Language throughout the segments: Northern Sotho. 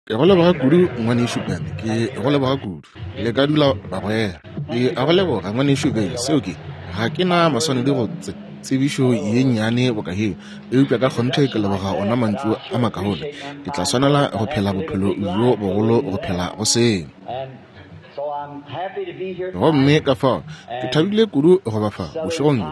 Ke go leboga kudu, Ngwanešu Ben. Ke go leboga kudu. Le ka dula, bagwera. Ke a go leboga, Ngwanešu Vayle. Seo ke, ga ke na maswanedi go tse, tsebišo ye nnyane boka yeo, eupša ka kgonthe ke leboga ona mantšu a makaone. Ke tla swanela go phela bophelo bjo bogolo go phela go seo. Gomme ka fao ke thabile kudu go ba fa bošegong bjo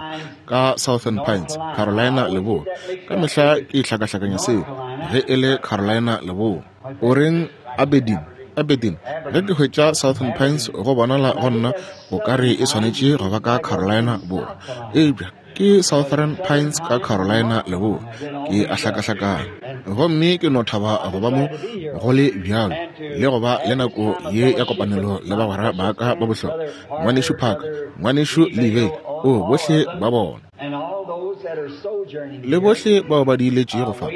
ka Southern Pines, Carolina Leboa. Ka mehla ke hlakahlakanya seo ge e le Carolina Leboa. O reng Aberdeen? Aberdeen. Ge ke hwetša Southern Pines go bonala go nna o ka re e swanetše go ba ka Carolina Borwa. Eupša ke Southern Pines ka Carolina Leboa. Ke a hlakahlakana. Gomme ke no thaba go ba mo go le bjalo, le go ba le nako ye ya kopanelo le bagwera ba ka ba bohlokwa, Ngwanešu Parker, Ngwanešu Lee Vayle, oo, bohle ba bona. Le bohle bao ba diiletšego fa,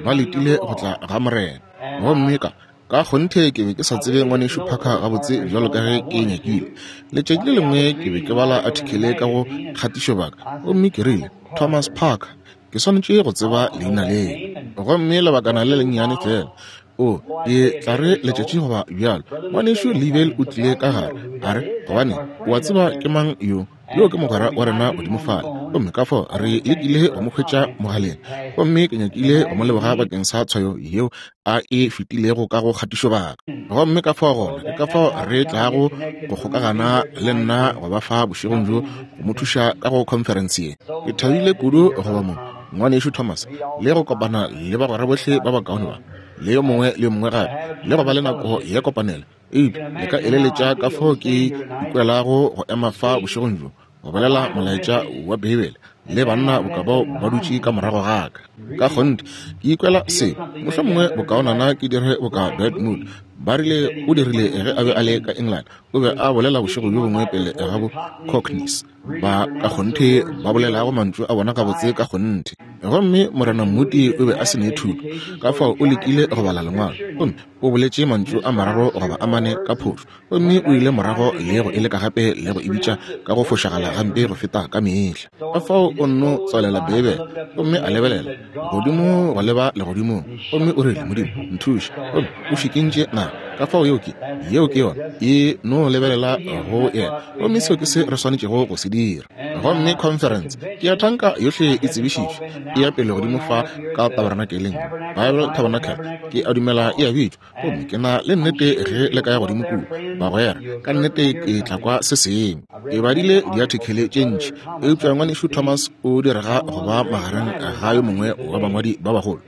ba letile go tla ga Morena. Gomme ka, Ka kgonthe ke be ke sa tsebe Ngwanešu Parker gabotse bjalo ka ge ke nyakile. Letšatši le lengwe ke be ke bala athikele ka go kgatišobaka, gomme ke rile, Thomas Parker, ke swanetše go tseba leina leo. Gomme lebakana le lennyane feela, o, ke tla re letšatši goba bjalo, Ngwanešu Liebel o tlile ka gare, a re, Gobane, o a tseba ke mang yo? Yo ke mogwera wa rena godimo fale. Gomme ka fao re lekile go mo hwetša mogaleng. Gomme ke nyakile go mo leboga bakeng sa tshwayo yeo a e fetilego ka go kgatišobaka. Gomme ka fao gona ke ka fao re tlago go kgokagana le nna go ba fa bošegong bjo go mo thuša ka go khonferense ye. Ke thabile kudu go ba mo, Ngwanešu Thomas, le go kopana le bagwera bohle ba bakaone ba, le yo mongwe le yo mongwe gape, le go ba le nako ya kopanelo. Eupša le ka eleletša ka fao ke ikwelago go ema fa bošegong bjo, go bolela molaetša wa Beibele le banna boka bao ba dutše ka morago ga ka. Ka kgonthe ke ikwela se, mohlomongwe bokaonana ke dire boka Dwight Moody ba rile o dirile ge a be a le ka England. O be a bolela bošego bjo bongwe pele ga bo Cockneys ba ka kgonthe ba bolelago mantšu a bona gabotse ka kgonthe. Gomme Morena Moody o be a se ne thuto, ka fao o lekile go bala lengwalo, gomme o boletše mantšu a mararo goba a mane ka phošo, gomme o ile morago le go e leka gape le go e bitša ka go fošagala gampe go feta ka mehla. Ka fao o nno tswalela Beibele gomme a lebelela godimo go leba legodimong, gomme o rile, Modimo, nthuše. Gomme o šikintše naga. Ka fao yeo ke, yeo ke yona. E no lebelela go yena. Gomme seo ke se re swanetšego go se dira. Gomme khonferense, ke a thanka yohle e tsebišitšwe, e ya pele godimo fa ka tabernakeleng, Bible Tabernacle, ke a dumela e a bitšwa. Gomme ke na le nnete ge le ka ya godimo kua, bagwera, ka nnete ke tla kwa se sengwe. Ke badile diathekele tše ntši, eupša Ngwanešu Thomas o direga go ba magareng ga yo mongwe wa bangwadi ba bagolo,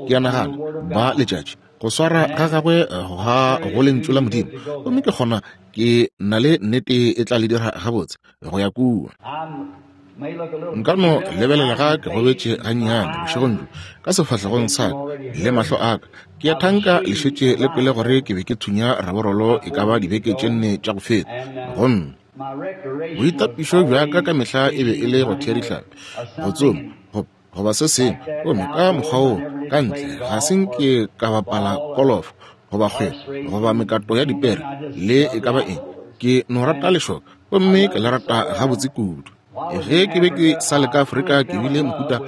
ke a nagana, ba letšatši. Go swara ga gagwe ga go Lentšu la Modimo, gomme ke kgona ke na le nnete e tla le dira gabotse go ya kua. Nka no lebelela ga ke gobetše gannyane bošegong bjo ka sefahlegong sa ka le mahlo a ka. Ke a thanka le šetše le kwele gore ke be ke thunya raborolo e ka ba dibeke tše nne tša go feta. Gomme boitapišo bja ka ka mehla e be e le go thea dihlapi, go tsoma, go, goba se sengwe. Gomme ka mokgwa woo, ka ntle, ga se nke ka bapala kolofo, goba kgwele, goba mekato ya dipere, le e ka ba eng. Ke no rata lešoka, gomme ke le rata gabotse kudu. Ge ke be ke sa le ka Afrika, ke bile mohuta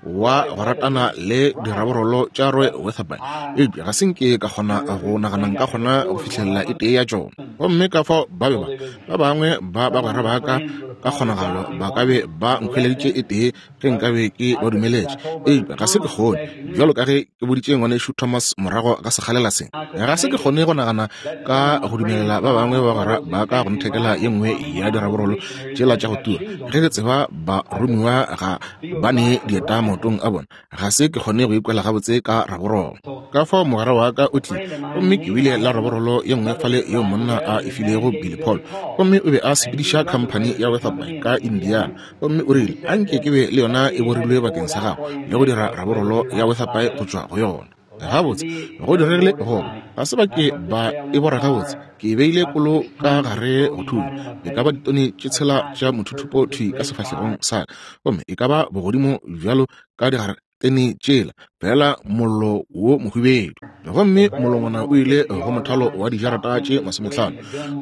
wa go ratana le diraborolo tša Roy Weatherby, eupša ga se nke ka kgona go nagana nka kgona go fihlelela e tee ya tšona. Gomme ka fao ba be ba, ba bangwe ba bagwera ba ka ka kgonagalo ba ka be ba nkhweleditše e tee ge nkabe ke ba dumeletše, eupša ga se ke kgone. Bjalo ka ge ke boditše Ngwanešu Thomas morago ga sekgalela se, ga se ke kgone go nagana ka go dumelela ba bangwe ba bagwera ba ka go nthekela ye nngwe ya diraborolo tšela tša go tura, ge ke tseba baromiwa ga ba ne dieta maotong a bona. Ga se ke kgone go ikwela gabotse ka raborolo. Ka fao mogwera wa ka o tlile, gomme ke bile la raborolo ye nngwe fale yeo monna a e filego Billy Paul, gomme o be a sepediša khamphani ya Weatherby ka Indiana. Gomme o rile, A nke ke be le yona e borilwe bakeng sa gago, le go dira raborolo ya Weatherby go tšwa go yona. Gabotse, go diregile goba ga se ba ke ba e bora gabotse. Ke e beile kolo ka gare go thunya, e ka ba ditone tše tshela tša mothuthupo thwi ka sefahlegong sa ka, gomme e ka ba bogodimo bjalo ka digare. tene tšela, feela mollo wo mohubedu. Gomme molongwana o ile go mothalo wa dijarata tše 50.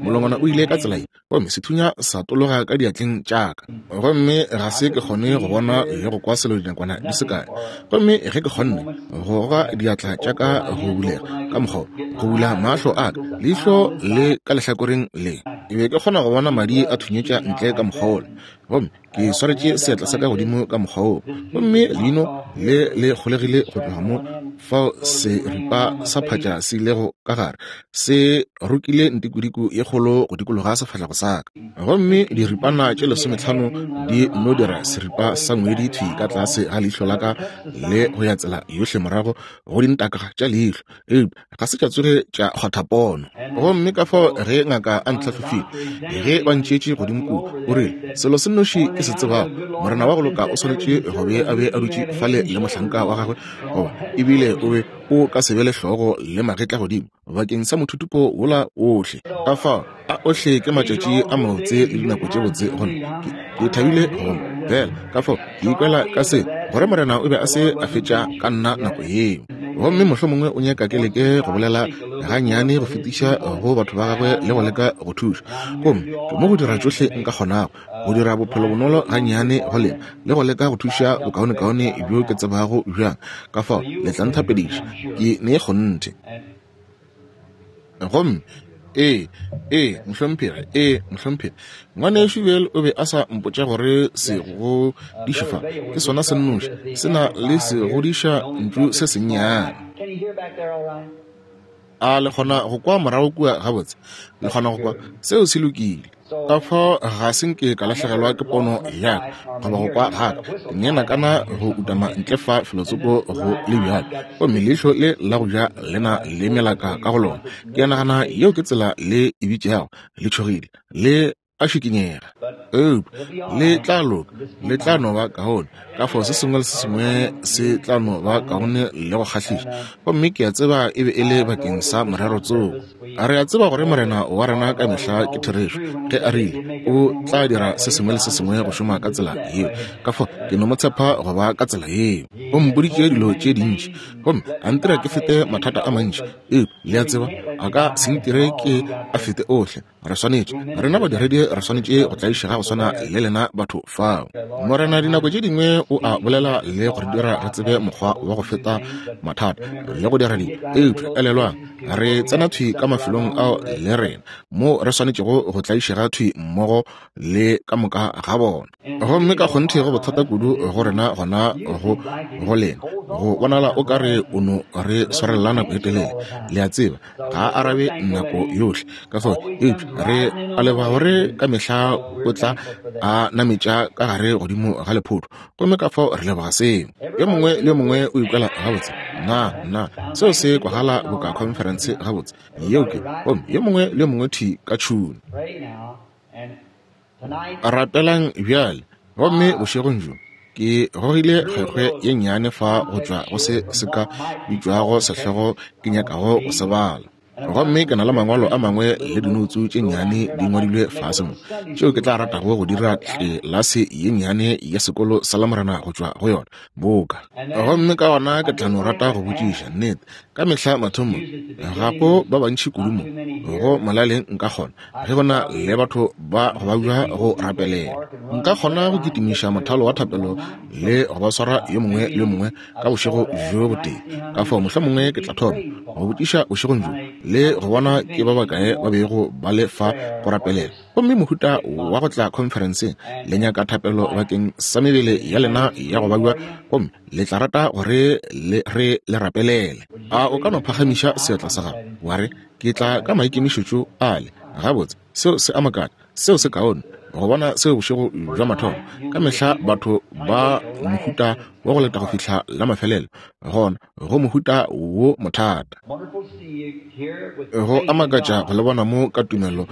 Molongwana o ile ka tsela ye, gomme sethunya sa tologa ka diatleng tša ka. Gomme ga se ke kgone go bona le go kwa selo dinakwana di se kae. Gomme ge ke kgonne go goga diatla tša ka go bulega ka mokgwa go bula mahlo a ka, leihlo le ka lehlakoreng le, ke be ke kgona go bona madi a thunyetša ntle ka mokgwa wola. Gomme ke swaretše seatla sa ka godimo ka mokgwa woo, gomme leino le le kgolegile go tloga mo fao seripa sa phatša se ilego ka gare, se rokile ntikodiko ye kgolo go dikologa sefahlego sa ka. Gomme diripana tše 15 di nno dira seripa sa ngwedi thwi ka tlase ga leihlo la ka le go ya tsela yohle morago go dintaka tša leihlo, eupša ga se tša tsoge tša kgwatha pono. Gomme ka fao ge ngaka a ntlhahlofile, ge ba ntšeetše godimo kua, o rile, Selo se nnoši ke se tsebago, Morena wa go loka o swanetše go be a be a dutše fale le mohlanka wa gagwe, goba ebile o be o ka se be le hlogo le magetla godimo bakeng sa mothutupo wola ohle. Ka fao a ohle ke matšatši a mabotse le dinako tše botse go nna. Ke thabile go fela ka fao ke ikwela ka se gore Morena o be a se a fetša ka nna nako yeo. Gomme mohlomongwe o nyaka ke leke go bolela gannyane go fetiša go batho ba gagwe le go leka go thuša. Gomme ke mo go dira tšohle nka kgonago go dira bophelo bonolo gannyane go lena le go leka go thuša bokaonekaone bjo ke tsebago bjang. Ka fao le tla nthapediša, ke ne kgonthe. Gomme ee, ee, mohlomphegi, ee, mohlomphegi. Ngwanešu Bill o be a sa mpotša gore segodiši fa ke sona se nnoši, se na le segodiša ntšu se sennyane. A le kgona go kwa morago kua gabotse? Le kgona go kwa? Seo se lokile. Ka fao ga se nke ka lahlegelwa ke pono ya ka goba go kwa ga ka. Ke ne nakana go utama ntle fa felotsoko go le bjalo, gomme leihlo le la go ja le na le melaka ka go lona. Ke a nagana yeo ke tsela le e bitšago, le tšhogile, le a šikinyega. Eupša le tla loka, le tla no ba kaone. Ka fao se sengwe le se sengwe se tla no ba kaone le go kgahliša. Gomme ke a tseba e be e le bakeng sa morero tsoko. A re a tseba gore Morena wa rena ka mehla ke therešo ge a rile o tla dira se sengwe le se sengwe go šoma ka tsela yeo. Ka fao ke no mo tshepa go ba ka tsela yeo. O mpoditše dilo tše dintši gomme a ntira ke fete mathata a mantši, eupša le a tseba a ka se ntire ke a fete ohle. Re swanetše, rena badiredi re swanetše go tlaišega go swana le lena batho fao. Morena dinako tše dingwe o a bolela le go re dira re tsebe mokgwa wa go feta mathata le go dira dilo, eupša elelwang, re tsena thwi ka mafelong ao le rena moo re swanetšego go tlaišega thwi mmogo le ka moka ga bona. Gomme ka kgonthe go bothata kudu go rena gona go go lena go bonala o ka re o no re swarelela nako e telele. Le a tseba, ga a arabe nako yohle ka fao, eupša re a leboga gore ka mehla o tla a nametša ka gare godimo ga lephoto, gomme ka fao re leboga seo. Yo mongwe le yo mongwe o ikwela gabotse? Na, na seo se kwagala boka khonferense gabotse? Yeo ke, gomme yo mongwe le yo mongwe thwi ka tšhune. Rapelang bjale. Gomme bošegong bjo ke gogile kgwekgwe ye nnyane fa go tšwa go se se ka bitšwago sehlogo ke nyakago go se bala. Gomme ke na le mangwalo a mangwe le dinoutsu tše nnyane di ngwadilwe fase mo, tšeo ke tla ratago go dira tlelase ye nnyane ya sekolo sa Lamorena go tšwa go yona, boka. Gomme ka gona ke tla no rata go botšiša, nnete, ka mehla mathomong, ga go ba bantši kudu mo, go molaleng nka kgona, ge go na le batho ba go babja go rapelela, nka kgona go kitimiša mothalo wa thapelo le go ba swara yo mongwe le yo mongwe ka bošego bjo botee. Ka fao mohlomongwe ke tla thoma go botšiša bošegong bjo le go bona ke ba bakae ba bego ba le fa go rapelela. Gomme mohuta wa go tla khonferenseng, le nyaka thapelo bakeng sa mebele ya lena ya go babja, gomme le tla rata gore le re le rapelele. A o ka no phagamiša seatla sa gago wa re, Ke tla ka maikemišetšo ale. Gabotse, seo se a makatša. Seo se kaone go bona seo bošego bja mathomo. Ka mehla batho ba mohuta wa go leta go fihla la mafelelo, gona go mohuta wo mothata. Go a makatša go le bona mo ka tumelo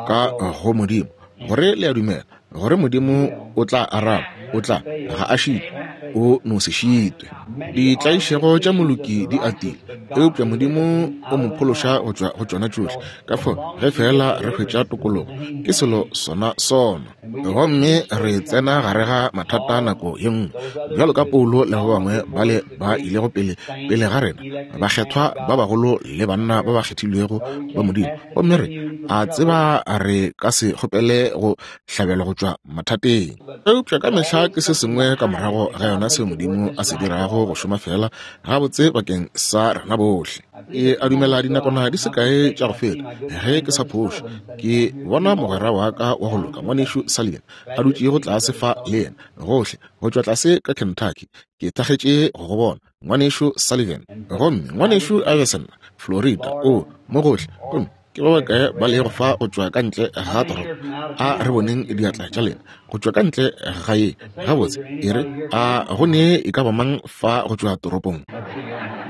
ka go Modimo, gore le a dumela gore Modimo o tla araba. O tla, ga a šitwe, o no se šitwe. Ditlaišego tša moloki di atile, eupša Modimo o mo phološa go tšwa go tšona tšohle. Ka fao, ge feela re hwetša tokologo, ke selo sona sona. Gomme re tsena gare ga mathata nako ye nngwe, bjalo ka Paulo le ba bangwe bale ba ilego pele pele ga rena, bakgethwa ba bagolo le banna ba ba kgethilwego ba Modimo. Gomme re a tseba re ka se kgopele go hlabelwa go tšwa mathateng. Eupša ka mehla ke se sengwe ka morago ga yona seo Modimo a se dirago go šoma feela gabotse bakeng sa rena bohle. Ke a dumela dinakwana di se kae tša go feta, ge ke sa phošo, ke bona mogwera wa ka wa go loka, Ngwanešu Sullivan, a dutšego tlase fa le yena, gohle go tšwa tlase ka Kentucky. Ke thakgetše go go bona, Ngwanešu Sullivan. Gomme Ngwanešu Iverson, Florida, o mo gohle. Gomme ke ba bakae ba lego fa go tšwa ka ntle ga toropo? A re boneng diatla tša lena go tšwa ka ntle ga ye. Gabotse, e re, a go ne e ka ba mang fa go tšwa toropong?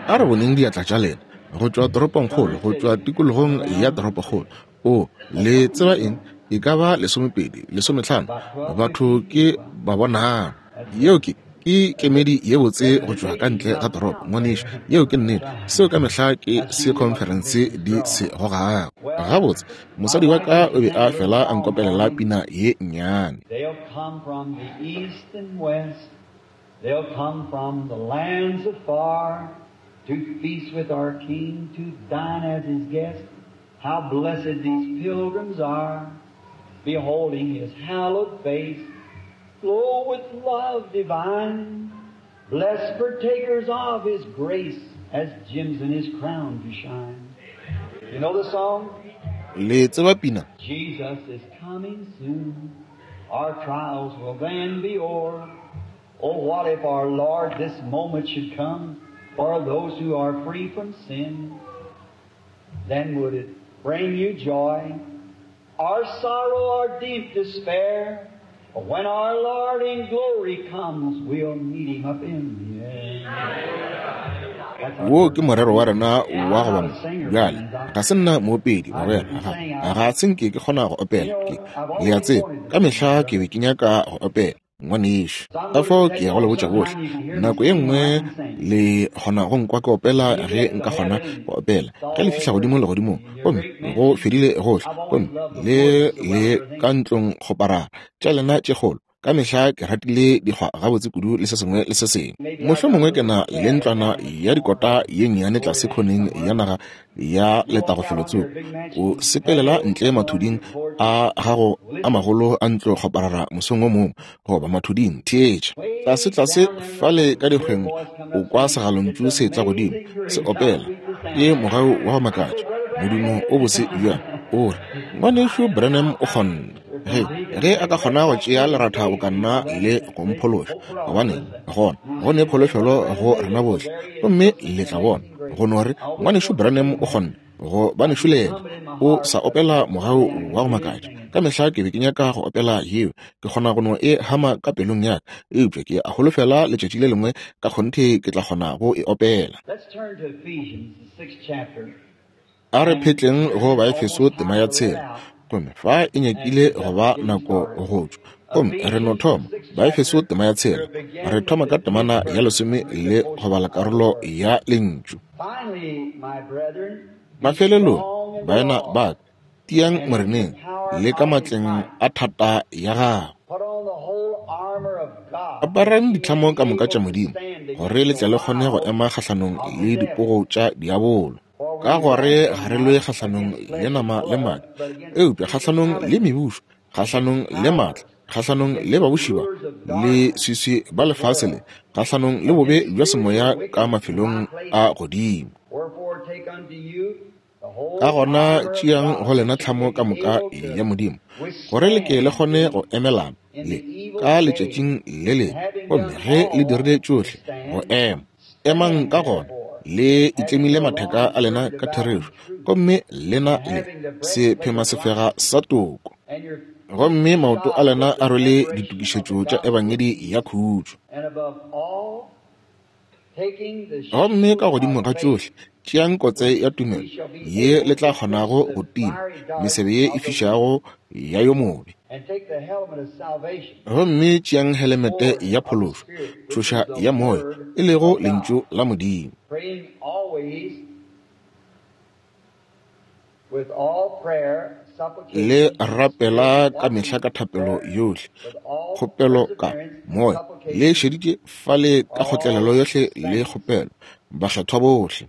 A re boneng diatla tša lena go tšwa toropongkgolo, go tšwa tikologong ya toropokgolo. O, le tseba eng? E ka ba 20, 15 batho ke ba bonang. Yeo ke, ke kemedi ye botse go tšwa ka ntle ga toropo, ngwanešu. Yeo ke nnete. Seo ka mehla ke se khonferense di se gogago. Gabotse, mosadi wa ka o be a fela a nkopelela pina ye nnyane. They'll come from the east and west, they'll come from the lands afar, to feast with our King, to dine as his guest. How blessed these pilgrims are, beholding his hallowed face, glow with love divine, blessed partakers of his grace, as gems in his crown to shine. You know the song? Le tseba pina? Jesus is coming soon. Our trials will then be o'er. Oh, what if our Lord this moment should come for those who are free from sin? Then would it bring you joy, or sorrow, or deep despair? But when our Lord in glory comes, we'll meet him up in the air. Wo ke morero wa rena wa go ba mo. Bjale, ga se nna moopedi, mogwera, ga, ga se nke ke kgona go opela. Ke, le a tseba, ka mehla ke be ke nyaka go opela, ngwanešu. Ka fao ke ya go le botša bohle, nako ye nngwe le kgona go nkwa ke opela ge nka kgona go opela. Ge le fihla godimo legodimong, gomme go fedile gohle, gomme le le ka ntlong kgoparara tša lena tše kgolo, ka mehla ke ratile dikgwa gabotse kudu le se sengwe le se sengwe. Mohlomongwe ke na le ntlwana ya dikota ye nnyane tlase khoneng ya naga ya letago felotsoko. O sepelela ntle mathuding a gago a magolo a ntlo kgoparara mosong o mongwe, goba mathuding, theetša. Tlase tlase fale ka dikgweng o kwa segalontšu se etla godimo, se opela. Ke mogau wa go makatša, modumo o bose bjang. O re, Ngwanešu Branham o kgonne. Ge, ge a ka kgona go tšea leratha boka nna le go mphološa, gobaneng, gona go ne pholofelo go rena bohle. Gomme le tla bona, go no re, Ngwanešu Branham o kgonne, go banešu le yena. O sa opela mogau wa go makatša. Ka mehla ke be ke nyaka go opela yeo. Ke kgona go no e hama ka pelong ya ka, eupša ke a holofela letšatši le lengwe ka kgonthe ke tla kgona go e opela. Let's turn to Ephesians, the 6th chapter. A re phetleng go Baefeso tema ya 6, gomme fa e nyakile go ba nako go tšwa. Gomme re no thoma Baefeso tema ya 6, re thoma ka temana ya 10 le go bala karolo ya Lentšu. Finally, my brethren, be Mafelelong, strong in the baena Lord ba ka, tiang and in the Moreneng power le ka of his matleng might. a thata ya gagwe. Put on the whole armor of God, Aparang that ye may ditlhamo be ka moka able tša to Modimo, stand gore against le the tle le kgone go wiles ema kgahlanong of le the devil. dipogo tša diabolo. For Ka we gore wrestle ga re lwe not kgahlanong against le flesh and nama le blood, madi, but against eupša kgahlanong le principalities, mebušo, kgahlanong le matla, powers, kgahlanong against le the babuši ba rulers of le darkness swiswi of ba this lefase le, world, kgahlanong le bobe against bja semoya spiritual ka wickedness in mafelong high a places. godimo. Wherefore take unto you the Ka whole gona armor of tšeang God, go lena that ye tlhamo may ka be moka able to ya Modimo, gore le ke le withstand kgone go emelana in le the evil ka day, letšatšing le and lebe, having gomme done ge le all dirile to tšohle go stand, ema. Emang stand ka gona, therefore, le having itlemile your matheka loins a lena girded ka about therešo, with truth, gomme lena and le having the breastplate of sephemasefega righteousness, sa toko, and your feet gomme maoto a shod lena with a the rwele preparation of the ditokišetšo tša gospel of ebangedi peace, ya khutšo. and above all, taking the Gomme shield ka godimo of ga faith, tšohle, Tšeang kotse ya tumelo ye le tla kgonago go tima mesebe ye e fišago ya yo mobe. Gomme tšeang helemete ya phološo, tšhoša ya moya, e lego Lentšu la Modimo. Le rapela ka mehla ka thapelo yohle, kgopelo ka moya, le šeditše fale ka kgotlelelo yohle le kgopelo, bakgethwa bohle.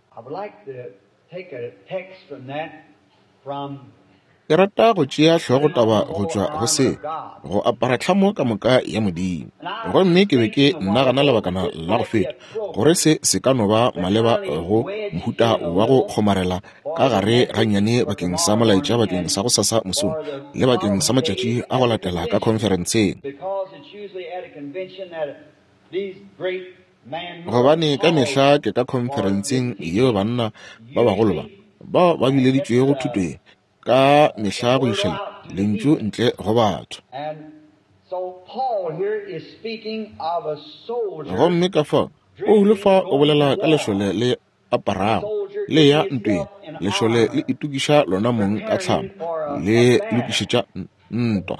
Ke rata go tšea hlogotaba go tšwa go se, go apara tlhamo ka moka ya Modimo. Gomme ke be ke nagana lebakana la go feta gore se se ka no ba maleba go mohuta wa go kgomarela ka gare gannyane bakeng sa molaetša bakeng sa go sasa mosong le bakeng sa matšatši a go latela ka khonferenseng. Gobane ka mehla ke ka khonferenseng yeo banna ba bagolo ba bao ba bileditšwego thuto ye ka mehla go iša lentšu ntle go batho. Gomme ka fao Paulo fa o bolela ka lešole le aparago le ya ntweng, lešole le itokiša lona mong ka tlhamo, le lokišetša ntwa.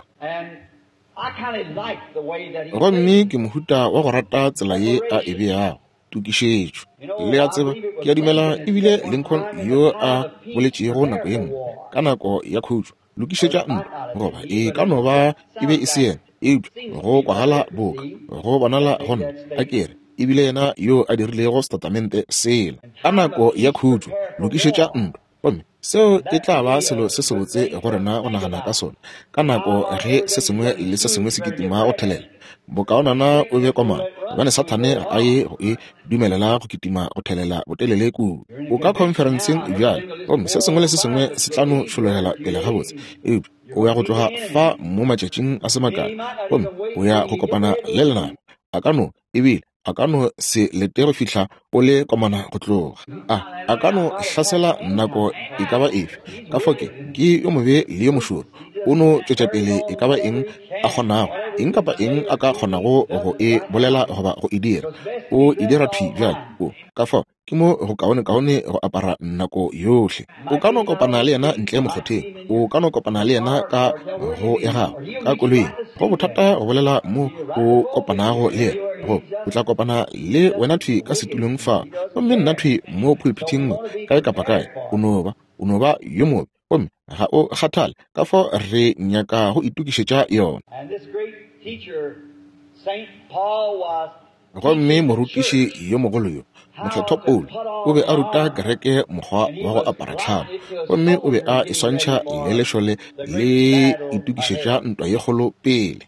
Gomme ke mohuta wa go rata tsela ye a e beago tokišetšo. Le a tseba, ke a dumela ebile Lincoln yo a boletšego nako ye nngwe ka nako ya khutšo, lokišetša ntwa, goba e ka no ba e be e se yena, eupša go kwagala boka go bonala go nna, a ke re, ebile yena yo a dirilego setatamente sela ka nako ya khutšo, lokišetša ntwa. Gomme seo e tla ba selo se sebotse go rena go nagana ka sona ka nako ge se sengwe le se sengwe se kitima go thelela. Bokaonana o be komana, gobane Sathane ga a ye go e dumelela go kitima go thelela botelele kudu. O ka khonferenseng bjale, gomme se sengwe le se sengwe se tla no tšhologela pele gabotse, eupša o ya go tloga fa mo matšatšing a se makae, gomme o ya go kopana le lenaba. A ka no ebile a ka no se lete go fihla o le komana go tloga. A ka no hlasela nako e ka ba efe. Ka fao ke yo mobe le yo mošoro. O no tšwetša pele e ka ba eng a kgonago, eng kapa eng a ka kgonago go e bolela goba go e dira. O e dira thwi bjale. O ka fao ke mo go kaonekaone go apara nako yohle. O ka no kopana le yena ntle mokgotheng, o ka no kopana le yena ka go ya gago ka koloing. Go bothata go bolela mo o kopanago le yena, go o tla kopana le wena thwi ka setulong fa, gomme nna thwi mo pulpithing mo, kae kapa kae. O no ba yo mobe, gomme ga o kgathale ka fao re nyaka go itokišetša yona. Gomme morutiši yo mogolo yo, Mokgethwa Paulo, o be a ruta kereke mokgwa wa go apara tlhamo, gomme o be a e swantšha le lešole le itokišetša ntwa ye kgolo pele.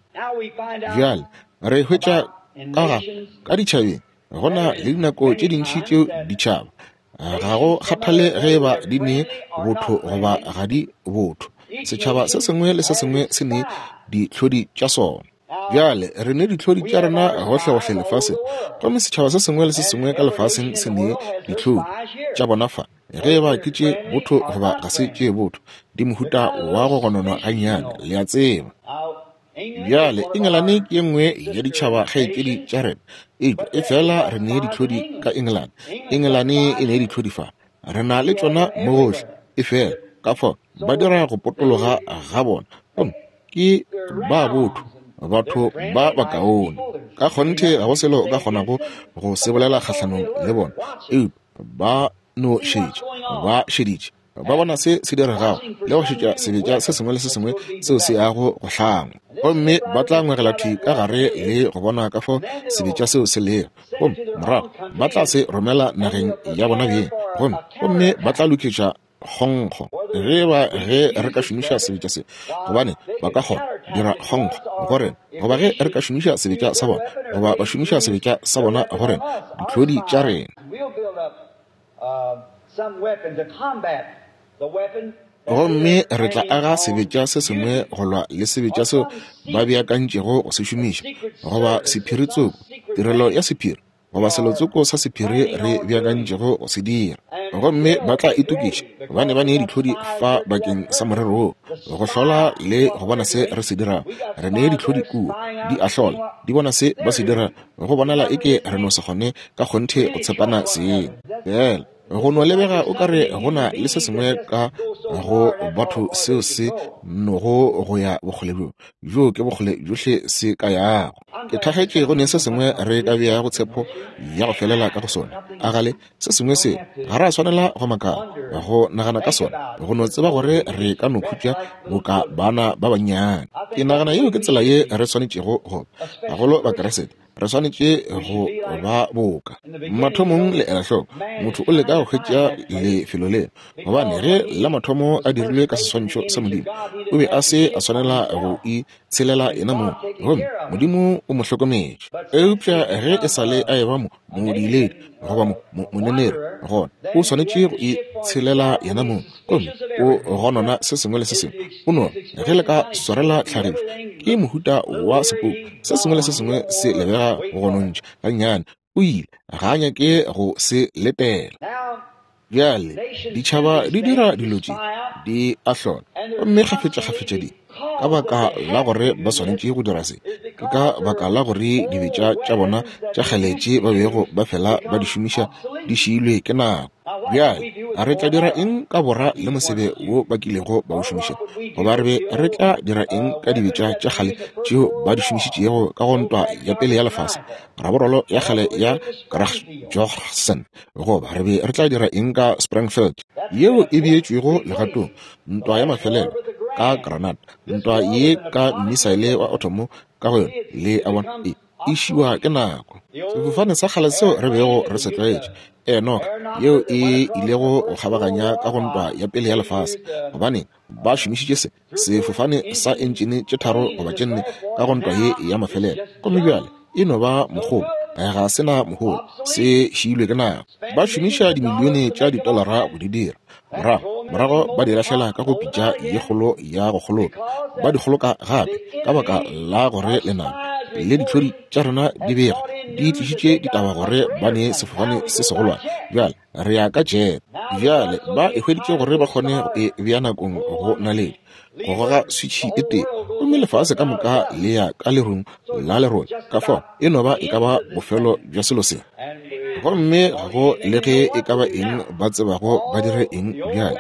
Bjale re hwetša ka ga ka ditšhabeng go na le dinako tše dintši tšeo ditšhaba, ga go kgathale ge e ba di ne botho goba ga di botho, setšhaba se sengwe le se sengwe se ne dihlodi tša sona. Bjale re ne dihlodi tša rena gohlegohle lefaseng, gomme setšhaba se sengwe le se sengwe ka lefaseng se ne dihlodi tša bona fa, ge e ba ke tše botho goba ga se tše botho, di mohuta wa go gononwa gannyane, le a tseba. Bjale Engelane ke ye nngwe ya ditšhaba kgaetšedi tša rena, eupša efela re ne dihlodi ka Engelane. Engelane e ne dihlodi fa, re na le tšona mo gohle, efela ka fao ba dira go potologa ga bona, gomme ke ba botho, batho ba bakaone. Ka kgonthe ga go selo o ka kgonago go se bolela kgahlanong le bona, eupša ba no šetša, ba šeditše, ba bona se se diregago le go šetša sebetša se sengwe le se sengwe seo se yago go hlangwa, gomme ba tla ngwegela thwi ka gare le go bona ka fao sebetša seo se lego, gomme morago ba tla se romela nageng ya bona beng, gomme ba tla lokiša kgonkgo. Ge ba ge re ka šomiša sebetša se, gobane ba ka kgona dira kgonkgo go rena, goba ge re ka šomiša sebetša sa bona, goba ba šomiša sebetša sa bona go rena, dihlodi tša rena. Gomme re tla aga sebetša se sengwe go lwa le sebetša seo ba beakantšego go se šomiša, goba sephiri tsoko, tirelo ya sephiri, goba selotsoko sa sephiri re beakantšego go se dira. Gomme ba tla itokiša, gobane ba ne dihlodi fa bakeng sa morero wo, go hlola le go bona se re se dirago. Re ne dihlodi kua, di a hlola, di bona se ba se dirago. Go bonala eke re no se kgone ka kgonthe go tshepana seng. Fela. Go no lebega o ka re go na le se sengwe ka go batho seo se nogo go ya bokgole bjo, bjoo ke bokgole bjohle se ka yago. Ke thakgetše go ne se sengwe re ka beago tshepo ya go felela ka go sona. A gale se sengwe se ga ra swanela go makala go nagana ka sona, go no tseba gore re ka no khutša boka bana ba bannyane. Ke nagana yeo ke tsela ye re swanetšego go ba, gagolo Bakeresete. Re swanetše go ba boka. Mathomong le ela hloko, motho o leka go hwetša lefelo le, gobane ge la mathomo a dirilwe ka seswantšho sa Modimo, o be a se a swanela go itshelela yena mong, gomme Modimo o mo hlokometše. Eupša ge e sa le a eba mo, modiiledi goba mo, mo, moneneri, gona o swanetše go itshelela yena mong, gomme o gonona se sengwe le se sengwe. O no ge le ka swarela tlhagišo, ke mohuta wa sepoko, se sengwe le se sengwe se lebega go gonontšha gannyane. O ile, ga a nyake go se letela. Bjale ditšhaba di dira dilo tše, di a hlola, gomme kgafetšakgafetša di, ka baka la gore ba swanetše go dira se, ke ka baka la gore dibetša tša bona tša kgale tše ba bego ba fela ba di šomiša di šiilwe ke nako. Bjale, a re tla dira eng ka bora le mosebe wo ba kilego ba o šomiša? Goba re be re tla dira eng ka dibetša tša kgale tšeo ba di šomišitšego ka go Ntwa ya Pele ya Lefase, raborolo ya kgale ya Kragjochsen? Goba re be re tla dira eng ka Springfield yeo e beetšwego legatong, ntwa ya mafelelo ka granat, ntwa ye ka mmisaele wa athomo ka go yona? Le a bona, e e šiwa ke nako. Sefofane sa kgale seo re bego re se tlwaetše, Enoch, yeo e ilego go kgabaganya ka go Ntwa ya Pele ya Lefase, gobane ba šomišitše se sefofane sa entšene tše tharo goba tše nne ka go ntwa ye ya mafelelo, gomme bjale e no ba mogobo, ga se na mohola, se šiilwe ke nako. Ba šomiša dimilione tša ditolara go di dira, morago morago ba di lahlela ka go pitša ye kgolo ya go kgoloka, ba di kgoloka gape ka baka la gore lenaba le dihlodi tša rena di bega di tlišitše ditaba gore ba ne sefofane se segolwane. Bjale re ya ka jet. Bjale ba e hweditše gore ba kgone go e bea nakong go naledi, go goga switšhi e tee, gomme lefase ka moka le ya ka lerung la lerole. Ka fao e no ba e ka ba bofelo bja selo se. Gomme ga go le ge e ka ba eng ba tsebago ba dire eng bjale.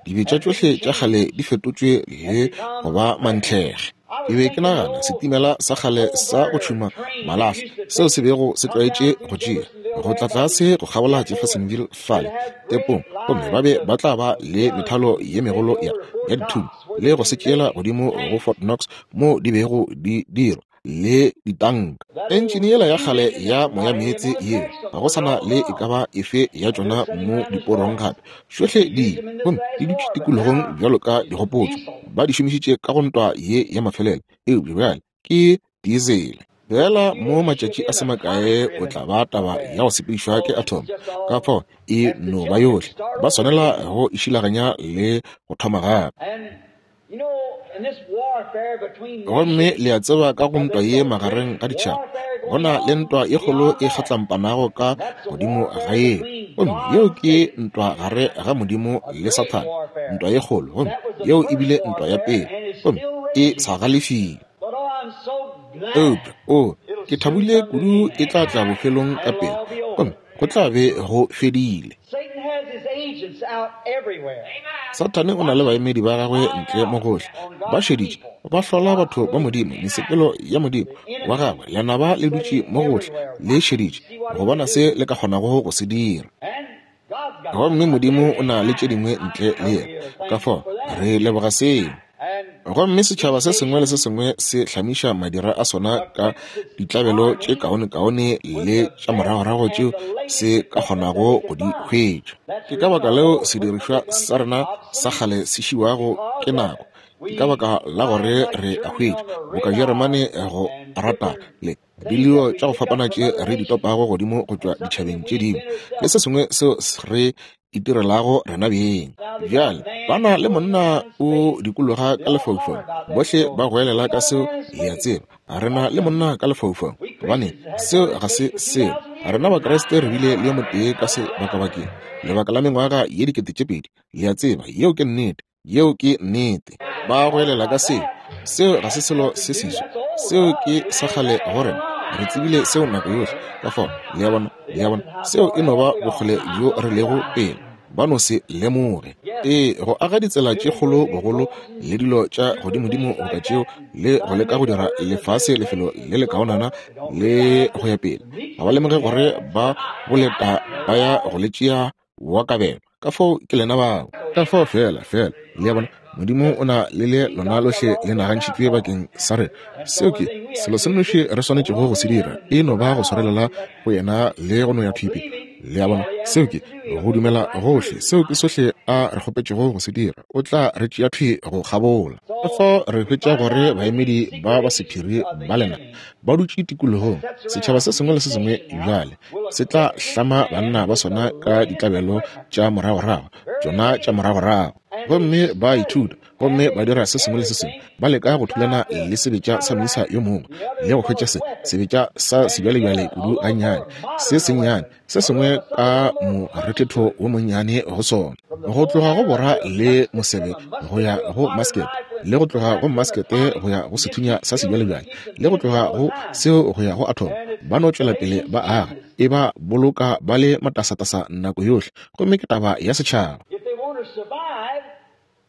Dibetša tšohle tša kgale di fetotšwe le go ba mantlhege. Ke be ke nagana setimela sa kgale sa go tšhuma malahla seo se bego se tlwaetše go tšea go tla tlase go kgabola Jeffersonville fale tepong, gomme ba be ba tla ba le methalo ye megolo ya ya dithunya le go se tšeela godimo go Fort Knox moo di bego di dirwa le ditanka. Entšene yela ya kgale ya moyameetse yeo, ga go sa na le e ka ba efe ya tšona mo diporong gape. Tšohle di ile, gomme di dutše tikologong bjalo ka digopotšo. Ba di šomišitše ka go ntwa ye ya mafelelo, eupša bjale ke diesele. Feela mo matšatši a se makae o tla ba taba ya go sepedišwa ke atom, ka fao e no ba yohle. Ba swanela go e šilaganya le go thoma gape. Gomme le a tseba ka go ntwa ye magareng ga ditšhaba, go na le ntwa ye kgolo e kgatlampanago ka godimo ga yeo, gomme yeo ke ntwa gare ga Modimo le Sathane, ntwa ye kgolo, gomme yeo e bile ntwa ya pele, gomme e sa galefile. Eupša, oo, ke thabile kudu e tla tla bofelong ka pela, gomme go tla be go fedile. Sathane o na le baemedi ba gagwe ntle mo gohle, ba šeditše, ba hlola batho ba Modimo, mesepelo ya Modimo wa gagwe. Lenaba le dutše mo gohle, le šeditše go bona se le ka kgonago go se dira. Gomme Modimo o na le tše dingwe ntle le yena. Ka fao re leboga seo. Gomme setšhaba se sengwe le se sengwe se hlamiša madira a sona ka ditlabelo tše kaonekaone le tša moragorago tšeo se ka kgonago go di hwetša. Ke ka baka leo sedirišwa sa rena sa kgale se šiwago ke nako. Ke ka baka la gore re a hwetša, boka Jeremane go rata le dilio tša go fapana tše re di topago godimo go tšwa ditšhabeng tše dingwe le se sengwe seo re itirelago rena beng. Bjale ba na le monna o dikologa ka lefaufaung, bohle ba goelela ka seo, le a tseba, re na le monna ka lefaufaung. Gobane seo ga se selo. Rena Bakriste re bile le yo motee ka sebakabakeng lebaka la mengwaga ye 2000, le a tseba, yeo ke nnete. Yeo ke nnete. Ba goelela ka seo. Seo ga se selo se seswa. Seo ke sa kgale go rena. Re tsebile seo nako yohle. Ka fao, le a bona, le a bona, seo e no ba bokgole bjo re lego pele. Ba no se lemoge. Ee, go aga ditsela tše kgolo bogolo le dilo tša godimodimo boka tšeo, le go leka go dira lefase lefelo le lekaonana le go ya pele, ga ba lemoge gore ba boleta ba ya go le tšea wa kabelo. Ka fao ke lena bao. Ka fao feela, feela, le a bona, Modimo o na le le lona lohle le nagantšhitšwe bakeng sa rena. Seo ke selo se nnoši re swanetšego go se dira, e no ba go swarelela go yena le go no ya thwi pele. Le a bona, seo ke go dumela gohle. Seo ke sohle a re kgopetšego go se dira. O tla re tšea thwi go kgabola. Ka fao re hwetša gore baemedi ba ba sephiri ba lena ba dutše tikologong, setšhaba se sengwe le se sengwe bjale se tla hlama banna ba sona ka ditlabelo tša moragorago, tšona tša moragorago. Gomme ba ithuta, gomme ba dira se sengwe le se sengwe, ba leka go thulana le sebetša sa moisa yo mongwe, le go hwetša se sebetša sa sebjalebjale kudu gannyane, se sennyane, se sengwe ka morethetho wo monnyane go sona. Go tloga go bora le mosebe go ya go maskete, le go tloga go maskete go ya go sethunya sa sebjalebjale, le go tloga go seo go ya go athomo, ba no tšwela pele ba aga, e ba boloka ba le matasatasa nako yohle, gomme ke taba ya setšhaba.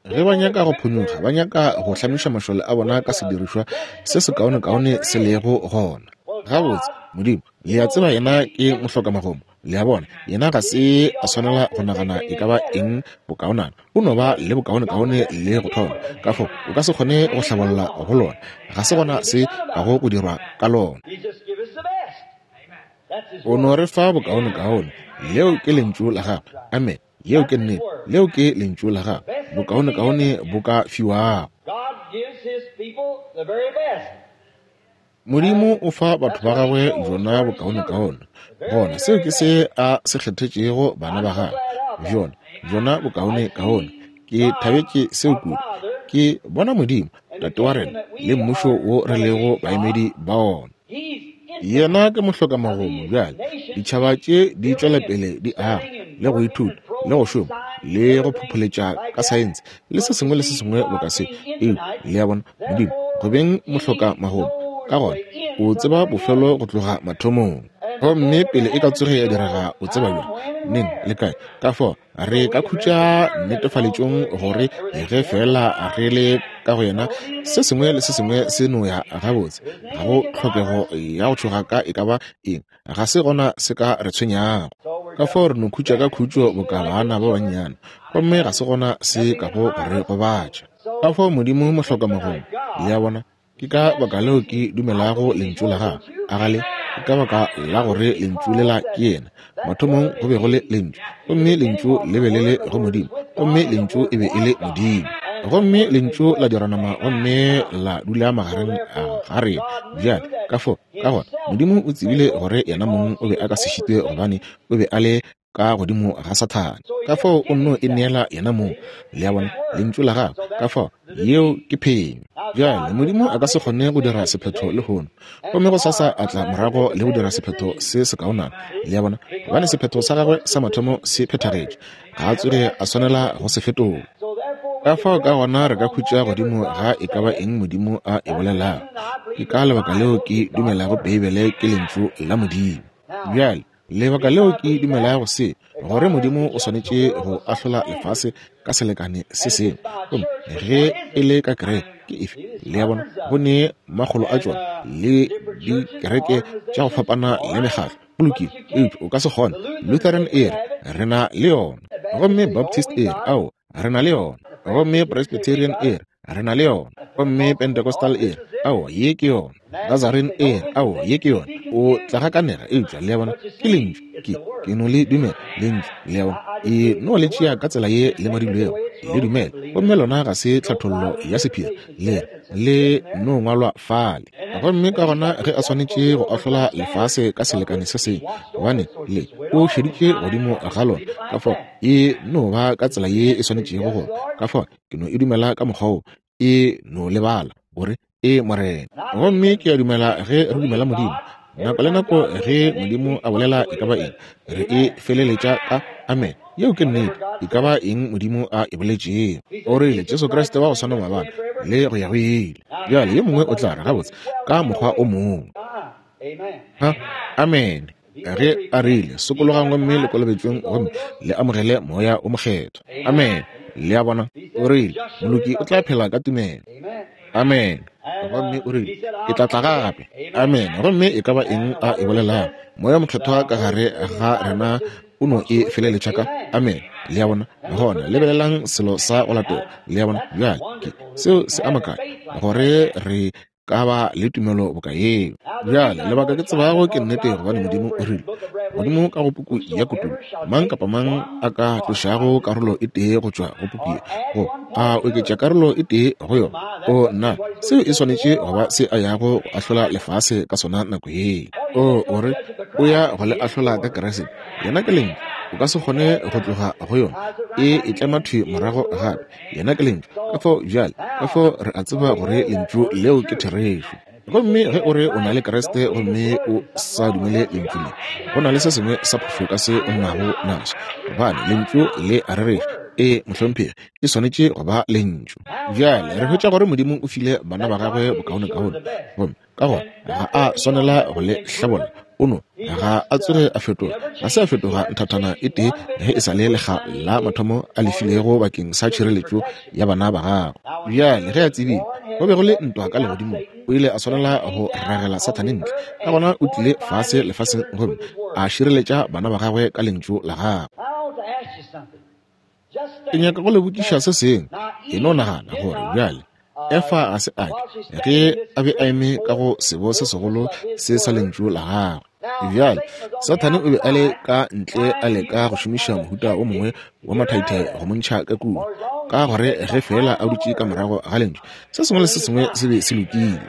Ge ba nyaka go phonyokga, ba nyaka go hlamiša mašole a bona ka sedirišwa se sekaonekaone se lego gona. Gabotse, Modimo, le a tseba yena ke mohlokamagomo. Le a bona, yena ga se a swanela go nagana e ka ba eng bokaonana. O no ba le bokaonekaone le go thoma. Ka fao, o ka se kgone go hlabolla go lona. Ga se gona se kago go dirwa ka lona. O no re fa bokaonekaone. Leo ke Lentšu la Gagwe. Amene. Yeo ke nnete. Leo ke Lentšu la Gagwe. Bokaonekaone bo ka fiwago. Modimo o fa batho ba gagwe bjona bokaonekaone. Gona seo ke se a se kgethetšego bana ba gagwe. Bjona, bjona bokaonekaone. Ke thabetše seo kudu. Ke bona Modimo, Tate wa rena, le Mmušo wo re lego baemedi ba ona. Yena ke mohlokamagomo. Bjale, ditšhaba tše di tšwela pele di aga, le go ithuta, le go šoma, le go phopholetša ka saense, le se sengwe le se sengwe boka se. Eupša, le a bona, Modimo, go beng mohlokamagomo, ka gona O tseba bofelo go tloga mathomong. Gomme pele e ka tsoge ya direga, O tseba bjang, neng, le kae. Ka fao re ka khutša netefaletšong gore ge feela re le ka go yena, se sengwe le se sengwe se no ya gabotse. Ga go tlhokego ya go tšhoga ka e ka ba eng, ga se gona se ka re tshwenyago. Ka fao re no khutša ka khutšo boka bana ba bannyane, gomme ga se gona se kago go re gobatša. Ka fao Modimo mohlokamagong, le a bona, Ke ka baka leo ke dumelago Lentšu la Gagwe. A ga le? Ke ka baka la gore Lentšu lela ke Yena. Mathomong go be go le Lentšu, gomme Lentšu le be le le go Modimo, gomme Lentšu e be e le Modimo. Gomme Lentšu la dira nama gomme la dula magareng ga rena. Bjale, ka fao, ka gona, Modimo o tsebile gore Yena mong o be a ka se šitwe gobane O be a le ka godimo ga Sathane. Ka fao o nno e neela yena mong, le a bona, Lentšu la Gagwe. Ka fao, yeo ke phenyo. Bjale, Modimo a ka se kgone go dira sephetho lehono, gomme gosasa a tla morago le go dira sephetho se sekaonana, le a bona, gobane sephetho sa gagwe sa mathomo se phethagetše. Ga a tsoge a swanela go se fetola. Ka fao ka gona re ka khutša godimo ga e ka ba eng Modimo a e bolelago. Ke ka lebaka leo ke dumelago Beibele ke Lentšu la Modimo. Bjale, Lebaka leo ke dumelago se, gore Modimo o swanetše go ahlola lefase ka selekane se sengwe, gomme ge e le ka kereke, ke efe? Le a bona, go ne makgolo a tšona le dikereke tša go fapana le mekgatlo. Go lokile, eupša o ka se kgone. Lutheran e re, Re na le yona. Gomme Baptist e re, Aowa, re na le yona. Gomme Presbyterian e re, Re na le yona. Gomme Pentecostal e re, Aowa, ye ke yona. Nazarene e re, Aowa, ye ke yona. O tla gakanega, eupša, le a bona, ke Lentšu. Ke, ke no le dumela, Lentšu, le a bona. E no le tšea ka tsela ye le ngwadilwego, le dumele. Gomme lona ga se tlhathollo ya sephiri, le re, le no ngwalwa fale. Gomme ka gona ge a swanetše go ahlola lefase ka selekane se sengwe, gobane le, o šeditše godimo ga lona, ka fao e no ba ka tsela ye e swanetšego go, ka fao ke no e dumela ka mokgwa wo, e no lebala gore e Morena. Gomme ke a dumela ge re dumela Modimo, nako le nako ge Modimo a bolela e ka ba eng, re e feleletša ka amen. Yeo ke nnete, e ka ba eng Modimo a e boletšego. O rile, Jesu Kriste wa go swana maabane le go ya go ile. Bjale yo mongwe o tla re, gabotse, ka mokgwa o mongwe. Ha? Amene. Ge a rile, Sokologang gomme le kolobetšweng gomme le amogele Moya o Mokgethwa. Amene. Le a bona? O rile, Moloki o tla phela ka tumelo. Amene. Gomme o rile, Ke tla tla gape. Amene. Gomme e ka ba eng a e bolelago, Moya Mokgethwa ka gare ga rena o no e feleletša ka amene. Le a bona? Gona lebelelang selo sa go latela. Le a bona? Bjale, ke seo se a makatša gore re ka ba le tumelo boka yeo. Bjale, lebaka ke tsebago ke nnete gobane Modimo o rile, godimo ka go puku ya Kutullo, mang kapa mang a ka tlošago karolo e tee go tšwa go puku ye, go a oketša karolo e tee go yona, o nna, seo e swanetše go ba se a yago go ahlola lefase ka sona nako yeo. O, o re, o ya go le ahlola ka Kriste. Yena ke Lentšu. O ka se kgone go tloga go yona. E e tlema thwi morago gape. Yena ke Lentšu. Ka fao bjale, ka fao re a tseba gore Lentšu leo ke therešo. Gomme ge o re o na le Kriste gomme o sa dumele Lentšu le, go na le se sengwe sa phošo ka se o nago naso, gobane Lentšu le a rereša. Ee, mohlomphegi, e swanetše go ba Lentšu. Bjale re hwetša gore Modimo o file bana ba gagwe bokaonekaone, gomme ka gona ga a swanela go le hlabolla. O no ga a tsoge a fetoga, ga se a fetoga nthathana e tee ge e sa le lekga la mathomo a lefilego bakeng sa tšhireletšo ya bana ba gagwe. Bjale ge a tsebile go be go le ntwa ka legodimong, o ile a swanela go ragela Sathane ntle. Ka gona o tlile fase lefaseng gomme a šireletša bana ba gagwe ka lentšu la gagwe. Ke nyaka go le botšiša se sengwe. E no nagana gore bjale Efa ga se a ke ge a be a eme ka go sebo se segolo se sa lentšu la gagwe. Bjale Sathane o be a le ka ntle a leka go šomiša mohuta o mongwe wa mathaithai go mo ntšha ka kua, ka gore ge feela a dutše ka morago ga lentšu, se sengwe le se sengwe se be se lokile.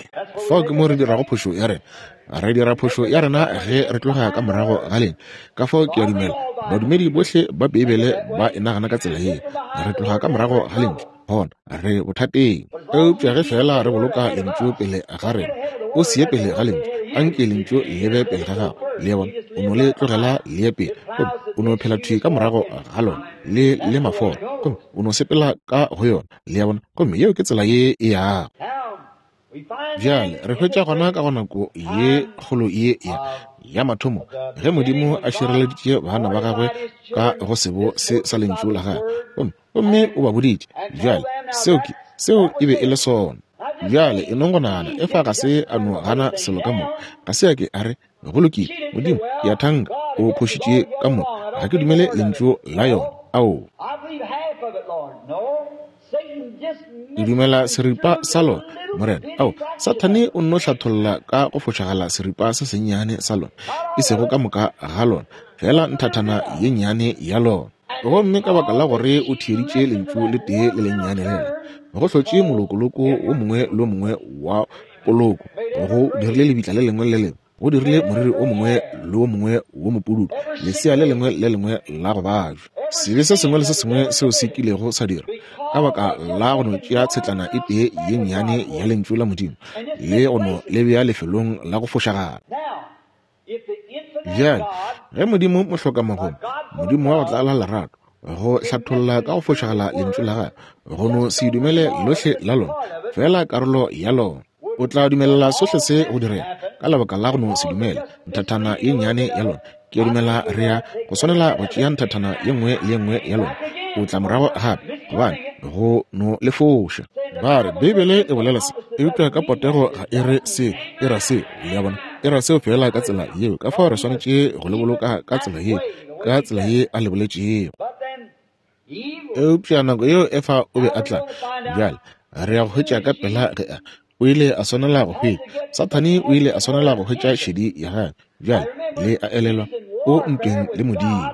Fao ke mo re dirago phošo ya rena. Re dira phošo ya rena ge re tloga ka morago ga lena. Ka fao ke a dumela badumedi bohle ba Beibele ba e nagana ka tsela ye. Re tloga ka morago ga Lentšu, gona re bothateng. Eupša ge feela re boloka Lentšu pele ga rena, o se ye pele ga Lentšu, anke Lentšu le be pele ga gago. Le a bona? O no le tlogela le ye pele, gomme o no phela thwi ka morago ga lona, le le mafora, gomme o no sepela ka go yona. Le a bona? Gomme yeo ke tsela ye e yago. Bjale re hwetša gona ka go nako ye kgolo ye ya, ya mathomo ge Modimo a šireleditše bana ba gagwe ka go sebo se sa lentšu la gagwe, gomme, gomme o ba boditše. Bjale seo ke, seo e be e le sona. Bjale e nong go nagana, Efa ga se a no gana selo ka moka. Ga se a ke a re, Go lokile, Modimo, ke a thanka o phošitše ka moka. Ga ke dumele lentšu la yona. Aowa. Ke dumela seripa sa lona, Morena. Ao, Sathane o nno hlatholla ka go fošagala seripa se sennyane sa lona, e sego ka moka ga lona, feela nthathana ye nnyane ya lona. Gomme ka baka la gore o theeditše lentšu le tee le lennyane lela, go hlotše molokoloko wo mongwe le wo mongwe wa poloko, go dirile lebitla le lengwe le le lengwe, go dirile moriri o mongwe le wo mongwe wo mopududu, lesea le lengwe le lengwe la go bajwa, sebe se sengwe le se sengwe seo se kilego sa dirwa, ka baka la go no tšea tshetlana e tee ye nnyane ya Lentšu la Modimo le go no le bea lefelong la go fošagala. Bjale, ge Modimo mohlokamagome, Modimo wa go tlala lerato, go hlatholla ka go fošagala Lentšu la Gagwe, go no se dumele lohle la lona, feela karolo ya lona, o tla dumelela sohle se go direga ka lebaka la go no se dumele nthathana ye nnyane ya lona. Ke a dumela re ya go swanela go tšea nthathana ye nngwe le ye nngwe ya lona, o tla morago gape, gobane go no le foša. Ba re Beibele e bolela se, eupša ka potego ga e re se, e ra se. Le a bona, e ra seo feela ka tsela yeo. Ka fao re swanetše go le boloka ka tsela yeo, ka tsela ye a le boletšego. Eupša nako yeo Efa o be a tla, bjale re ya go hwetša ka pela ge a, o ile a swanela go hwetša, Sathane o ile a swanela go hwetša šedi ya gagwe. Bjale le a elelwa, o ntweng le Modimo.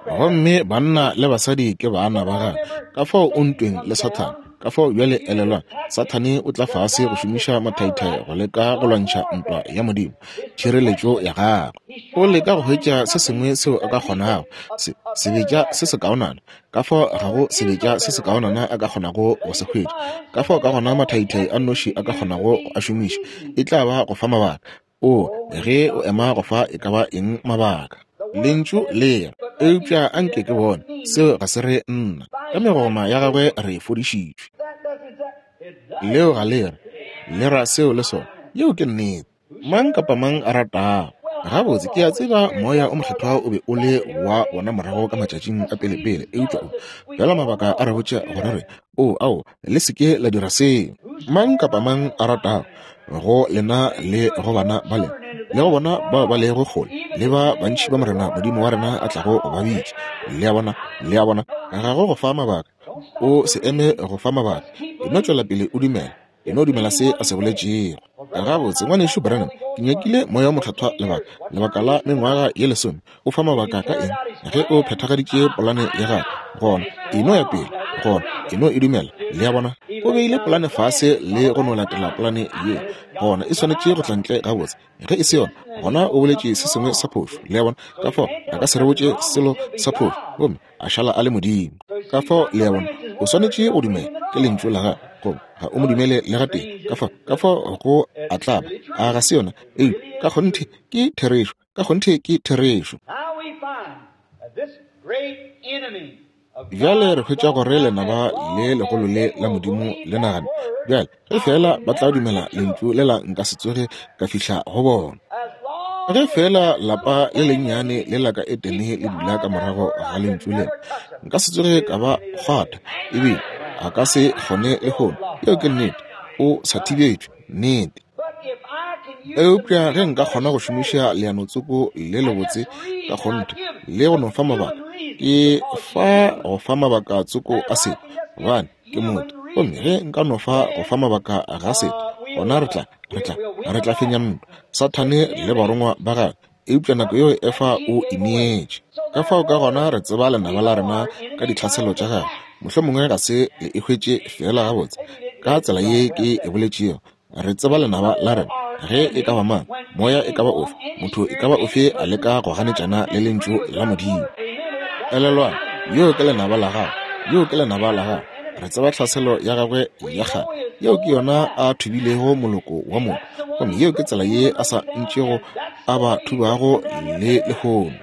Gomme banna le basadi ke bana ba gagwe, ka fao o ntweng le Sathane. Ka fao bjale elelwang, Sathane o tla fase go šomiša mathaithai go leka go lwantšha ntwa ya Modimo, tšhireletšo ya gagwe. O leka go hwetša se sengwe seo a ka kgonago, se, sebetša se sekaonana. Ka fao ga go sebetša se sekaonana a ka kgonago go se hwetša. Ka fao ka gona mathaithai a nnoši a ka kgonago go a šomiša e tla ba go fa mabaka. O, ge o ema go fa e ka ba eng mabaka. Lentšu le re, eupša a nke ke bone, seo ga se re nna. Ka megoma ya gagwe re fodišitšwe. Leo ga le re, le ra seo le sona. Yeo ke nnete. Mang kapa mang a ratago. Gabotse, ke a tseba Moya o Mokgethwa o be o le wa bona morago ka matšatšing a pelepele, eupša o fela mabaka a re botša gore re, o, ao, le se ke la dira seo. Mang kapa mang a ratago, go lena le go bana ba lena, le go bona bao ba lego kgole, le ba bantši ba Morena Modimo wa rena a tlago go ba bitša. Le a bona? Le a bona? Ga go go fa mabaka. O se eme go fa mabaka. E no tšwela pele o dumela. E no dumela se a se boletšego. Gabotse, Ngwanešu Branham, ke nyakile Moya wo Mokgethwa lebaka, lebaka la mengwaga ye lesome. O fa mabaka ka eng? Ge o phethagaditše polane ya gagwe, gona e no ya pele, gona e no e dumela. Le a bona? O beile polane fase le go no latela polane ye, gona e swanetše go tla ntle gabotse. Ge e se yona, gona o boletše se sengwe sa phošo. Le a bona? Ka fao a ka se re botše selo sa phošo gomme a šala a le Modimo. Ka fao, le a bona, o swanetše go dumela ke Lentšu la Gagwe, goba ga o mo dumele le gatee. Ka fao, ka fao go a tlaba. A ga se yona? Eupša ka kgonthe ke therešo. Ka kgonthe ke therešo. Bjale re hwetša gore lenaba le legolo le la Modimo le nagana, bjale, ge feela ba tla dumela lentšu lela nka se tsoge ka fihla go bona. Ge feela lapa le lennyane le la ka Edene le dula ka morago ga lentšu lela, nka se tsoge ka ba kgwatha, ebile a ka se kgone lehono. Yeo ke nnete. O sa thibetšwe. Nnete. Eupša ge nka kgona go šomiša leanotsoko le lebotse ka kgonthe le go no fa mabaka, ke fa go fa mabaka tsoko a setho, gobane ke motho. Gomme ge nka no fa go fa mabaka ga setho, gona re tla, re tla, re tla fenya ntwa, Sathane le barongwa ba gagwe. Eupša nako yeo Efa o ineetše. Ka fao ka gona re tseba lenaba la rena ka ditlhaselo tša gagwe. Mohlomongwe ga se le e hwetše feela gabotse ka tsela ye ke e boletšego. Re tseba lenaba la rena, ge e ka ba mang, moya e ka ba ofe, motho e ka ba ofe a leka go ganetšana le Lentšu la Modimo. Elelwang, yoo ke lenaba la gago. Yoo ke lenaba la gago. Re tseba tlhaselo ya gagwe ya kgale. Yeo ke yona a thubilego moloko wa motho. Gomme yeo ke tsela ye a sa ntšego a ba thubago le lehono.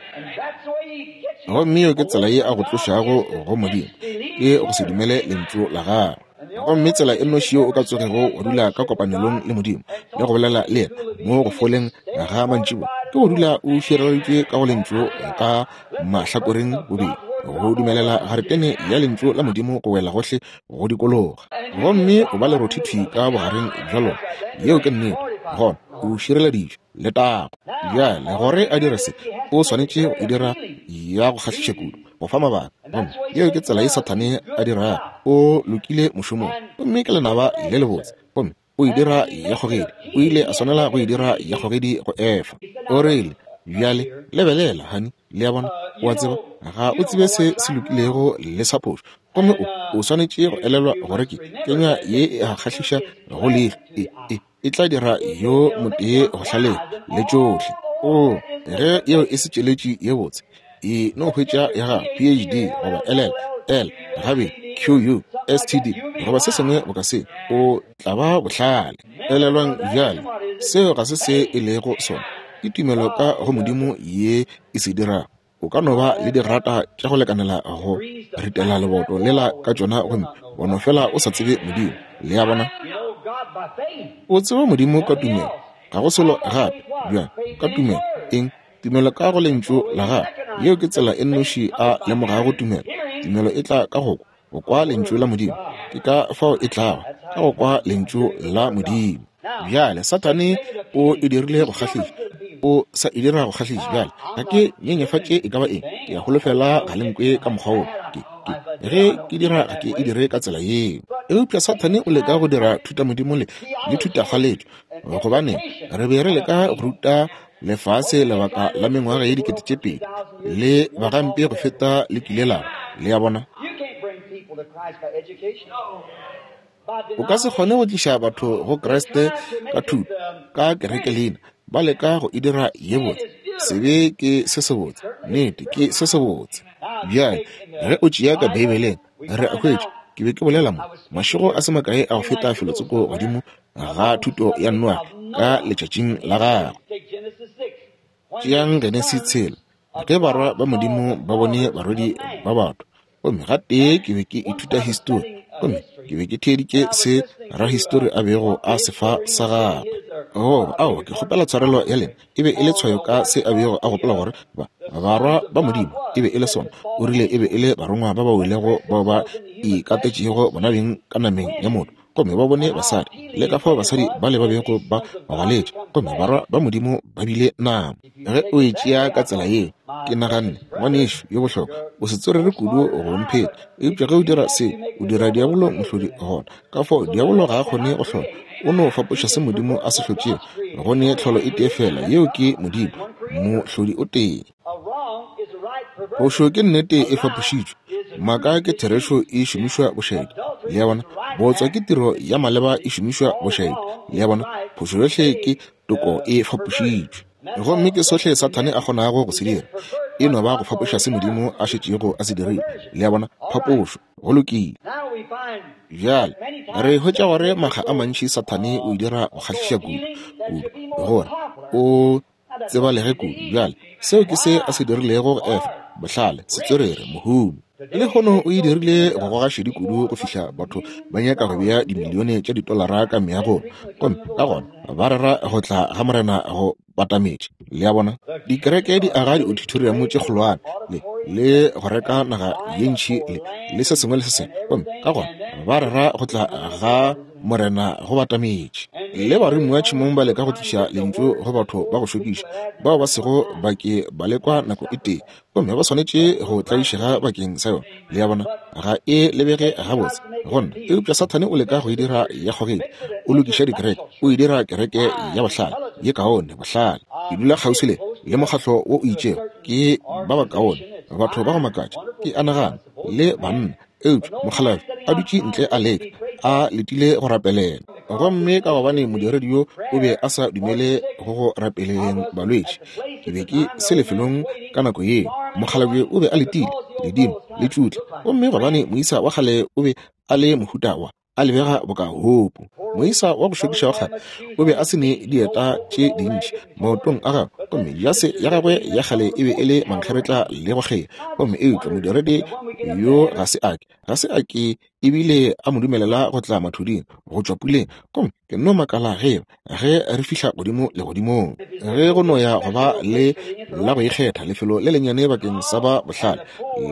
Gomme yeo ke tsela ye a go tlošago go Modimo, ke go se dumele Lentšu la Gagwe. Gomme tsela e nnoši yeo o ka tsogego wa dula ka kopanelong le Modimo le go bolela le yena mo go foleng ga mantšiboa ke go dula o šireleditšwe ka go Lentšu ka mahlakoreng bobedi, go dumelela garetene ya Lentšu la Modimo go wela gohle go dikologa, gomme o ba lerothi thwi ka bogareng bja lona. Yeo ke nnete. Gona o šireleditšwe. Letago! Bjale, gore a dire se, o swanetše go e dira ya go kgahliša kudu, go fa mabaka. Gomme yeo ke tsela ye Sathane a dirago. O lokile mošomong, gomme ke lenaba le lebotse, gomme o e dira ya kgogedi. O ile a swanela go e dira ya kgogedi go Efa. O rile, Bjale, lebelela, honey. Le a bona? O a tseba, ga o tsebe se se lokilego le sa phošo. Gomme o, o swanetše go elelwa gore ke kenywa ye e a kgahliša go leihlo. E, e, e tla dira yo motee go hlalefa le tšohle. Oo, ge yeo e se tšeletši ye botse, e no hwetša ya gago PhD goba LL, L, gabedi, QU, STD, goba se sengwe boka se, o tla ba bohlale. Elelwang bjale, seo ga se se e lego sona. Ke tumelo ka go Modimo ye e se dirago. O ka no ba le digrata tša go lekanela go ritela leboto lela ka tšona gomme wa no fela o sa tsebe Modimo. Le a bona? O tseba Modimo ka tumelo, ga go selo gape. Bjang? Ka tumelo. Eng? Tumelo ka go Lentšu la Gagwe. Yeo ke tsela e nnoši a lemogago tumelo. Tumelo e tla ka go kwa, go kwa Lentšu la Modimo. Ke ka fao e tlago, ka go kwa Lentšu la Modimo. Bjale, Sathane o e dirile go kgahliša. O sa e dira go kgahliša. Bjale, ga ke nyenyefatše e ka ba eng. Ke a holofela ga le nkwe ka mokgwa woo. Ke, ke, ge ke dira, ga ke e dire ka tsela yeo. Eupša Sathane o leka go dira thutamodimo le, le thutafaletswe, gobane re be re leka go ruta lefase lebaka la mengwaga ye 2000 le bagampe go feta le kile la ba. Le a bona? O ka se kgone go tliša batho go Kriste ka thuto, ka kerekelina. Ba leka go e dira ye botse. Sebe ke se sebotse. Nnete, ke se sebotse. Bjale, ge o tšea ka Beibeleng, re a hwetša, ke be ke bolela mo, mašego a se makae a go feta felotsoko godimo ga thuto ya Noage ka letšatšing la gagwe. Tšeang Genesi tshela, ge barwa ba Modimo ba bone barwedi ba batho. Gomme gatee ke be ke ithuta histori. Gomme ke be ke theeditše se rahistori a bego a se fa sa gagwe. Goba, aowa, ke kgopela tshwarelo ya lena. E be e le tshwayo ka se a bego a gopola gore ba, barwa ba Modimo e be e le sona. O rile e be e le barongwa ba ba welego bao ba ikatetšego bonabeng ka nameng ya motho. Gomme ba bone basadi, le ka fao basadi bale ba bego ba gwaletše, gomme barwa ba Modimo ba bile nama. Ge o e tšea ka tsela yeo, ke naganne, Ngwanešu yo bohlokwa, o se tswerere kudu go mpheta. Eupša ge o dira seo, o dira diabolo mohlodi gona. Ka fao diabolo ga a kgone go hlola, o no fapoša se Modimo a se hlotšego. Go ne tlholo e tee feela, yeo ke Modimo, mohlodi o tee. Phošo ke nnete e fapošitšwe, maaka ke therešo e šomišwa bošaedi. Le a bona? Bootswa ke tiro ya maleba e šomišwa bošaedi. Le a bona? Phošo yohle ke toko e fapošitšwe. Gomme ke sohle Sathane a kgonago go se dira, e no ba go fapoša se Modimo a šetšego a se dirile. Le a bona? Phapošo. Go lokile. Bjale, re hwetša gore makga a mantši Sathane o e dira go kgahliša kudu, kudu, gore o tsebalege kudu. Bjale, seo ke se a se dirilego go Efa, bohlale, setswerere, mohumi. Lehono o e dirile go goga šedi kudu go fihla batho ba nyaka go bea dimilione tša ditolara ka meagong, gomme ka gona ba rera go tla ga Morena go batametše. Le a bona? Dikereke di aga di-auditorium tše kgolwane le, le go reka naga ye ntši le, le se sengwe le se sengwe, gomme ka gona ba rera go tla ga Morena go batametše. Le baromiwa tšhemong ba leka go tliša lentšu go batho ba go šokiša bao ba sego ba ke ba lekwa nako e tee, gomme ba swanetše go tlaišega bakeng sa yona. Le a bona? Ga e lebege gabotse go nna, eupša Sathane o leka go e dira ya kgogedi. O lokiša dikereke, o e dira kereke ya bohlale, ye kaone, bohlale. Ke dula kgauswi le, le mokgatlo wo o itšego, ke ba bakaone, batho ba go makatša, ke a nagana, le banna. Eupša mokgalabje a dutše ntle a leka, a letile go rapelela. Gomme ka gobane modiredi yo o be a sa dumele go go rapeleng balwetši, ke be ke se lefelong ka nako yeo. Mokgalabje o be a letile, ledimo le tšutla. Gomme gobane moisa wa kgale o be a le mohuta wa, a lebega boka hopo. Moisa wa go šokiša wa kgale o be a se ne dieta tše dintši maotong a gagwe, gomme jase ya gagwe ya kgale e be e le mankgeretla le go kgea. Gomme eupša modiredi yo ga se a ke, ga se a ke ebile a mo dumelela go tla mathuding go tšwa puleng. Gomme ke nno makala ge eba ge re fihla godimo legodimong, ge go no ya go ba le la go ikgetha lefelo le lennyane bakeng sa ba bohlale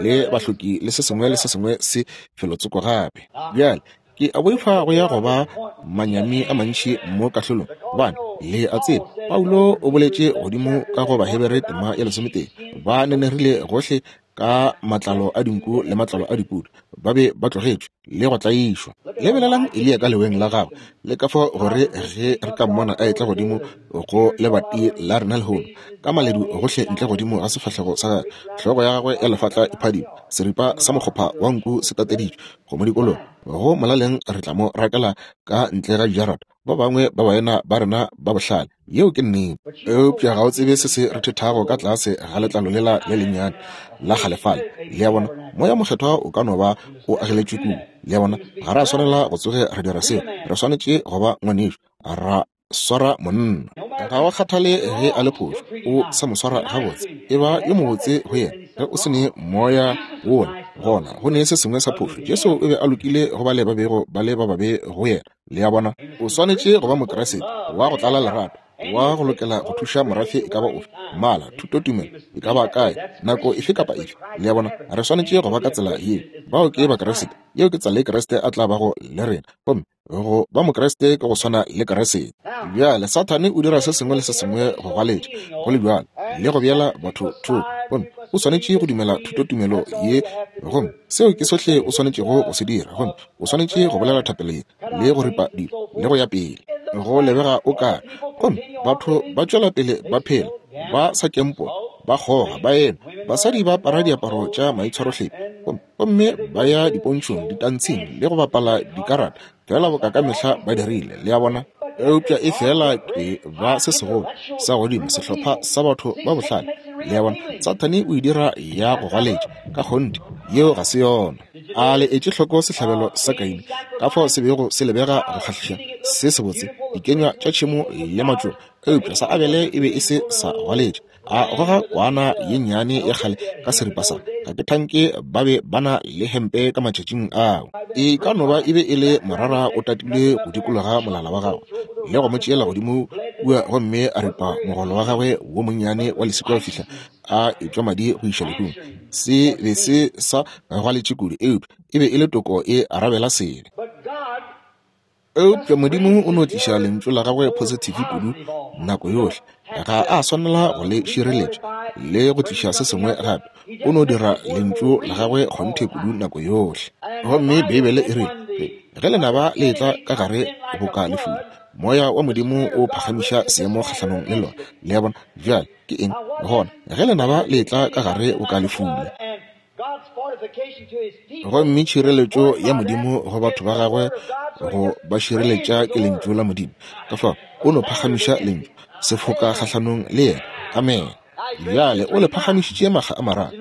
le bahloki le se sengwe le se sengwe se felotsoko gape. Bjale, ke a boifa go ya go ba manyami a mantši mo kahlolong, gobane le a tseba Paulo o boletše godimo ka go Bahebere tema ya lesometee, ba nenerile gohle ka matlalo a dinku le matlalo a dipudi, ba be ba tlogetšwe le go tlaišwa. Lebelelang Eliya ka leweng la gagwe, le ka fao gore ge re ka mmona a etla godimo go lebati la rena lehono, ka maledu gohle ntle godimo ga sefahlego sa gagwe, hlogo ya gagwe ya lefatla e phadima, seripa sa mokgopha wa nku se tateditšwe go mo dikologa, go molaleng re tla mo rakela ka ntle ga dijarata, ba bangwe ba baena ba rena ba bohlale. Yeo ke nnete. Eupša ga o tsebe se se rethethago ka tlase ga letlalo lela le lennyane la kgalefale. Le a bona? Moya Mokgethwa o ka no ba o ageletšwe kua. Le a bona? Ga ra swanela go tsoge re dira seo. Re swanetše go ba ngwanešu, ra swara monna. Ga o kgathale ge a le phošo, o sa mo swara gabotse. E ba yo mobotse go yena. Ge o se ne moya wola, gona go ne se sengwe sa phošo. Jesu o be a lokile go bale ba bego ba le ba babe go yena. Le a bona? O swanetše go ba Mokriste wa go tlala lerato, wa go lokela go thuša morafe e ka ba ofe, mmala, thutotumelo, e ka ba kae, nako efe kapa efe. Le a bona? Re swanetše go ba ka tsela yeo. Bao ke Bakriste. Yeo ke tsela ye Kriste a tla bago le rena. Gomme go ba Mokriste ke go swana le Kriste. Bjale, Sathane o dira se sengwe le se sengwe go gwaletša, go le bjalo, le go beela batho thoko. Gomme o swanetše go dumela thutotumelo ye, gomme seo ke sohle o swanetšego go se dira. Gomme o swanetše go bolela thapelo ye le go ripa dilo le go ya pele go lebega o ka gomme batho ba tšwela pele ba phela ba sa kempo ba kgoga ba ema basadi ba apara diaparo tša maitshwarohlepi gomme ba ya dipontšhong ditantshing le go bapala dikarata fela boka ka mehla ba dirile le a bona eupša e fela ke ba se segolo sa godimo sehlopha sa batho ba bohlale le a bona Sathane o e dira ya go gwaletša ka kgonthe yeo ga se yona A le etše hloko sehlabelo sa Kaine, ka fao se bego se lebega go kgahliša, se sebotse? dikenywa tša tšhemo le matšoba, eupša sa Abele e be e se sa gwaletša. A goga kwana ye nnyane ya kgale ka seripa sa, ga ke thanke ba be ba na le hempe ka matšatšing ao. E ka no ba e be e le morara o tatilwe go dikologa molala wa gagwe, le go mo tšeela godimo kua gomme a ripa mogolo wa gagwe wo monnyane wa leswika go fihla a etšwa madi go iša lehung. Se be se sa gwaletše kudu, eupša e be e le toko e arabela sebe. Eupša Modimo o no tliša Lentšu la Gagwe positive kudu nako yohle. Ga a swanela go le šireletša le go tliša se sengwe gape. O no dira Lentšu la Gagwe kgonthe kudu nako yohle. Gomme Beibele e rile, Ge lenaba le etla ka gare boka lefula, Moya wa Modimo o phagamiša seemo kgahlanong le lona. Le a bona? Bjale, ke eng gona? Ge lenaba le etla ka gare boka lefula. Gomme tšhireletšo ya Modimo go batho ba gagwe go ba šireletša ke Lentšu la Modimo. Ka fao o no phagamiša Lentšu, sefoka kgahlanong le yena. Amene. Bjale o le phagamišitše makga a mararo.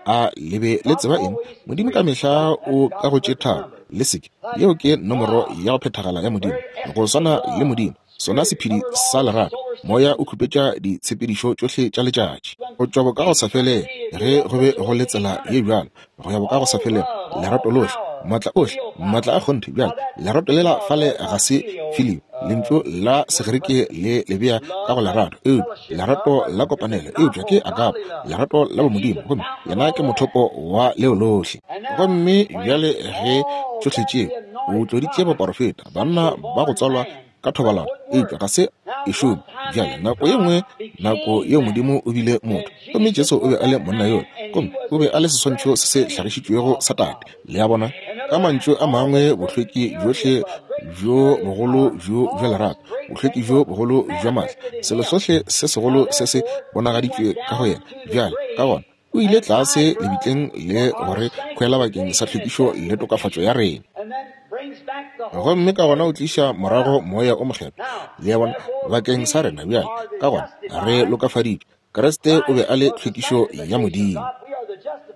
A le be le tseba eng? Modimo ka mehla o ka go tše tharo le seke. Yeo ke nomoro ya go phethagala ya Modimo, go swana le Modimo. Sona sephedi sa lerato, moya o khupetša ditshepedišo tšohle tša letšatši. Go tšwa bokagosafelego, ge go be go le tsela ye bjalo, go ya bokagosafelego, lerato lohle, maatla ohle, maatla a kgonthe. Bjale, lerato lela fale ga se filio, lentšu la Segerike le le bea ka go lerato, eupša lerato la kopanelo, eupša ke agape, lerato la bomodimo, gomme yena ke mothopo wa leo lohle. Gomme bjale ge tšohle tšeo, o tloditše baporofeta, banna ba go tswalwa ka thobalano, eupša ga se e šome. Bjale, nako ye nngwe, nako yeo Modimo o bile motho, gomme Jesu o be a le monna yola, gomme o be a le seswantšho se se hlagišitšwego sa Tate. Le a bona? Ka mantšu a mangwe, bohlweki bjohle bjo bogolo bjo bja lerato, bohlweki bjo bogolo bja maatla, selo sohle se segolo se se bonagaditšwe ka go yena. Bjale, ka gona, o ile tlase lebitleng le go re hwela bakeng sa tlhwekišo le tokafatšo ya rena. Gomme ka gona o tliša morago Moya o Mokgethwa, le a bona, bakeng sa rena. Bjale, ka gona re lokafaditšwe. Kriste o be a le tlhwekišo ya Modimo.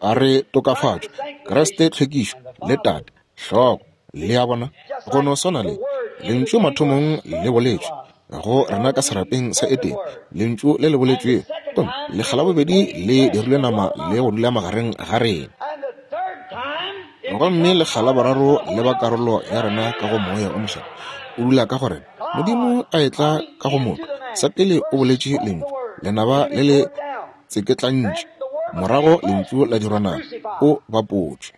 A re tokafatšwe. Kriste tlhwekišo, le Tate, hlogo. Le a bona? Go no swana le Lentšu mathomong le boletšwe go rena ka serapeng sa Edene, Lentšu le le boletšwego, gomme lekga la bobedi le dirilwe nama le go dula magareng ga rena. Gomme lekga la boraro le ba karolo ya rena ka go Moya o Mokgethwa, o dula ka go rena. Modimo a etla ka go motho, sa pele o boletše Lentšu, lenaba le le tseketlantše, morago Lentšu la dirwa nama, o bapotšwe.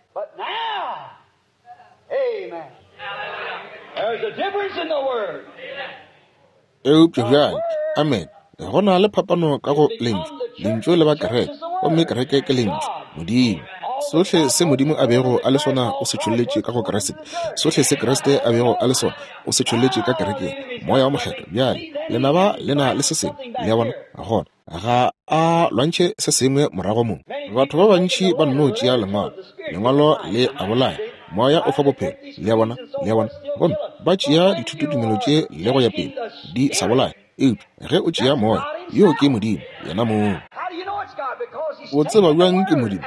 Eupša bjale, amene, go na le phapano ka go Lentšu. Lentšu le ba kereke, gomme kereke ke Lentšu, Modimo. Sohle se Modimo a bego a le sona o se tšholletše ka go Kriste. Sohle se Kriste a bego a le sona o se tšholletše ka kerekeng, Moya wo Mokgethwa. Bjale, lenaba le na le se sengwe, le a bona, gona ga a lwantšhe se sengwe morago mo. Batho ba bantši ba nno tšea Lengwalo, Lengwalo le a bolaya, Moya o fa bophelo, le a bona, le a bona, gomme ba tšea dithutotumelo tše le go ya pele, di sa bolaya. Eupša ge o tšea Moya, yoo ke Modimo, Yena mong. O tseba bjang ke Modimo?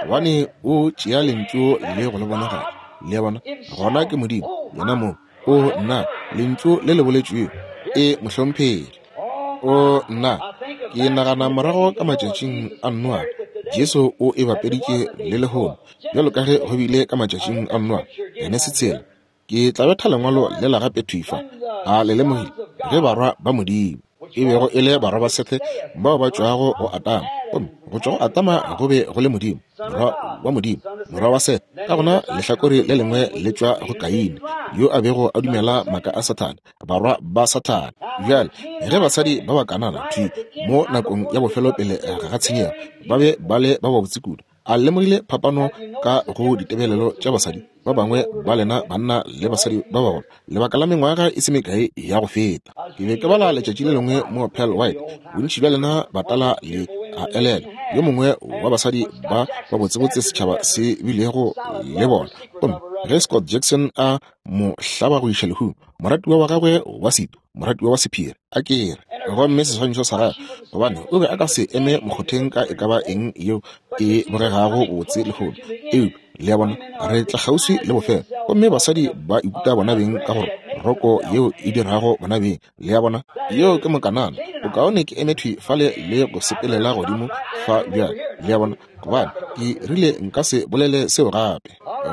Gobane o tšea Lentšu le go le bonagatša. Le a bona? Gona ke Modimo, Yena mong. O, nna, Lentšu le le boletšwego. E, mohlomphegi. O, nna, ke nagana morago ka matšatšing a Noa, Jesu o e bapeditše le lehono, bjalo ka ge go bile ka matšatšing a Noa, Genesi tshela. Ke tla betha lengwalo lela gape thwi fa. A le lemogile? Ge barwa ba Modimo, e bego e le barwa ba Sethe bao ba tšwago go Adama, gomme go tšwa go Adama go be go le Modimo, morwa wa Modimo, morwa wa Sethe. Ka gona lehlakore le lengwe le tšwa go Kaine, yo a bego a dumela maaka a Sathane, barwa ba Sathane. Bjale, ge basadi ba ba Kanana thwi mo nakong ya bofelo pele ga tshenyego ba be ba le ba babotse kudu, a lemogile phapano ka go ditebelelo tša basadi ba bangwe ba lena banna le basadi ba bagolo lebaka la mengwaga e se mekae ya go feta. Ke be ke bala letšatši le lengwe mo Pearl White, bontši bja lena batala le a elelwa, yo mongwe wa basadi ba ba botsebotse setšhaba se bilego le bona. Gomme ge Scott Jackson a mo hlaba go iša lehung, moratiwa wa gagwe wa setu, moratiwa wa sephiri, a ke re, gomme seswantšho sa gagwe, gobane o be a ka se eme mokgotheng ka e ka ba eng yeo e bogegago botse lehono. Eupša, le a bona, re tla kgauswi le bofelo, gomme basadi ba ikuta bona beng ka go roko yeo e dirago bona beng. Le a bona? Yeo ke Mokanana. Bokaone ke eme thwi fale le go sepelela godimo fa bjale. Le a bona? Gobane ke rile nka se bolele seo gape.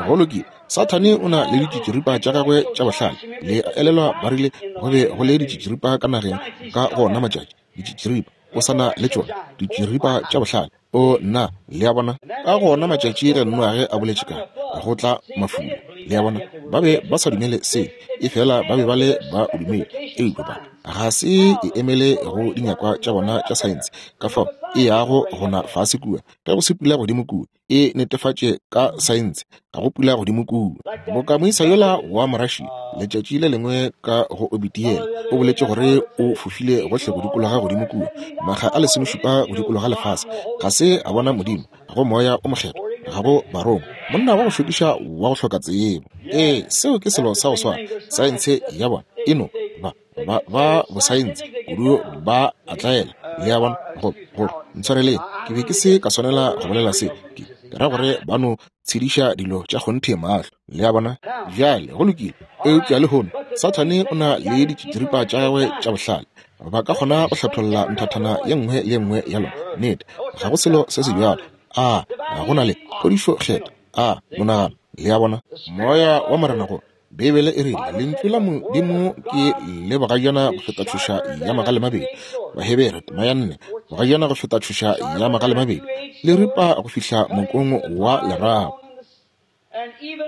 Go lokile. Sathane o na le ditšitširipa tša gagwe tša bohlale. Le a elelwa ba rile go be go le ditšitširipa ka nageng ka go ona matšatši. Ditšitširipa. O sa na le tšona ditširipa tša bohlale. O nna, le a bona? Ka gona matšatši ge Noage a boletše ka go tla mafula, le a bona, ba be ba sa dumele se, efela ba be ba le ba o dumele. Eupša ba ga se e emele go dinyakwa tša bona tša saense, ka fao e yago go na fase kua. Ge go se pula godimo kua, e netefatše ka saense, ga go pula godimo kua. Boka moisa yola wa Morussia, letšatši le lengwe ka go obiti yela, o boletše gore o fofile gohle go dikologa godimo kua, makga a lesomešupa go dikologa lefase, ga se a bona Modimo, ga go Moya o Mokgethwa, ga go Barongwa. Monna wa go šokiša wa go hloka tsebo. Ee, seo ke selo sa go swana. Saense ya bona e no ba ba ba bosaense kudu, ba a tlaela. Le a bona? Go, go, ntshwareleng, ke be ke se ka swanela go bolela se. Ke, ke ra gore ba no tshediša dilo tša kgonthe mahlo. Le a bona? Bjale, go lokile. Eupša lehono, Sathane o na le ditšitširipa tša gagwe tša bohlale. Ba ka kgona go hlatholla nthathana ye nngwe le ye nngwe ya lona. Nnete, ga go selo se se bjalo. A go na le phodišo Kgethwa? A monagano. Le a bona? Moya wa Morena go Beibele e rile, Lentšu la Modimo ke le bogajana go feta tšhoša ya magale mabedi. Bahebere tema ya 4, bogajana go feta tšhoša ya magale mabedi, le ripa go fihla mokong wa lerapo.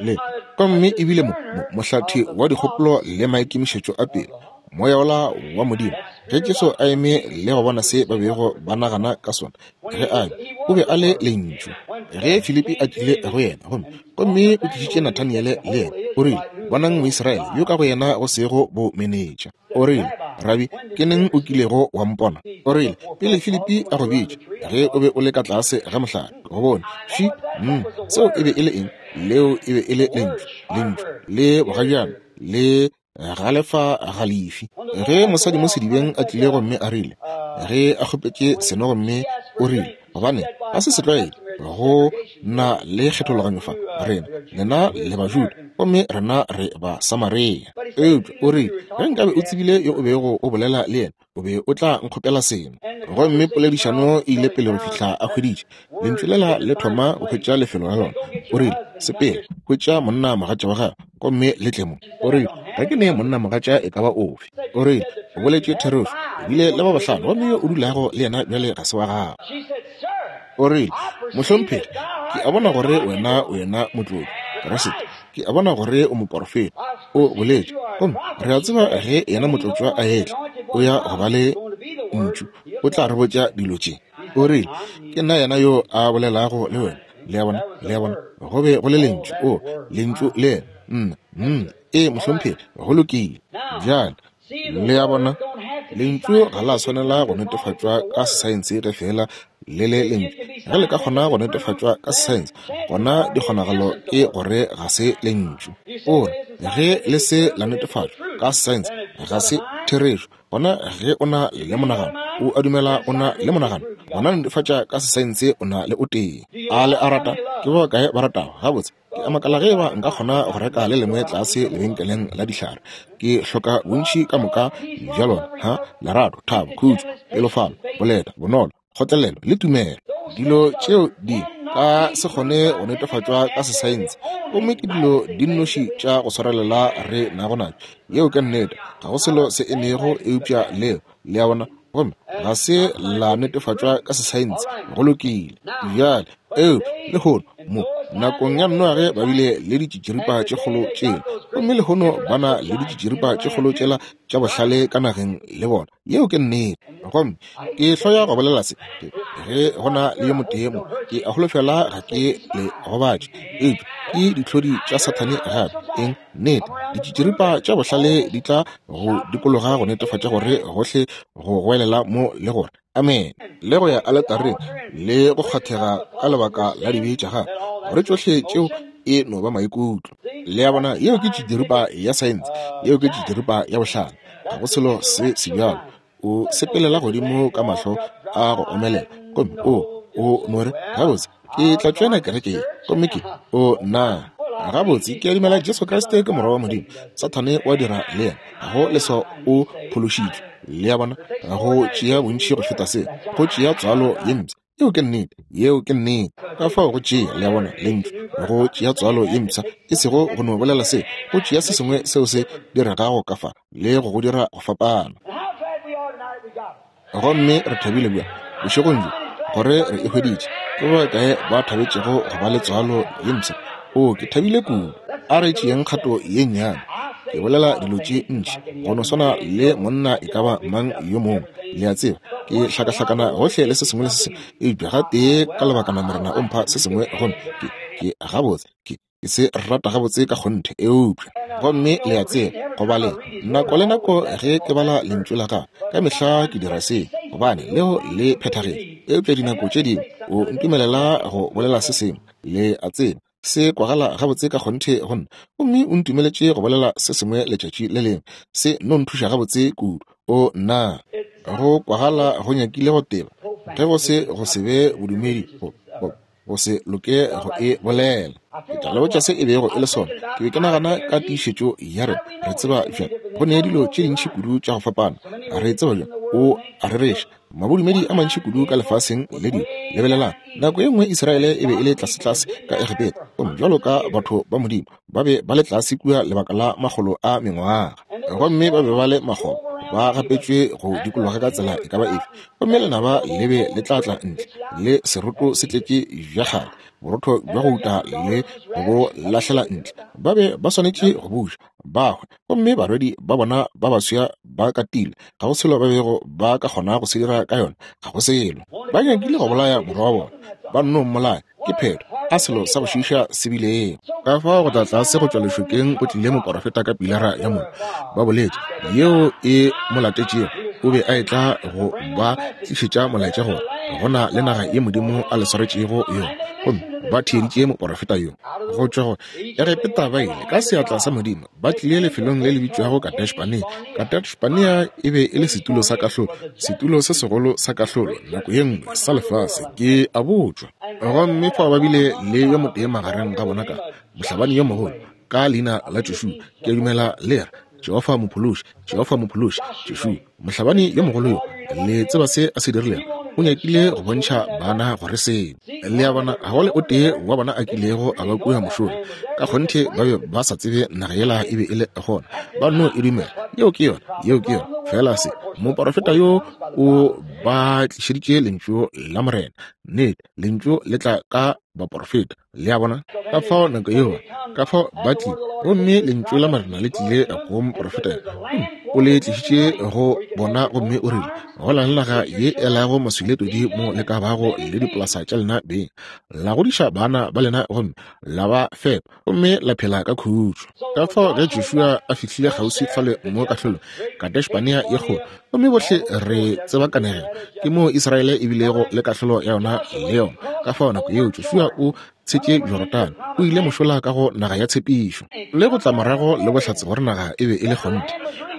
Le, gomme ebile mo, mo, mohlathi wa dikgopolo le maikemišetšo a pelo, Moya wola wa Modimo, ge Jesu a eme le go bona se ba bego ba nagana ka sona, ge a be, o be a le Lentšu. Ge Filipi a tlile go yena, gomme, gomme o tlišitše Nathaniele le yena, o rile, Bonang Moisraele yo ka go yena go sego bomenetša. O rile, Rabi, ke neng o kilego wa mpona? O rile, Pele Filipi a go bitša, ge o be o le ka tlase ga mohlare, ke go bone. Fši, mm, seo e be e le eng? Leo e be e le Lentšu, Lentšu le bogajana, le galefa galefi. Ge mosadi mo sedibeng a tlile gomme a rile, ge a kgopetše seno gomme o rile, gobane ga se setlwaedi go na le kgethologanyo fa, rena, lena le Bajuda, gomme rena re ba Samaria. Eupša o rile, ge nkabe o tsebile yo o bego o bolela le yena, o be o tla nkgopela sengwe. Gomme poledišano e ile pele go fihla a hweditše lentšu lela le thoma go hwetša lefelo la lona. O rile, Sepela, hwetša monna mogatša wa gago, gomme le tle mo. O rile, Ga ke ne monna mogatša e ka ba ofe. O rile, O boletše therešo, o bile le ba bahlano, gomme yo o dulago le yena bjale ga se wa gago. O rile, Mohlomphegi, ke a bona gore wena o yena motlotlo, Kriste. Ke a bona gore o moporofeta. O boletše, gomme re a tseba ge yena motlotšwa a etla, o ya go ba le ntšu, o tla re botša dilo tše. O rile, Ke nna yena yo a bolelago le wena. Le a bona? Le a bona? Go be go le lentšu. O, lentšu le yena. Nna, nna. Ee, mohlomphegi, go lokile. Bjale, Le a bona? Lentšu ga la swanela go netefatšwa ka saense ge feela le le lentšu. Ge le ka kgona go netefatšwa ka saense, gona dikgonagalo ke gore ga se lentšu. O re, ge le se la netefatšwa ka saense, ga se therešo. Gona ge o na le monagano, o a dumela o na le monagano, gona netefatša ka sesaense o na le o tee. A le a rata? Ke ba bakae ba ratago? Gabotse, Ke a makala ge eba nka kgona go reka le lengwe tlase lebenkeleng la dihlare. Ke hloka bontši ka moka bja lona, ha, lerato, thabo, khutšo, pelofalo, boleta, bonolo, kgotlelelo le tumelo. Dilo tšeo di ka se kgone go netefatšwa ka sesaense, gomme ke dilo di nnoši tša go swarelela re nago natšo. Yeo ke nnete. Ga go selo se emego eupša leo. Le a bona? Gomme ga se la netefatšwa ka sesaense. Go lokile. Bjale, eupša lehono, mo nakong ya Noage ba bile le ditšitširipa tše kgolo tšela, gomme lehono ba na le ditšitširipa tše kgolo tšela tša bohlale ka nageng le bona. Yeo ke nnete. Gomme ke hloya go bolela se, ke, ge go na le yo motee mo, ke a holofela ga ke le gobatše, eupša ke dihlodi tša Sathane gape. Eng? Nnete, ditšitširipa tša bohlale di tla go dikologa go netefatša gore gohle go goelela mo le gore amene, le go ya aletareng le go kgwathega ka lebaka la dibe tša gago, gore tšohle tšeo e no ba maikutlo. Le a bona, yeo ke tšitširipa ya saense, yeo ke tšitširipa ya bohlale. Ga go selo se sebjalo. O sepelela godimo ka mahlo a go omelela, gomme o, o no re, Gabotse, ke tla tšoena kereke ye. Gomme ke, o, na. Gabotse, ke a dumela Jesu Kriste ke Morwa wa Modimo. Sathane o a dira le yena. Ga go leswao o phološitšwe. Le a bona? Go tšea bontši go feta seo. Go tšea tswalo ye mpsha. Yeo ke nnete. Yeo ke nnete. Ka fao go tšea, le a bona, Lentšu, go tšea tswalo ye mpsha, e sego go no bolela se, go tšea se sengwe seo se diregago ka fa le go go dira go fapana. Gomme re thabile bjang bošegong bjo gore re e hweditše. Ke ba bakae ba thabetšego go ba le tswalo ye mpsha? Oo, ke thabile kudu. A re tšeeng kgato ye nnyane. Ke bolela dilo tše ntši go no swana le monna e ka ba mang yo mongwe, le a tseba. Ke hlakahlakana gohle le se sengwe le se sengwe, eupša gatee ka lebakana Morena o mpha se sengwe gomme ke, ke gabotse, ke, ke se rata gabotse ka kgonthe. Eupša, gomme le a tseba, go baleng, nako le nako ge ke bala Lentšu la Gagwe, ka mehla ke dira se, gobane leo le phethagetše. Eupša dinako tše dingwe O ntumelela go bolela se sengwe, le a tseba, se kwagala gabotse ka kgonthe go nna. Gomme O ntumeletše go bolela se sengwe letšatši le lengwe, se no nthuša gabotse kudu. O, nna, go kwagala go nyakile go teba, ge go se go se be bodumedi, go, go, go se loke go e bolela. Ke tla le botša se e bego e le sona. Ke be ke nagana ka tiišetšo ya rena. Re tseba bjang? Go ne dilo tše dintši kudu tša go fapana. Re tseba bjang? O a rereša. Mabodumedi a mantši kudu ka lefaseng le dilo. Lebelelang, nako ye nngwe Israele e be e le tlasetlase ka Egepeta, gomme bjalo ka batho ba Modimo, ba be ba le tlase kua lebaka la makgolo a mengwaga. Gomme ba be ba le makgoba, ba gapetšwe go dikologa ka tsela e ka ba efe. Gomme lenaba le be le tla tla ntle le seroto se tletše bja kgale, borotho bja go uta le go bo lahlela ntle. Ba be ba swanetše go buša, ba hwe, gomme barwedi ba bona ba baswa ba katilwe. Ga go selo ba bego ba ka kgona go se dira ka yona, ga go selo. Ba nyakile go bolaya morwa wa bona, ba nno mmolaya. Ke phetho, a selo sa go šiiša se bilego. Ka fao go tla tlase go tšwa lešokeng go tlile moporofeta ka pilara ya mollo, ba boletše, yeo e mo latetšego. O be a etla go ba tlišetša molaetša gore go na le naga ye Modimo a le swaretšego yona, gomme ba theeditše moporofeta yo. Go tšwa go Egepeta ba ile, ka seatla sa Modimo, ba tlile lefelong le le bitšwago Kadesh-Barnea. Kadesh-Barnea e be e le setulo sa kahlolo, setulo se segolo sa kahlolo nako ye nngwe sa lefase, ke a botšwa. Gomme fao ba bile le yo motee magareng ga bona ka mohlabani yo mogolo, ka leina la Joshua, ke a dumela le re, Jehofa Mophološi, Jehofa Mophološi, Joshua, mohlabani yo mogolo yo. Le tseba se a se dirilego? O nyakile go bontšha bana gore se. Le a bona, ga go le o tee wa bona a kilego a ba kua mošola. Ka kgonthe ba be ba sa tsebe naga yela e be e le gona. Ba nno e dumela. Yeo ke yona, yeo ke yona. Feela se, moporofeta yo o ba tlišeditše Lentšu la Morena. Nnete, Lentšu le tla ka baporofeta. Le a bona? Ka fao nako yeo, ka fao ba tlile, gomme Lentšu la Morena le tlile go moprofeta, gomme o le tlišitše go bona, gomme o rile, Go na le naga ye e lago maswi le todi mo le ka bago le dipolasa tša lena beng, la godiša bana ba lena gomme la ba fepa, gomme la phela ka khutšo. Ka fao ge Joshua a fihlile kgauswi fale mo kahlolong, Kadesh-Barnea ye kgolo, gomme bohle re tseba kanegelo, ke moo Israele e bilego le kahlolo ya yona le yona. Ka fao nako yeo Joshua o tshetše Jorodane, o ile mošola ka go naga ya tshepišo, le go tla morago le bohlatse gore naga e be e le kgonthe.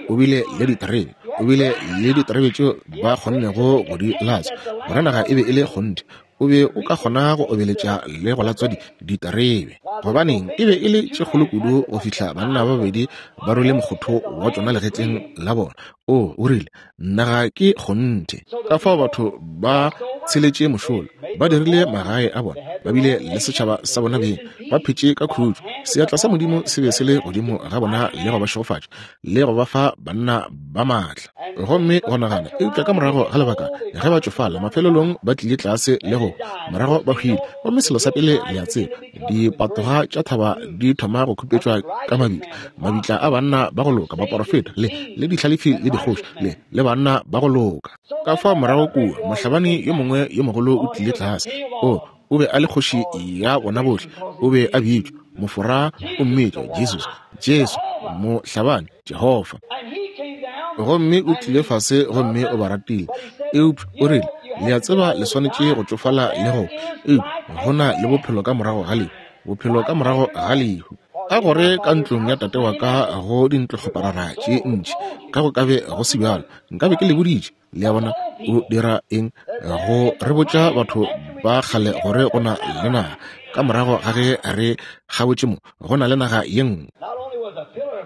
O bile le diterebe, o bile le diterebe tšeo ba kgonnego go di latswa, gore naga e be e le kgonthe. O be o ka kgona go obeletša le go latswa diterebe. Gobaneng, e be e le tše kgolo kudu go fihla banna ba babedi ba rwele mokgotho wa tšona legetleng la bona. O, o rile, naga ke kgonthe. Ka fao batho ba tsheletše mošola, ba dirile magae a bona, ba bile le setšhaba sa bona beng, ba phetše ka khutšo. Seatla sa Modimo se be se le godimo ga bona le go ba šegofatša le go ba fa banna ba maatla. Gomme go nagana, eupša ka morago ga lebaka, ge ba tšofala, mafelelong ba tlile tlase le go morago ba hwile. Gomme selo sa pele le a tseba, dipatoga tša thaba di thoma go khupetšwa ka mabitla, mabitla a banna ba go loka, baporofeta, le, le dihlalefi le dikgoši, le, le banna ba go loka. Ka fao morago kua, mohlabani yo mongwe yo mogolo o tlile tlase. O, o be a le kgoši ya bona bohle. O be a bitšwa, Mofora o mmitša, Jesus, Jesu, mohlabani, Jehofa. Gomme o tlile fase gomme o ba ratile. Eupša o rile, Le a tseba le swanetše go tšofala le go, eupša go na le bophelo ka morago ga lehu, bophelo ka morago ga lehu. Ka gore ka ntlong ya tate wa ka go dintlokgoparara tše ntši, ka go ka be go se bjalo, nkabe ke le boditše. Le a bona, o dira eng? Go re botša batho ba kgale gore go na le naga ka morago ga ge re kgabotše mo, go na le naga ye nngwe.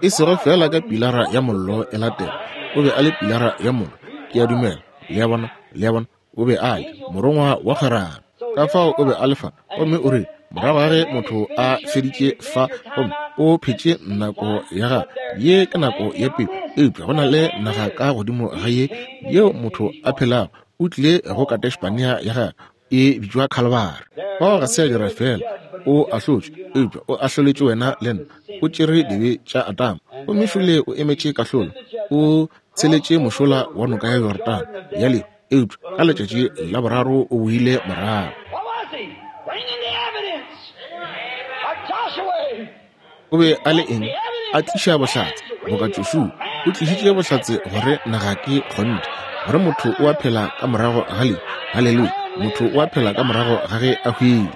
E sego feela ka pilara ya mollo e latela, o be a le pilara ya mollo, ke a dumela. Le a bona? Le a bona? O be a le morongwa wa kgwerano. Ka fao o be a le fa, gomme o rile, morago ga ge motho a feditše fa gomme o phetše nako ya gagwe, ye ke nako ya pele, eupša go na le naga ka godimo ga ye yeo motho a phelago. O tlile go Kadesh-Barnea ya gagwe, e bitšwa Khalibari. Fao ga se a dira feela, o ahlotšwe, eupša o ahloletše wena le nna. O tšere dibe tša Adama, gomme šole o emetše kahlolo. O tsheletše mošola wa noka ya Jorodane ya lehu, eupša ka letšatši la boraro o boile morago. O be a le eng? A tliša bohlatse, boka Joshua o tlišitše bohlatse gore naga ke kgonthe, gore motho o a phela ka morago ga lehu. Haleluya! Motho o a phela ka morago ga ge a hwile.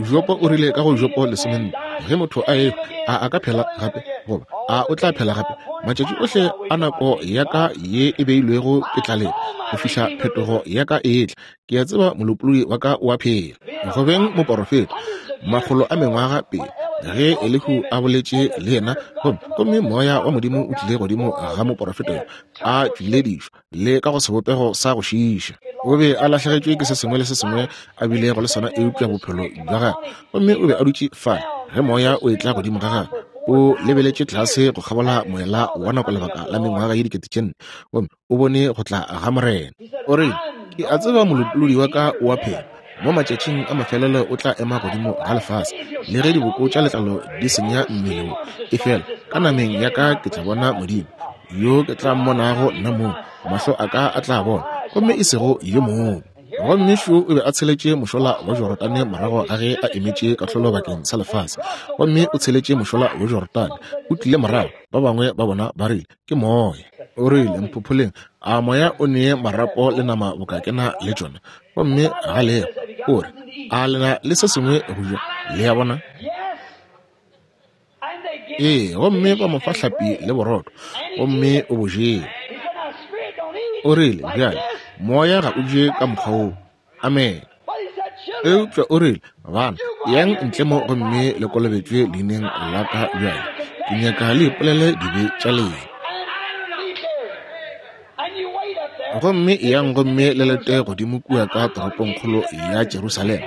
Jopo o rile ka go Jopo 14, ge motho a ehwa, a a ka phela gape? Goba a o tla phela gape? Matšatši ohle a nako ya ka ye e beilwego ke tla leta go fihla phetogo ya ka e etla. Ke a tseba Molopolodi wa ka o a phela. Go beng moporofeta, makgolo a mengwaga pele, ge Elihu a boletše le yena, gomme, gomme Moya wa Modimo o tlile godimo ga moporofeta yo, a tšwiledišwa le ka go sebopego sa go šiiša. O be a lahlegetšwe ke se sengwe le se sengwe a bilego le sona eupša bophelo bja gagwe, gomme o be a dutše fale ge Moya o etla godimo ga gagwe. O lebeletše tlase go kgabola moela wa nako lebaka la mengwaga ye 4000, gomme o bone go tla ga Morena. O rile, Ke a tseba Molopolodi wa ka o a phela. Mo matšatšing a mafelelo o tla ema godimo ga lefase. Le ge diboko tša letlalo di senya mmele wo, efela ka nameng ya ka ke tla bona Modimo, yo ke tla mmonago nna mong, mahlo a ka a tla bona, gomme e sego yo mongwe. Gomme šo o be a tsheletše mošola wa Jorodane morago ga ge a emetše kahlolo bakeng sa lefase. Gomme o tsheletše mošola wa Jorodane, o tlile morago, ba bangwe ba bona ba rile, Ke moya. O rile, Mphopholeng, a moya o nee marapo le nama boka ke na le tšona? Gomme ga lego. O re, A le na le se sengwe go ja? Le a bona? Ee, gomme ba mo fa hlapi le borotho, gomme o bo jele. O rile, Bjale, moya ga o je ka mokgwa woo. Amene. Eupša o rile, Bana, yang ntle mo gomme le kolobetšwe leineng la ka bjale. Ke nyaka le ipolele dibe tša lena. Gomme eyang gomme le lete godimo kua ka toropongkgolo ya Jerusalema,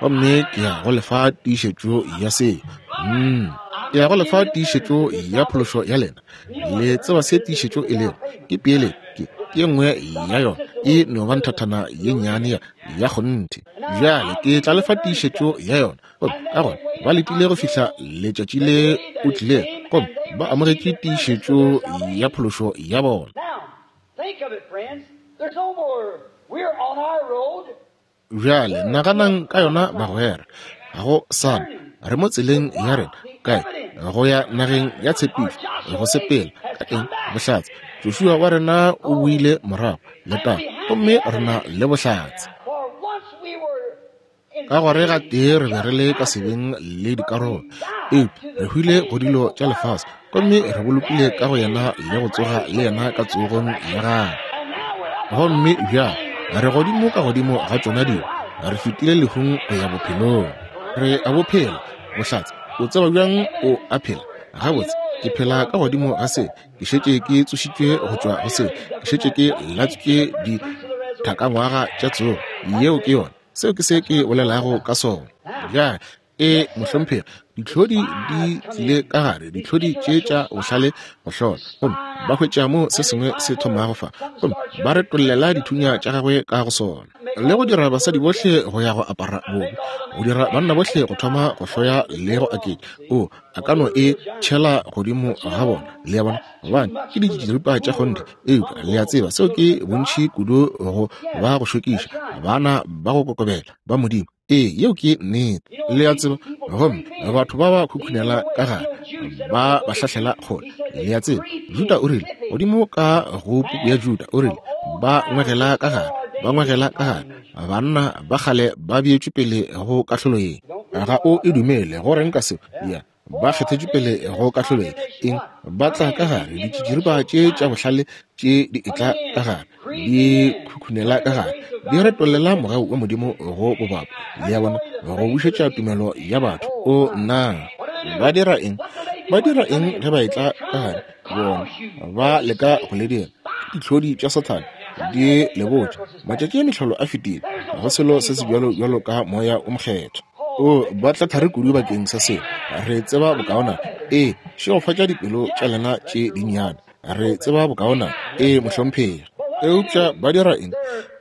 gomme ke ya go lefa tiišetšo ya seo. Mm. Ke ya go lefa tiišetšo ya phološo ya lena. Le tseba se tiišetšo e lego? Ke peeletšo. Ke, ke ye nngwe ya yona. E no ba nthathana ye nnyane ya, ya kgonthe. Bjale ke tla lefa tiišetšo ya yona. Gomme ka gona ba letile go fihla letšatši le o tlilego, gomme ba amogetše tiišetšo ya phološo ya bona. Bjale naganang ka yona, bagwera. Ga go sa na. Re mo tseleng ya rena. Kae? Go ya nageng ya tshepišo. Go sepela. Ka eng? Bohlatse. Joshua wa rena o boile morago, letago, gomme re na le bohlatse. Ka gore gatee re be re le ka sebeng le dikarolo, eupša re hwile go dilo tša lefase, gomme re bolokile ka go yena le go tsoga le yena ka tsogong ya gagwe. Gomme bjale re godimo ka godimo ga tšona dilo, re fetile lehung go ya bophelong. Re a bo phela, bohlatse. O tseba bjang o a phela? Gabotse, ke phela ka godimo ga se. Ke šetše ke tsošitšwe go tšwa go se. Ke šetše ke latswitše dithakangwaga tša tsogo. Yeo ke yona. Seo ke se ke bolelago ka sona. Bjale, e, mohlomphegi, ditlhodi di tlile ka gare, ditlhodi tše tša bohlale go hlola, gomme ba hwetša mo se sengwe se thomago fa, gomme ba retollela dithunya tša gagwe ka go sona, le go dira basadi bohle go ya go apara bobe, go dira banna bohle go thoma go hloya le go aketša. O, a ka no e tšhela godimo ga bona, le a bona, gobane ke ditširipa tša kgonthe. Eupša le a tseba seo ke bontši kudu go ba go šokiša, bana ba go kokobela ba Modimo. Ee, yeo ke nnete, le a tseba. Gomme batho ba ba khukhunela ka gare, ba ba hlahlela kgole, le a tseba. Juda o rile, godimo ka go puku ya Juda, o rile, ba ngwegela ka gare, ba ngwegela ka gare, banna ba kgale ba beetšwe pele go kahlolo ye. Ga o e dumele, go reng ka seo? Ya, ba kgethetšwe pele go kahlolo ye. Eng? Ba tla ka gare, ditšitširipa tše tša bohlale tše di etla ka gare. di khukhunela ka gare, di retollela mogau wa Modimo go bobapa, le a bona, go bušetša tumelo ya batho. O nna! Ba dira eng? Ba dira eng ge ba etla ka gare? Bona, ba leka go le dira. Ke dihlodi tša Sathane, di le botša, Matšatši a mehlolo a fetile, ga go selo se sebjalo bjalo ka Moya wo Mokgethwa. O, ba tla thari kudu bakeng sa seo. Re tseba bokaonana. Ee, šegofatša dipelo tša lena tše dinnyane. Re tseba bokaonana. Ee, mohlomphegi. Eupša ba dira eng?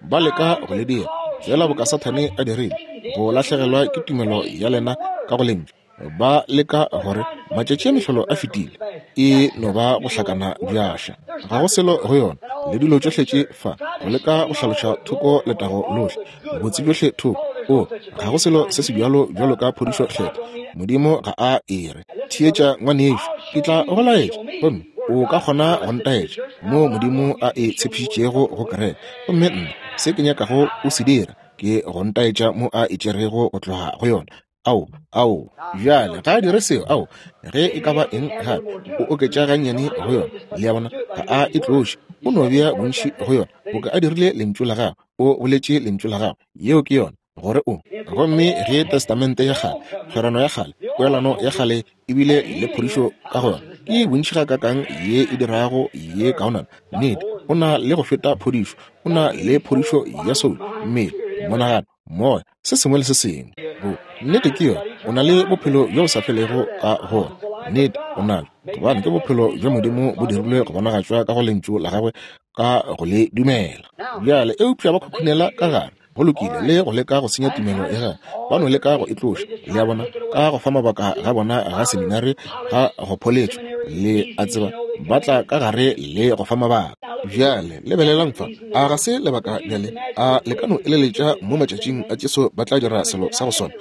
Ba leka go le dira, feela boka Sathane a dirile, go lahlegelwa ke tumelo ya lena ka go Lentšu. Ba leka gore, Matšatši a mehlolo a fetile. E no ba go hlakana bjaša. Ga go selo go yona. Le dilo tšohle tše fa, go leka go hlaloša thoko letago lohle, botse bjohle thoko. O, ga go selo se sebjalo bjalo ka phodišo Kgethwa. Modimo ga a e re. Theetša, ngwanešu, ke tla go laetša, gomme o ka kgona go ntaetša moo Modimo a e tshepišitšego go kereke. Gomme nna, se ke nyakago o se dira, ke go ntaetša mo a e tšerego go tloga go yona. Ao, ao, bjale ga a dire seo, ao, ge e ka ba eng gape, o oketša gannyane go yona, le a bona, ga a e tloše, o no bea bontši go yona, boka a dirile Lentšu la gagwe, o boletše Lentšu la gagwe, yeo ke yona, gore o. Gomme ge Testamente ya Kgale, kgwerano ya kgale, poelano ya kgale e bile le phodišo ka go yona, ke bontši gakaakang ye e dirago ye kaonana. Nnete, o na le go feta phodišo, o na le phodišo ya soulo, mmele, monagano, moya, se sengwe le se sengwe. Bo, nnete ke yona, o na le bophelo bjo bo sa felego ka go wona. Nnete, o nalo, gobane ke bophelo bja Modimo bo dirilwe go bonagatšwa ka go Lentšu la Gagwe ka go le dumela. Bjale, eupša ba khukhunela ka gare, go lokile, le go leka go senya tumelo ya gagwe, ba no leka go e tloša, le a bona, ka go fa mabaka ga bona ga seminari ga go pholetšo, le a tseba, ba tla ka gare le go fa mabaka. Bjale, lebelelang fa. A ga se lebaka bjale? A le ka no eleletša mo matšatšing a Jesu ba tla dira selo sa go swana?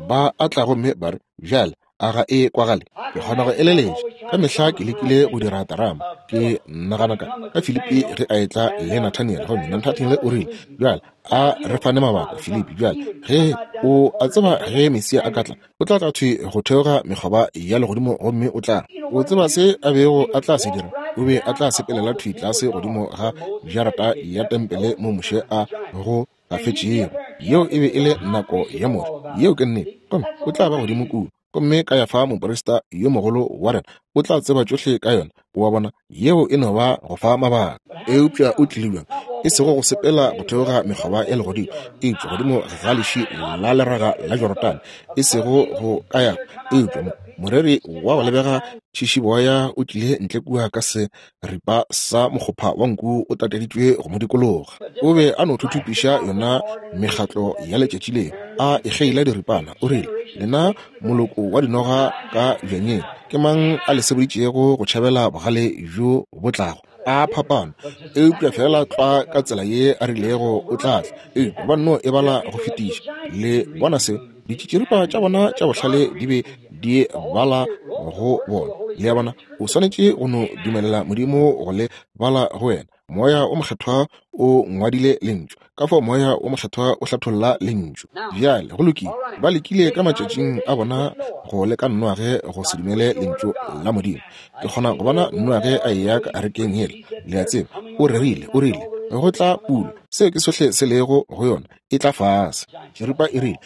Ba a tla gomme ba re, Bjale, a ga e kwagale? Ke kgona go eleletša. Ka mehla ke lekile go dira terama. Ke nagana ka, ka Filipi ge a etla le Nathaniele, gomme Nathaniele o rile, Bjale, a re fane mabaka, Filipi. Bjale, ge o a tseba ge Mesia a ka tla, O tla tla thwi go theoga mekgoba ya legodimo gomme o tla. O tseba se a bego a tla se dira? O be a tla sepelela thwi tlase godimo ga jarata ya tempele mo Moshe a go gafetšego. Yeo e be e le nako ya Moshe. Yeo ke nnete. Gomme o tla ba godimo kua. Gomme Kayafa moprista yo mogolo wa rena o tla tseba tšohle ka yona. O a bona, yeo e no ba go fa mabaka. Eupša o tlile bjang? E sego go sepela go theoga mekgoba ya legodimo, eupša godimo ga leši la leraga la Jorodane, e sego go Kayafa, eupša moreri wa go lebega tšhišiboya o tlile ntle kua ka seripa sa mokgopha wa nku o tateditšwe go mo dikologa. O be a no thuthupiša yona mekgatlo ya letšatši leo, a e kgeila diripana. O rile, Lena moloko wa dinoga ka bjanyeng, ke mang a le seboditšego go tšhabela bogale bjo bo tlago? A phapano, eupša feela tlwa ka tsela ye a rilego o tla tla. Eupša ba nno e bala go fetiša. Le bona se? Ditšitširipa tša bona tša bohlale di be di bala go bona. Le a bona? O swanetše go no dumelela Modimo go le bala go wena. Moya wo Mokgethwa o ngwadile Lentšu. Ka fao Moya wo Mokgethwa o hlatholla Lentšu. Bjale, go lokile. Ba lekile ka matšatšing a bona go leka Noage go se dumele Lentšu la Modimo. Ke kgona go bona Noage a eya ka arekeng yela, le a tseba, o rerile, o rile, Go tla pula. Seo ke sohle se lego go yona, e tla fase. Tširipa e rile,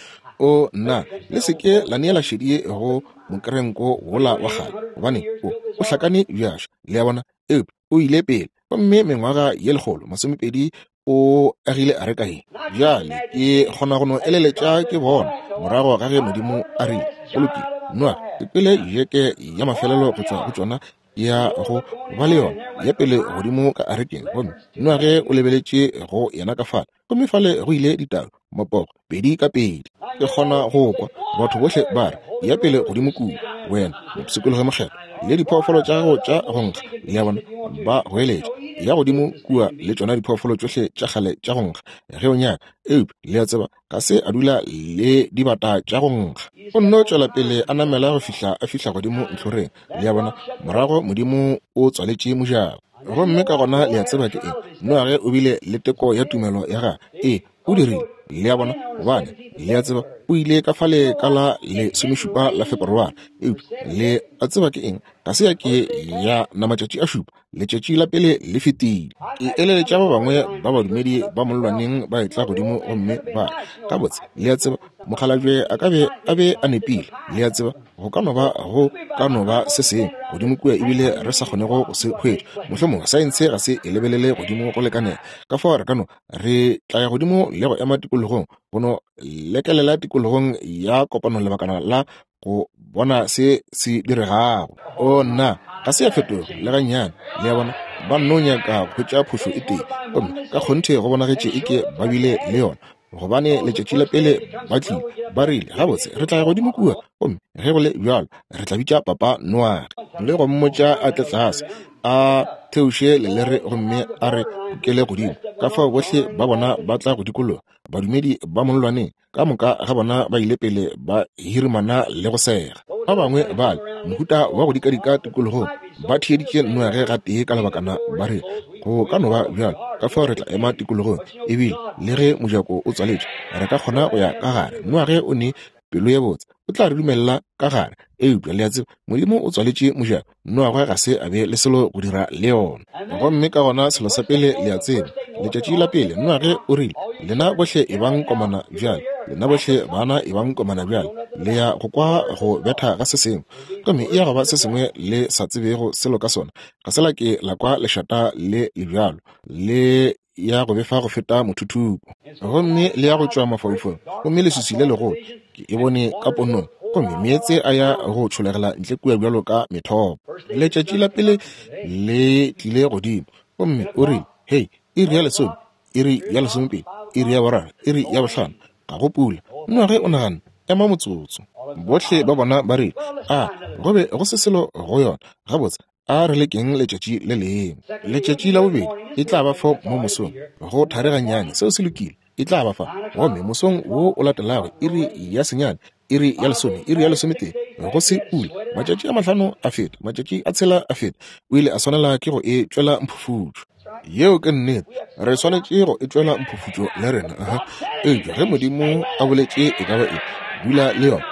O, nna, le se ke la neela šedi go mokerenko wola wa kgale, gobane o, o hlakane bjaša. Le a bona? Eupša o ile pele, gomme mengwaga ye 120 o agile areka ye. Bjale ke kgona go no eleletša ke bona morago ga ge Modimo a rile, Go lokile, Noage, ke kwele jeke ya mafelelo go tšwa go tšona ya go ba le yona ya pele godimo ka arekeng, gomme Noage o lebeletše go yena ka fale, gomme fale go ile ditau, mapogo, pedi ka pedi. Ke kgona go kwa batho bohle ba re, Ya pele godimo kua, wena mopshikologemokgethwa, le diphoofolo tša gago tša go nkga. Le a bona, ba goeletša, Ya godimo kua le tšona diphoofolo tšohle tša kgale tša go nkga, ge o nyaka. Eupša, le a tseba, ga se a dula le dibata tša go nkga. O nno tšwela pele a namela go fihla a fihla godimo ntlhoreng. Le a bona? Morago Modimo o tswaletše mojako. Gomme ka gona le a tseba ke eng? Noage o bile le teko ya tumelo ya gagwe. Ee, o dirile. Le a bona? Gobane, le a tseba, o ile ka fale ka la 17 la Feperware. Eupša, le a tseba ke eng? Ga se ya ke ya na matšatši a šupa. Letšatši la pele le fetile. Ke eleletša ba bangwe ba badumedi ba mollwaneng ba etla godimo gomme ba re, Gabotse, le a tseba, mokgalabje a ka be a be a nepile. Le a tseba, go ka no ba, go ka no ba se sengwe godimo kua ebile re sa kgonego go se hwetša. Mohlomongwe saense ga se e lebelele godimo go lekanela. Ka fao re ka no, re tla ya godimo le go ema tikologong, go no lekelela tikologong ya kopano lebakana la go bona se se diregago. O nna, ga se ya fetoga le gannyane. Le a bona, ba nno nyaka go hwetša phošo e tee, gomme ka kgonthe go bonagetše eke ba bile le yona, gobane letšatši la pele ba tlile, ba rile, Gabotse, re tla ya godimo kua, gomme ge go le bjalo re tla bitša Papa Noage le go mmotša a tle tlase, a theoše lelere gomme a re kukele godimo. Ka fao bohle ba bona ba tla go dikologa, badumedi ba mollwaneng ka moka ga bona ba ile pele ba hirimana le go sega. Ba bangwe bale mohuta wa go dikadika tikologong ba theeditše Noage gatee ka lebakana, ba re, Go ka no ba bjalo, ka fao re tla ema tikologong, ebile le ge mojako o tswaletšwe re ka kgona go ya ka gare. Noage o ne pelo ye botse, o tla re dumelela ka gare. Eupša le a tseba, Modimo o tswaletše mojako, Noage ga se a be le selo go dira le yona. Gomme ka gona selo sa pele le a tseba, letšatši la pele, Noage o rile, Lena bohle ebang komana bjale, lena bohle bana ebang komana bjale, le ya go kwa go betha ga se sengwe. Gomme e ya go ba se sengwe le sa tsebego selo ka sona. Ga se la ke la kwa lešata le le bjalo, le ya go befa go feta mothuthupo, gomme le ya go tšwa mafaufaung, gomme leswiswi le legolo, ke e bone ka ponong, gomme meetse a ya go tšholegela ntle kua bjalo ka methopo. Letšatši la pele le tlile godimo, gomme o rile, Hei, iri ya lesome, iri ya lesomepedi, iri ya boraro, iri ya bohlano, ga go pula. Noage o naganne, Ema motsotso. Bohle ba bona ba rile, A go be go se selo go yona. Gabotse, a re lekeng letšatši le lengwe. Letšatši la bobedi e tla ba fo mo mosong, go thari gannyane, seo se lokile, e tla ba fa. Gomme mosong wo o latelago, iri ya senyane, iri ya lesome, iri ya lesometee, go se pula. Matšatši a mahlano a feta, matšatši a tshela a feta, o ile a swanela ke go e tšwela mphufutšo. Yeo ke nnete, re swanetše go e tšwela mphufutšo le rena. Aha. Eupša ge Modimo a boletše e ka ba eng, dula le yona.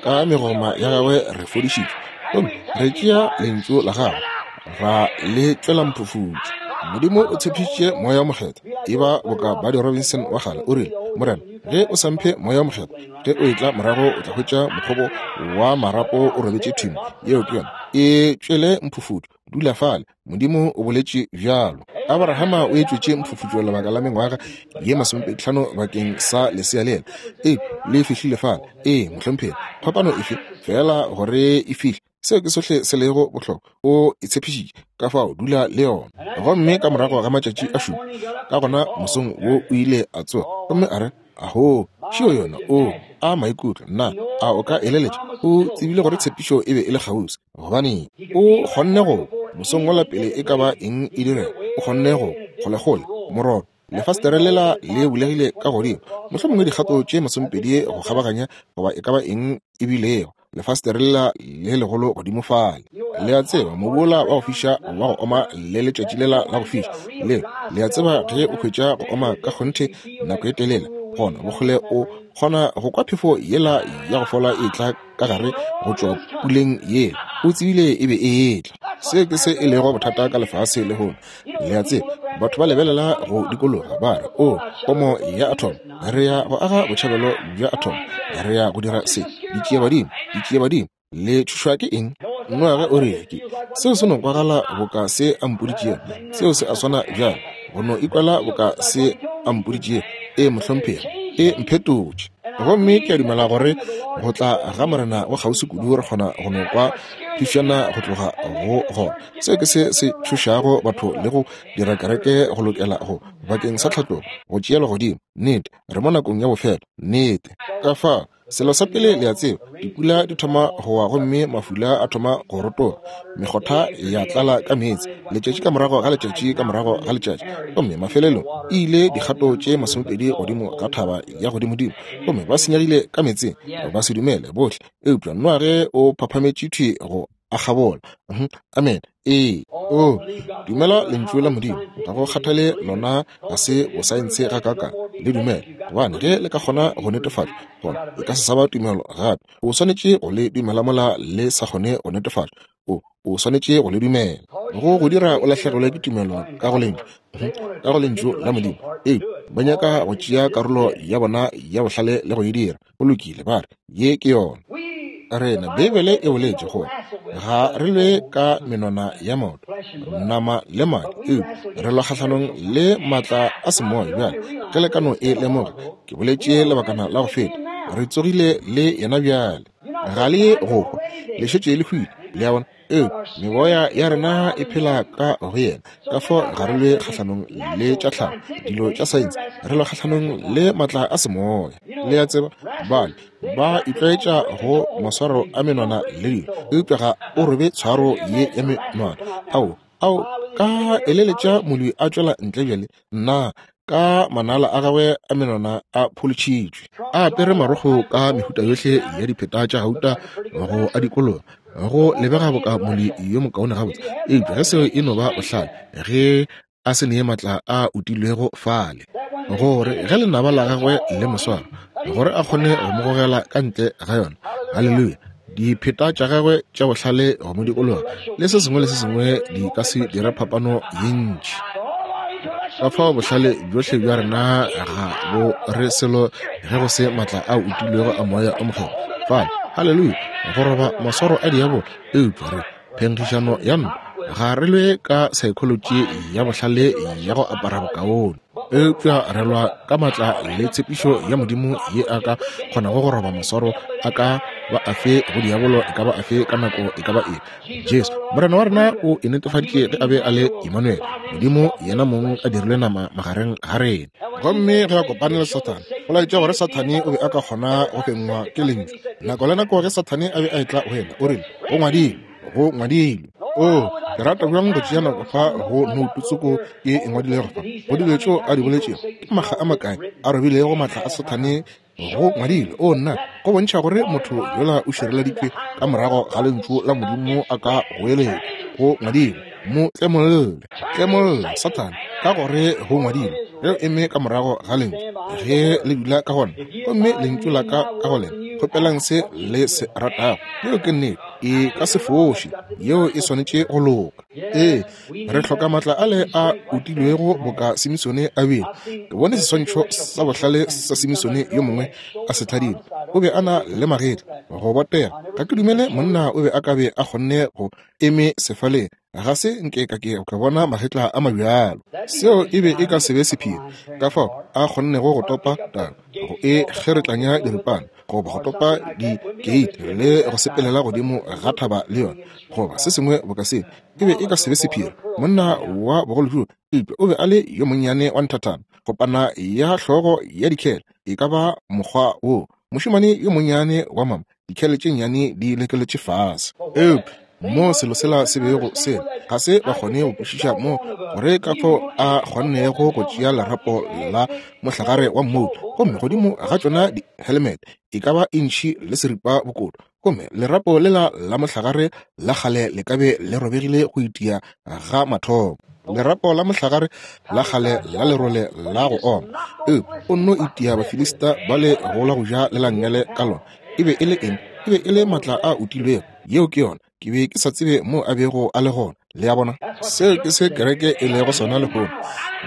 Ka megoma ya gagwe re fodišitšwe. Gomme re tšea Lentšu la Gagwe, ra le tšwela mphufutšo. Modimo o tshepišitše Moya wo Mokgethwa. Eba boka Buddy Robinson wa kgale, o rile, Morena, ge o sa mphe Moya wo Mokgethwa, ge o etla morago o tla hwetša mokgobo wa marapo o robetše thimo. Yeo ke yona. E tšwele mphufutšo. Dula fale. Modimo o boletše bjalo. Abrahama o etšwetše mphufutšo lebaka la mengwaga ye masomepeditlhano bakeng sa lesea lela. Ee, le fihlile fale. Ee, mohlomphegi. Phapano efe? Feela gore e fihle. Seo ke sohle se lego bohlokwa. O e tshepišitše, ka fao dula le yona. Gomme ka morago ga matšatši a šupa, ka gona mosong wo o ile a tsoga gomme a re, Ahoo, šeo yona, oo, a maikutlo, nna, a o ka eleletša? O tsebile gore tshepišo e be e le kgauswi. Gobaneng? O kgonne go, mosong wola pele e ka ba eng e direga, o kgonne go, kgolekgole, morobe, lefastere lela le bulegile ka godimo, mohlomongwe dikgato tše masomepedi go kgabaganya, goba e ka ba eng e bilego, lefastere lela le legolo godimo fale. Le a tseba, mobu wola wa go fiša wa go oma le letšatši lela la go fiša, leo, le a tseba, ge o hwetša go oma ka kgonthe nako e telele, gona bokgole o kgona go kwa phefo yela ya go fola e tla ka gare go tšwa puleng yela. O tsebile e be e etla. Se ke se e lego bothata ka lefase lehono. Le a tseba, batho ba lebelela go dikologa, ba re, O, pomo ya atom, re ya go aga botšhabelo bja atom, re ya go dira se. Ditšiebadimo, ditšiebadimo, le tšhošwa ke eng? Noage o rile, Ke, seo se no kwagala boka se a mpoditšego. Seo se a swana bjalo, go no ikwela boka se a mpoditšego. Ee, mohlomphegi, e mphetotše. Gomme ke a dumela gore go tla ga Morena go kgauswi kudu re kgona go no kwa phišana go tloga go gona. Seo ke se se tšhošago batho le go dira kereke go lokela go bakeng sa tlhatlogo, go tšeelwa godimo. Nnete, re mo nakong ya bofelo. Nnete. Ka fao, selo sa pele le a tseba, dipula di thoma go wa gomme mafula a thoma go rotoga, mekgotha ya tlala ka meetse, letšatši ka morago ga letšatši ka morago ga letšatši, gomme mafelelong e ile dikgato tše masomepedi godimo ga thaba ya godimodimo, gomme ba senyegile ka meetseng, ba se dumele bohle. Eupša Noage o phaphametše thwi go. a kgabola. Amene. Ee. O dumela Lentšu la Modimo, ga go kgathale lona ga se bosaense gakaakang, le dumele, gobane ge le ka kgona go netefatšwa, gona e ka se sa ba tumelo gape. O swanetše go le dumela mola le sa kgone go netefatšwa. O, o swanetše go le dumela. Go go dira o lahlegelwe ke tumelo ka go Lentšu, ka go Lentšu la Modimo. Ee, ba nyaka go tšea karolo ya bona ya bohlale le go e dira. Go lokile, ba re, Ye ke yona. Rena, Beibele e boletše gore ga re lwe ka menwana ya maoto, nama le madi, eupša re lwa kgahlanong le maatla a semoya. Bjale, ge le ka no e lemoga, ke boletše lebakana la go feta, re tsogile le yena bjale. Ga le ye go hwa, le šetše le hwile. Le a bona? Eupša meboya ya rena e phela ka go yena. Ka fao ga re lwe kgahlanong le tša tlhago, dilo tša saense, re lwa kgahlanong le maatla a semoya. Le a tseba, bale ba itlwaetša go maswaro a menwana le dilo, eupša ga o robe tshwaro ye ya menwana. Ao, ao, ka eleletša molwi a tšwela ntle bjale, nna, ka manala a gagwe a menwana a pholotšhitšwe, a apere marokgo ka mehuta yohle ya dipheta tša gauta go a dikologa, go lebega boka molwi yo mokaone gabotse. Eupša ge seo e no ba bohlale, ge a se nee matla a utilwego fale, gore ge lenaba la gagwe le mo swara, gore a kgone go mo gogela ka ntle ga yona. Haleluya! Dipheta tša gagwe tša bohlale go mo dikologa le se sengwe le se sengwe di ka se dire phapano ye ntši. Ka fao bohlale bjohle bja rena ga bo re selo ge go se matla a utilwego a Moya o Mokgethwa fale. Haleluya! Go roba maswaro a diabolo, eupša re phenkgišano ya ntwa. Ga re lwe ka saekholotši ya bohlale ya go apara bokaone, eupša re lwa ka matla le tshepišo ya Modimo ye a ka kgonago go roba maswaro a ka ba afe go diabolo e ka ba afe ka nako e ka ba efe. Jesu Morena wa rena o e netefaditše ge a be a le Emmanuel, Modimo yena mong a dirilwe nama magareng ga rena. Gomme ge a kopane le Sathane, go laetša gore Sathane o be a ka kgona go fengwa ke Lentšu. Nako le nako ge Sathane a be a etla go yena, o rile, Go ngwadilwe, go ngwadilwe. Oo, ke rata bjang go tšea nako fa go noutu tsoko ye e ngwadilego fa, go dilo tšeo a di boletšego. Ke makga a makae a robilego maatla a Sathane go ngwadilwe. O nna, go bontšha gore motho yola o šireleditšwe ka morago ga Lentšu la Modimo a ka goeletša, Go ngwadilwe. Mo tlemolle, tlemolla Sathane, ka gore go ngwadilwe. Ge o eme ka morago ga Lentšu, ge le dula ka gona, gomme Lentšu la ka ka go lena, kgopelang se le se ratago. Yeo ke nnete, e ka se foše. Yeo e swanetše go loka. Ee, re hloka matla ale a utilwego boka Simisone a bile. Ke bone seswantšho sa bohlale sa Simisone yo mongwe a se thadile. O be a na le magetla, go botega. Ga ke dumele monna o be a ka be a kgonne go eme sefaleng. Ga se nke ka ke ka bona magetla a mabjalo. Seo e be e ka se be sephiri, ka fao a kgonnego go topa taba, go e kgeretlanya diripana, goba go topa dikeiti le go sepelela godimo ga thaba le yona, goba se sengwe boka seo. E be e ka se be sephiri. Monna wa bogolo bjoo, eupša o be a le yo monnyane wa nthathana, kopana ya hlogo ya dikhele, e ka ba mokgwa woo. Mošemane yo monnyane wa mama, dikhele tše nnyane di lekeletše fase. Eupša mo selo sela se bego se ga se ba kgone go kwešiša mo gore ka fao a kgonnego go tšea lerapo la mohlagare wa mmouto, gomme godimo ga tšona dihelemete e ka ba intšhi le seripa bokoto, gomme lerapo lela la mohlagare la kgale le ka be le robegile go itia ga mathomo, lerapo la mohlagare la kgale la lerole la go oma. Eupša o nno itia Bafilista ba le go la go ja le la nngele ka lona. E be e le eng? E be e le matla a utilwego. Yeo ke yona. Ke be ke sa tsebe moo a bego a le gona. Le a bona? Seo ke se kereke e lego sona lehono.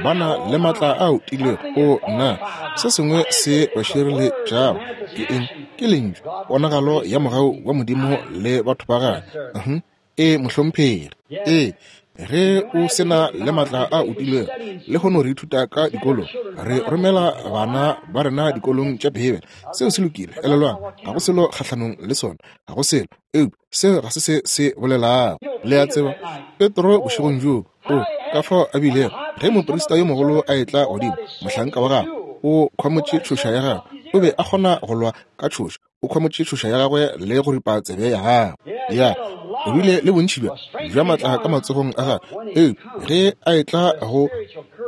Ba na le matla a utilwego. O nna, se sengwe se ba šireletšago ke eng? Ke Lentšu, ponagalo ya mogau wa Modimo le batho ba Gagwe. Uh-huh. Ee, mohlomphegi. Ee, ge o se na le matla a utilwego. Lehono re ithuta ka dikolong, re romela bana ba rena dikolong tša Beibele. Seo se lokile, elelwang, ga go selo kgahlanong le sona, ga go selo. Eupša seo ga se se se bolelago. Le a tseba, Petro bošegong bjoo, o ka fao a bilego, ge moprista yo mogolo a etla godimo, mohlanka wa gagwe, o khwamotše tšhoša ya gagwe, o be a kgona go lwa ka tšhoša, o khwamotše tšhoša ya gagwe le go ripa tsebe ya gagwe. Ya, o bile le bontši bja, bja matla ka matsogong a gagwe. Eupša ge a etla go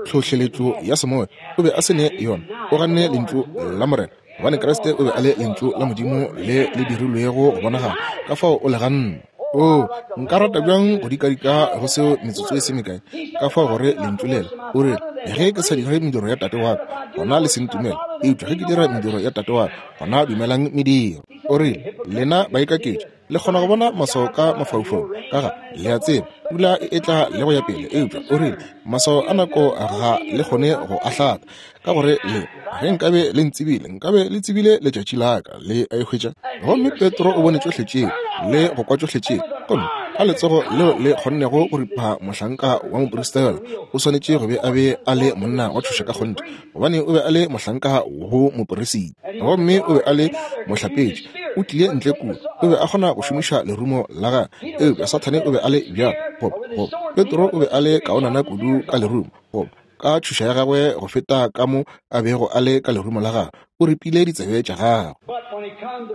tlhohleletšo ya semoya, o be a se ne yona. O ganne Lentšu la Morena, gobane Kriste o be a le Lentšu la Modimo le le dirilwego go bonagala. Ka fao o le ganne. Oo, nka rata bjang go dikadika go seo metsotso e se mekae, ka fao gore Lentšu lela. O rile, Ge ke sa dire mediro ya Tate wa ka, gona le se ntumele. Eupša ge ke dira mediro ya Tate wa ka, gona dumelang mediro. O rile, Lena baikaketši, le kgona go bona maswao ka mafaufaung, ka ga, le a tseba, pula e etla le go ya pele. Eupša o rile, Maswao a nako ga le kgone go a hlatha, ka gore le, ge nkabe le ntsebile, nkabe le tsebile letšatši la ka. Le a e hwetša? Gomme Petro o bone tšohle tšeo le go kwa tšohle tšeo, gomme ka letsogo leo le kgonnego go ripa mohlanka wa moprista yola, o swanetše go be a be a le monna wa tšhoša ka kgonthe, gobane o be a le mohlanka go moperisita, gomme o be a le mohlapetši. O tlile ntle kua, o be a kgona go šomiša lerumo la gagwe, eupša Sathane o be a le bjalo, goba, goba Petro o be a le kaonana kudu ka lerumo, goba ka tšhoša ya gagwe go feta ka mo a bego a le ka lerumo la gagwe. O ripile ditsebe tša gagwe.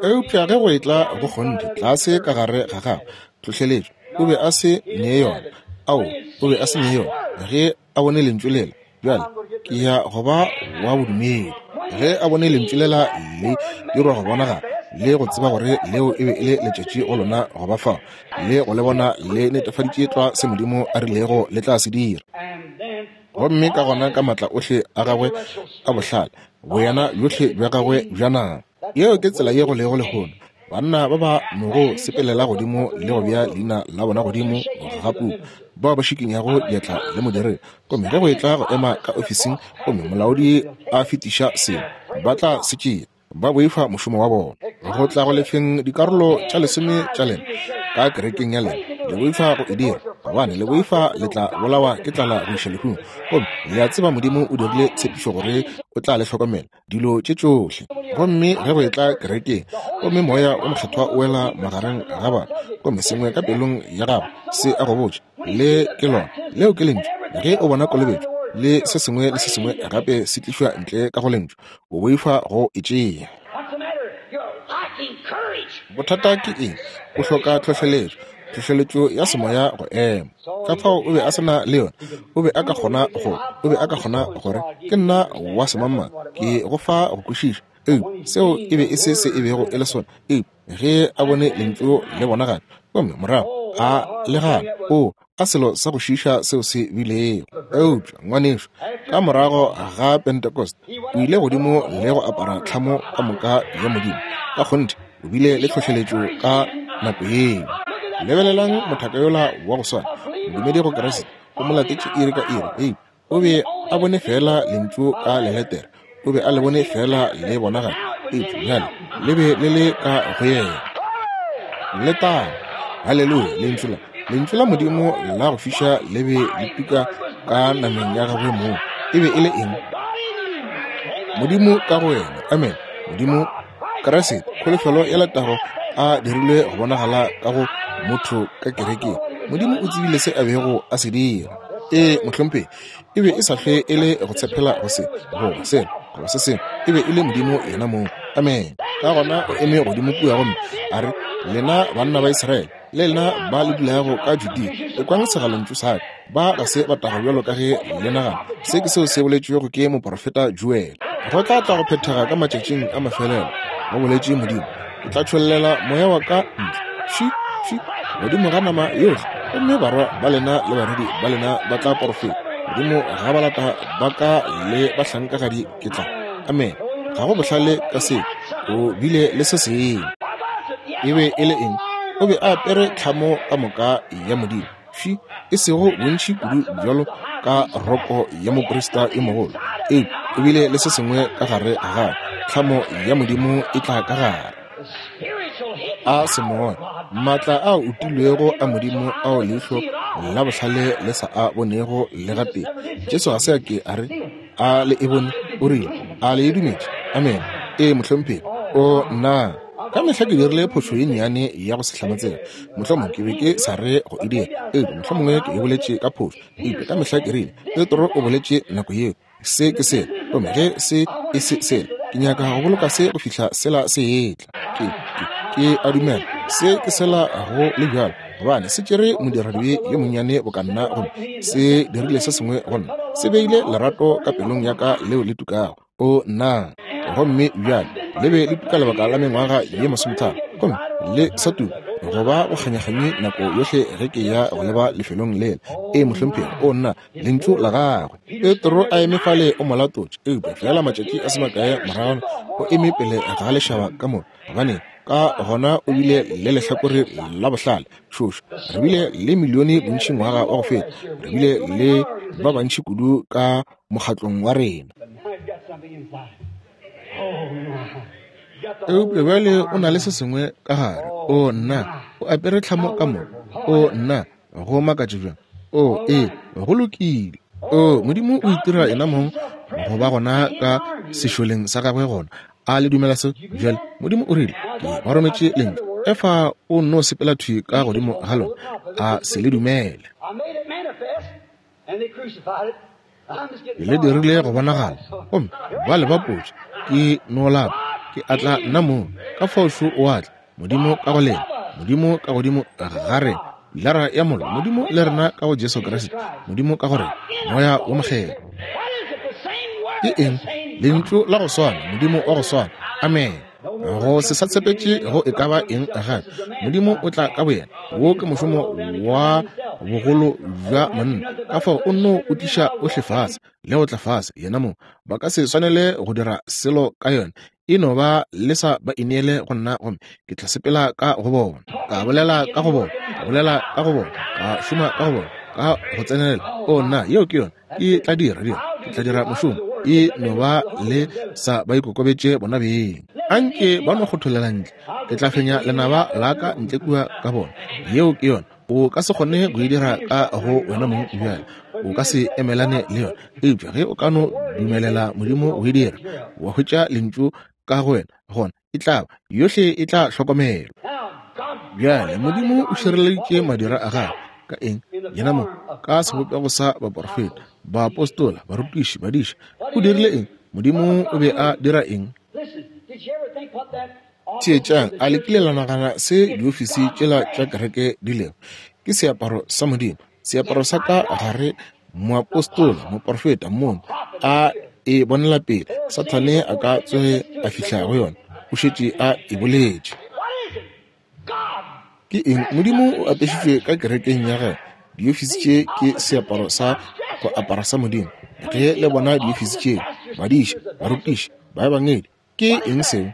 Eupša ge go etla go kgonthe tlase ka gare ga gagwe, tlhohleletšo, o be a se ne yona. Ao, o be a se ne yona. Ge a bone lentšu lela, bjale ke ya go ba wa bodumedi. Ge a bone lentšu lela le dirwa go bonagala, le go tseba gore leo e be e le letšatši go lona go ba fao, le go le bona le netefaditše tlwa se Modimo a rilego le tla se dira. Gomme ka gona ka matla ohle a gagwe a bohlale, boyena bjohle bja gagwe bja nama. Yeo ke tsela ye go lego lehono. Banna ba ba nogo sepelela godimo le go bea leina la bona godimo ga puku, bao ba šikinyago diatla le modiredi, gomme ge go etla go ema ka ofising gomme molaodi a fetiša selo, ba tla se tšea. Ba boifa mošomo wa bona. Go tla go lefeng dikarolo tša lesome tša lena ka kerekeng ya lena, le boifa go e dira, gobane le boifa le tla bolawa ke tlala go iša lehung. Gomme le a tseba Modimo o dirile tshepišo gore o tla le hlokomela dilo tše tšohle. Gomme ge go etla kerekeng, gomme Moya wo Mokgethwa o wela magareng ga batho, gomme sengwe ka pelong ya gago se a go botša, Le ke lona, leo ke Lentšu. Ge o bona kolobetšo le se sengwe le se sengwe gape se tlišwa ntle ka go Lentšu, o boifa go e tšea. Bothata ke eng? O hloka tlhohleletšo, tlhohleletšo ya semoya go ema. Ka fao o be a se na le yona. O be a ka kgona go, o be a ka kgona gore, Ke nna wa semangmang, ke go fa go kwešiša. Eupša seo e be e se se e bego e le sona. Eupša ge a bone Lentšu le bonagala, gomme morago a le gana, o a selo sa go šiiša seo se bilego. Eupša, ngwanešu, ka morago ga Pentecost, o ile godimo le go apara tlhamo ka moka ya Modimo. Ka kgonthe, o bile le tlhohleletšo ka nako yeo. Lebelelang mothaka yola wa go swana, modumedi go Kriste, o mo latetše iri ka iri. Eupša o be a bone feela Lentšu ka leletere, o be a le bone feela le bonagala, eupša bjale le be le le ka go yena. Letago! Haleluya! Lentšu la, Lentšu la Modimo la go fiša le be le tuka ka nameng ya gagwe mong. E be e le eng? Modimo ka go wena. Amen. Modimo, Kriste, kholofelo ya letago, a dirilwe go bonagala ka go motho ka kerekeng. Modimo o tsebile se a bego a se dira. Ee, mohlomphegi, e be e sa hlwe e le go tshepela go se, goba sela, goba se sengwe. E be e le Modimo yena mong. Amen. Ka gona o eme godimo kua gomme a re, Lena banna ba Israele, le lena ba le dulago ka Judea, ekwang segalontšu sa ka. Ba ga se ba tago bjalo ka ge le nagana. Se ke seo se boletšwego ke moprofeta Joele. Go tla tla go phethega ka matšatšing a mafelelo, go boletše Modimo, ke tla tšhollela moya wa ka ntle, fši, fši, godimo ga nama yohle, gomme barwa ba lena le barwedi ba lena ba tla porofeta. Godimo ga balata ba ka le bahlankagadi ke tla. Amen. Ga go bohlale ka seo. O bile le se sengwe. E be e le eng? O be a apere tlhamo ka moka ya Modimo. Fši, e sego bontši kudu bjalo ka roko ya moprista yo mogolo, eupša o bile le se sengwe ka gare ga gagwe. Tlhamo ya Modimo e tla ka gare. A semoya, maatla a utilwego a Modimo ao leihlo la bohlale le sa a bonego le gatee. Jesu ga se a ke a re, A le e bone? O rile, A le e dumetše? Amene. Ee, mohlomphegi. O, nna! Ka mehla ke dirile phošo ye nnyane ya go se hlamatsega. Mohlomongwe ke be ke sa re go e dira, eupša mohlomongwe ke e boletše ka phošo. Eupša ka mehla ke rile, Petro o boletše nako yeo, se ke sela, gomme ge se e se sela, ke nyaka go boloka se go fihla sela se etla. Ke, ke, ke a dumela se ke sela go le bjalo, gobane se tšere modiradibe yo monnyane boka nna gomme se dirile se sengwe go nna, se beile lerato ka pelong ya ka leo le tukago. O nna! Gomme bjale le be le tuka lebaka la mengwaga ye masometharo, gomme le sa tuka. Go ba go kganyakganye nako yohle ge ke ya go leba lefelong lela. Ee, mohlomphegi. O nna, Lentšu la Gagwe. Petro a eme fale o mo latotše, eupša feela matšatši a se makae moragwana o eme pele ga lešaba ka moka. Gobaneng, ka gona o bile le lehlakore la bohlale. Šošo, re bile le milione bontši ngwaga wa go feta. Re bile le ba bantši kudu ka mokgatlong wa rena. Eupša bjale o na le se sengwe ka gare. O nna, o apere tlhamo ka moka. O nna, go makatše bjang. O, ee, go lokile. O, Modimo o itira yena mong go ba gona ka sešoleng sa gagwe gona. A le dumela se? Bjale, Modimo o rile, Ke ba rometše lentšu. Efa o nno sepela thwi ka godimo ga lona, a se le dumele. Ke le dirile go bonagala, gomme ba le bapotše. Ke no lapa, ke a tla nna mong. Ka fao šo o a tla, Modimo ka go lena, Modimo ka godimo ga rena, pilara ya mollo, Modimo le rena ka go Jesu Kriste, Modimo ka go rena, Moya wo Mokgethwa. Ke eng? Lentšu la go swana, Modimo wa go swana. Amene. Go se sa tshepetše go e ka ba eng gape. Modimo o tla ka boyena. Wo ke mošomo wa bogolo bja monna. Ka fao o nno o tliša ohle fase le go tla fase yena mong. Ba ka se swanele go dira selo ka yona. E no ba le sa ba ineele go nna gomme ke tla sepela ka go bona. Ka bolela ka go bona, ka bolela ka go bona, ka šoma ka go bona, ka go tsenelela. O nna, yeo ke yona. Ke tla dira, dira, ke tla dira mošomo. E no ba le sa ba ikokobetše bona beng. Anke ba no kgotholela ntle. Ke tla fenya lenaba la ka ntle kua ka bona. Yeo ke yona. O ka se kgone go e dira ka go wena mong bjale. O ka se emelane le yona. Eupša ge o ka no dumelela Modimo go e dira, wa hwetša Lentšu ka go wena, gona e tla ba, yohle e tla hlokomelwa. Bjale, Modimo o šireleditše madira a gagwe ka eng? Yena mo, ka sebopego sa baporofeta, baapostola, barutiši, badiša. O dirile eng? Modimo o be a dira eng? Theetšang, a le kile la nagana se diofisi tšela tša kereke di lego? Ke seaparo sa Modimo, seaparo sa ka gare, moapostola, moporofeta, mong a e bonela pele. Sathane a ka tsoge a fihla go yona, o šetše a e boletše. Ke eng? Modimo o apešitšwe ka kerekeng ya gagwe. Diofisi tše ke seaparo sa go apara sa Modimo. Ge le bona diofisi tše, badiša, barutiši, baebangedi, ke eng seo?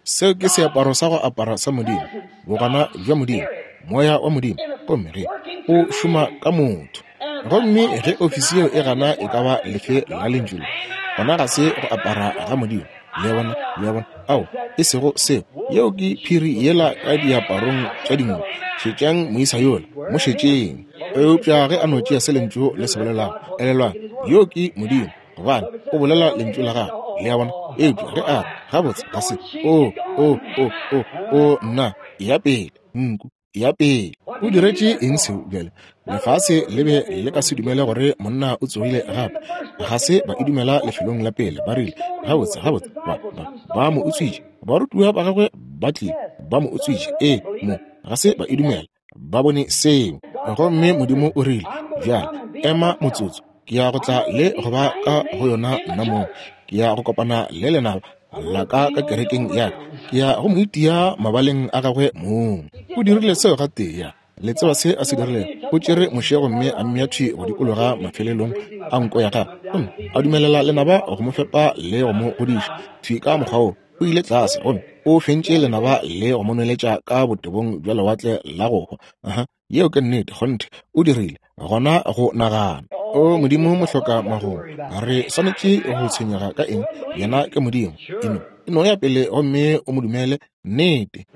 Seo ke seaparo sa go apara sa Modimo, bogona bja Modimo, Moya wa Modimo, gomme ge o šoma ka motho. Gomme ge ofisi yeo e gana e ka ba lefe la Lentšu le, gona ga se go apara ga Modimo. Le a bona? Le a bona? Ao, e sego seo. Yeo ke phiri yela ka diaparong tša dinku. Šetšang moisa yola, mo šetšeng. Eupša ge a no tšea se Lentšu le se bolelago, elelwang, yoo ke Modimo, gobane o bolela Lentšu la Gagwe. Le a bona? Eupša ge a re, Gabotse, ga se. O, o, o, o, o, nna, eya pele, nku. Ya pele. O diretše eng seo bjale? Lefase le be le ka se dumele gore monna o tsogile gape. Ga se ba e dumela lefelong la pele. Ba rile, Gabotse, gabotse, ba, ba, ba mo utswitše. Barutiwa ba gagwe ba tlile, ba mo utswitše. Ee, mo, ga se ba e dumela. Ba bone seo. Gomme Modimo o rile, Bjale, ema motsotso. Ke ya go tla le go ba ka go yona nna mong. Ke ya go kopana le lenaba la ka ka kerekeng ya ka. Ke ya go mo itia mabaleng a gagwe mong. O dirile seo gatee. Ya. Le tseba se a se dirilego? O tšere Moshe gomme a mmea thwi go dikologa mafelelong a nko ya gagwe, gomme a dumelela lenaba go mo fepa le go mo godiša thwi ka mokgwa woo. O ile tlase gomme o fentše lenaba le go mo nweletša ka botebong bja lewatle la go hwa. Aha. Yeo ke nnete, kgonthe, o dirile. Gona go nagana. O Modimo mohloka magomo, re swanetše go tshwenyega ka eng? Yena ke Modimo. E no, e no ya pele gomme o mo dumele. Nnete.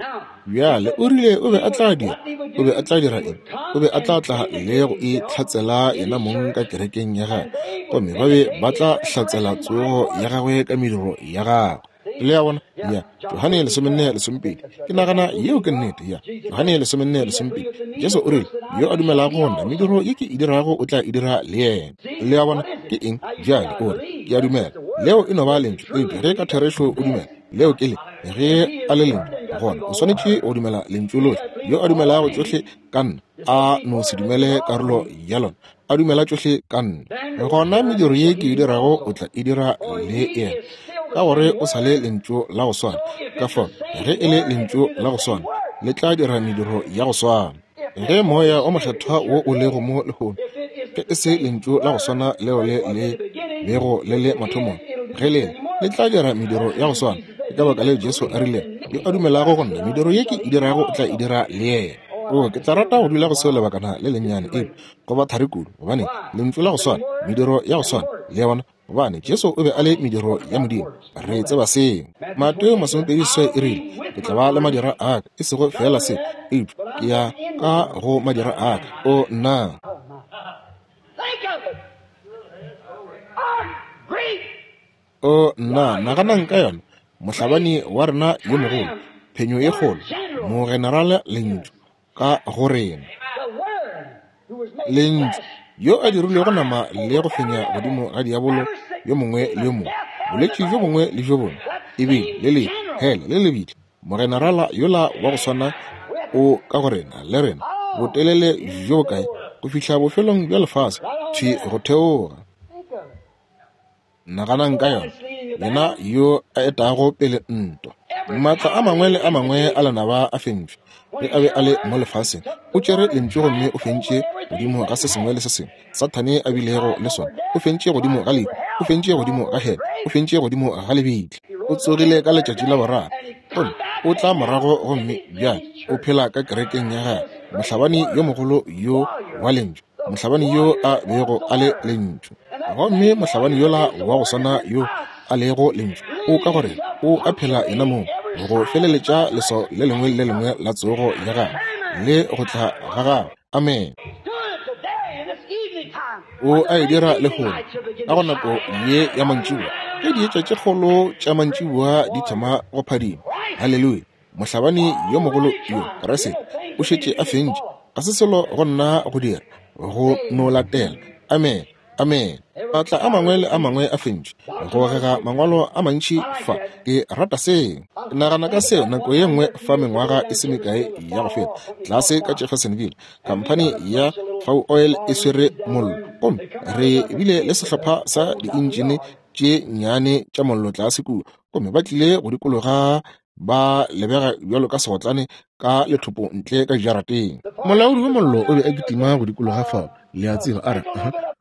Bjale, o rile o be a tla dira. O be a tla dira eng? O be a tla tla le go itlhatsela yena mong ka kerekeng ya gagwe, gomme ba be ba tla hlatsela tsogo ya gagwe ka mediro ya gagwe. Le a bona? Ya. Johane 14:12. Ke nagana yeo ke nnete. Ya. Johane 14:12. Jesu o rile, Yo a dumelago go nna, mediro ye ke e dirago o tla e dira le yena. Le a bona? Ke eng? Bjale o re, Ke a dumela. Leo e no ba lentšu. Eupša ge ka therešo o dumela, leo ke le. Ge a le lentšu, gona o swanetše go dumela lentšu lohle. Yo a dumelago tšohle ka nna, a no se dumele karolo ya lona, a dumela tšohle ka nna, gona mediro ye ke e dirago o tla e dira le yena. ka gore o sa le Lentšu la go swana. Ka fao, ge e le Lentšu la go swana, le tla dira mediro ya go swana. Ge Moya o Mokgethwa wo o lego mo lehono, ge e se Lentšu la go swana leo le le bego le le mathomong, ge le le tla dira mediro ya go swana. Ke ka baka leo Jesu a rile, Yo a dumelago go nna, mediro ye ke e dirago o tla e dira le yena. O, ke tla rata go dula go seo lebakana le lennyane, eupša go ba thari kudu, gobane Lentšu la go swana, mediro ya go swana, le a bona, gobane Jesu o be a le mediro ya Modimo. Re tseba seo. Mateo 28 e rile, Ke tla ba le madira a ka, e sego feela se, eupša ke ya ka go madira a ka. O, nna! O, nna, naganang ka yona, mohlabani wa rena yo mogolo, phenyo ye kgolo, mogenerale Lentšu ka go rena. Lentšu, yo a dirilwego nama le go fenya godimo ga diabolo yo mongwe le yo mongwe, bolwetši bjo bongwe le bjo bongwe, ebile le lehu, hele le lebitla, mogenerala yola wa go swana o ka go rena le rena, botelele bjo bokae, go fihla bofelong bja lefase, thwi go theoga. Naganang ka yona, yena yo a etago pele ntwa. Maatla a mangwe le a mangwe a lenaba a fentšwe. Ge a be a le mo lefaseng, o tšere Lentšu gomme o fentše godimo ga se sengwe le se sengwe Sathane a bilego le sona. O fentše godimo ga lehu, o fentše godimo ga hele, o fentše godimo ga lebitla. O tsogile ka letšatši la boraro, gomme o tla morago gomme bjale o phela ka kerekeng ya gagwe, mohlabani yo mogolo yo wa Lentšu, mohlabani yo a bego a le Lentšu. Gomme mohlabani yola wa go swana yo a lego Lentšu o ka gore o a phela yena mong go feleletša leswao le lengwe le lengwe la tsogo ya gagwe le go tla ga gagwe. Amen. O a e dira lehono ka go nako ye ya mantšiboa, ge dietša tše kgolo tša mantšiboa di thoma go phadima. Haleluya! Mohlabani yo mogolo yo, Kriste, o šetše a fentše. Ga se selo go nna go dira, go no latela. Amen. Amen. Maatla a mangwe le a mangwe a fentšwe. Go gega mangwalo a mantši fa. Ke rata seo. Ke nagana ka seo nako ye nngwe fa mengwaga e se mekae ya go feta, tlase ka Jeffersonville, khamphani ya Fau Oil e swere mollo. Gomme re bile le sehlopha sa diintšine tše nnyane tša mollo tlase kua, gomme ba tlile go dikologa ba lebega bjalo ka segotlane ka lethopo ntle ka jarateng. Molaodi wa mollo o be a kitima go dikologa fao, le a tseba, a re,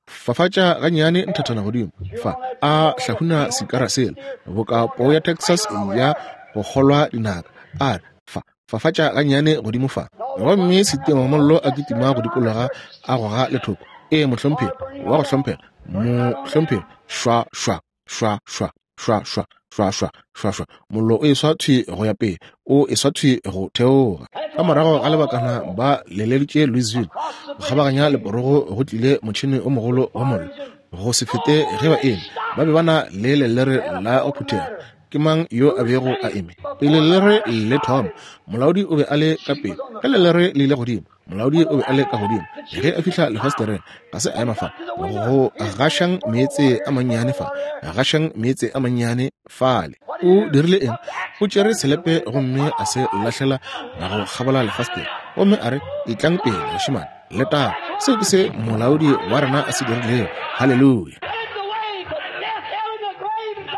Fafatša gannyane nthathana godimo fa, a hlahuna sikara sela, boka poo ya Texas ya go kgolwa dinaka, a re, Fa, fafatša gannyane godimo fa. Gomme setima mollo a kitima go dikologa a goga lethopo. Ee, mohlomphegi, wa go hlomphega, mohlomphegi, šwa, šwa. Šwa, šwa, šwa, šwa, šwa, šwa, šwa, šwa. Mollo o eswa thwi go ya pele, o eswa thwi go theoga. Ka morago ga lebakana ba leleditše Louisville, go kgabaganya leporogo go tlile motšhene o mogolo wa mollo. Go se fete ge ba eme, ba be ba na le lelere la go phuthega. Ke mang yo a bego a eme pele lelere le thoma? Molaodi o be a le ka pele. Ge lelere le ile godimo, Molaodi o be a le ka godimo. Ge a fihla lefastereng, ga se a ema fa go gašang meetse a mannyane fa, gašang meetse a mannyane fale. O dirile eng? O tšere selepe gomme a se lahlela go kgabola lefastere, gomme a re, Etlang pele, bašemane, letang. Seo ke se molaodi wa rena a se dirilego. Haleluya!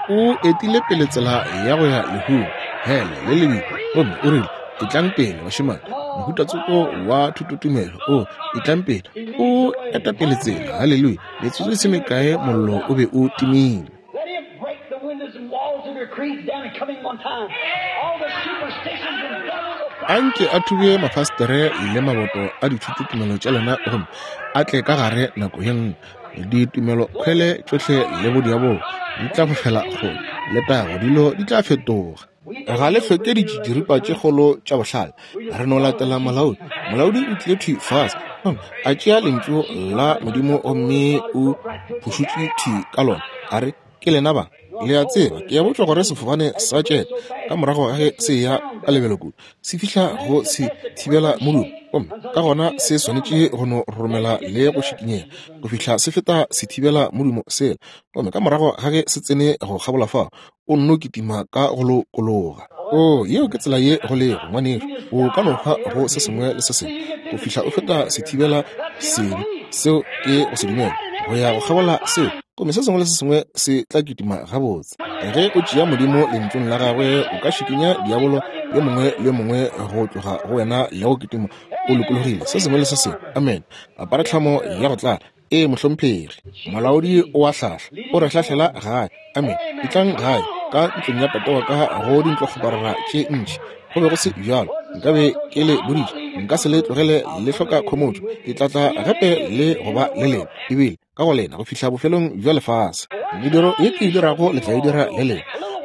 O etile pele tsela ya go ya lehung, hele le lebitla, gomme o rile, Etlang pele, bašemane, mohuta tsoko wa thutotumelo. O, etlang pele. O eta pele tsela. Haleluya! Metsotso e se mekae mollo o be o timile. Anke a thube mafastere le maboto a dithutotumelo tša lena gomme a tle ka gare nako ye nngwe. Ditumelokhwele tšohle le bodiabolo di tla fofela kgole. Letago, dilo di tla fetoga. Ga le hloke ditšitširipa tše kgolo tša bohlale. Re no latela molaodi. Molaodi o tlile thwi fase gomme a tšea Lentšu la Modimo gomme o phušutše thwi ka lona, a re, Ke lena ba. Le a tseba, ke a botšwa gore sefofane sa jet ka morago ga ge se eya ka lebelo kudu, se fihla go se thibela modumo, gomme ka gona se swanetše go no roromela le go šikinyega go fihla se feta sethibela modumo sela. Gomme ka morago ga ge se tsene go kgabola fao, o nno kitima ka go lokologa. Oo, yeo ke tsela ye go lego, ngwanešu. O ka no hwa go se sengwe le se sengwe go fihla o feta sethibela sebe. Seo ke go se dumela, go ya go kgabola seo. Gomme se sengwe le se sengwe se tla kitima gabotse. Ge o tšea Modimo Lentšung la Gagwe, o ka šikinya diabolo yo mongwe le yo mongwe go tloga go wena le go kitima o lokologile, se sengwe le se sengwe. Amene. Apara tlhamo ya go tlala. Ee, mohlomphegi. Molaodi o a hlahla. O re hlahlela gae. Amene. Etlang gae, ka ntlong ya tate wa ka go dintlokgoparara tše ntši. Go be go se bjalo, nkabe ke le boditše, nka se le tlogele le hloka khomotšo. Ke tla tla gape le go ba le lena, ebile ka go lena go fihla bofelong bja lefase. Mediro ye ke e dirago le tla e dira le lena.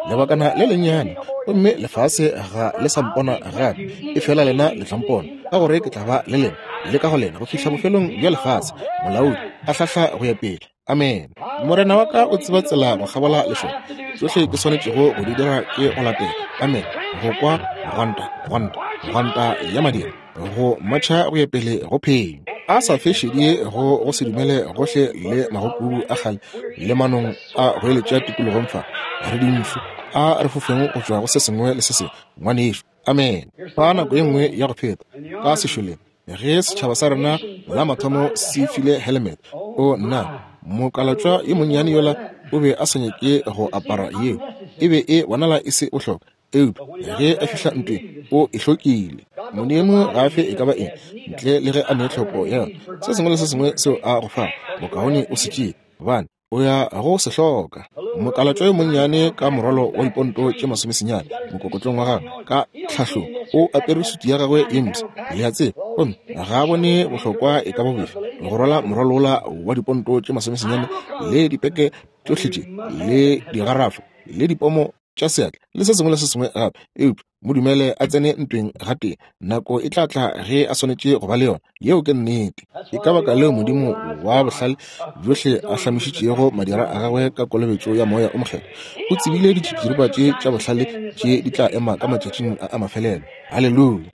Lebakana le lennyane, gomme lefase ga le sa mpona gape, efela lena le tla mpona, ka gore ke tla ba le lena le ka go lena go fihla bofelong bja lefase. Molaodi a hlahla go ya pele. Amene. Morena wa ka o tseba tsela go kgabola lešoka. Tšohle ke swanetšego go di dira ke go latela. Amene. Go kwa gwanta, gwanta, gwanta ya madira, go matšha go ya pele go phenyo. A sa fe šedi go go se dumele gohle le magokubu a kgale le manong a go eletša tikologong fa. Re dintšhu, a re fofeng go tšwa go se sengwe le se sengwe, ngwanešu. Amene. Fa nako ye nngwe ya go feta, ka sešoleng, ge setšhaba sa rena la mathomo se file helmet, o nna, mokalatšwa yo monnyane yola o be a sa nyake go apara yeo, e be e bonala e se bohlokwa, eupša ge a fihla ntweng o e hlokile. Modimo ga a fe e ka ba eng ntle le ge a ne tlhoko ya yona. Se sengwe le se sengwe seo a go fago, bokaone o se tšee, gobane o ya go se hloka. Mokalatšwa yo monnyane ka morwalo wa diponto tše masomesenyane mokokotlong wa gagwe ka tlhahlong, o apere sutu ya gagwe ye mpsha, le a tseba, gomme ga a bone bohlokwa e ka ba bofe go rwala morwalo wola wa diponto tše masomesenyane le dipeke tšohle tše le digarafo le dipomo tša seatla le se sengwe le se sengwe gape. Eupša mo dumele a tsene ntweng gatee, nako e tla tla ge a swanetše go ba le yona. Yeo ke nnete. Ke ka baka leo Modimo wa bohlale bjohle a hlamišitšego madira a gagwe ka kolobetšo ya Moya o Mokgethwa. O tsebile ditšitširipa tše tša bohlale tše di tla ema ka matšatšing a a mafelelo. Haleluya!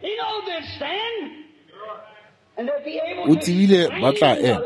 O tsebile ba tla ema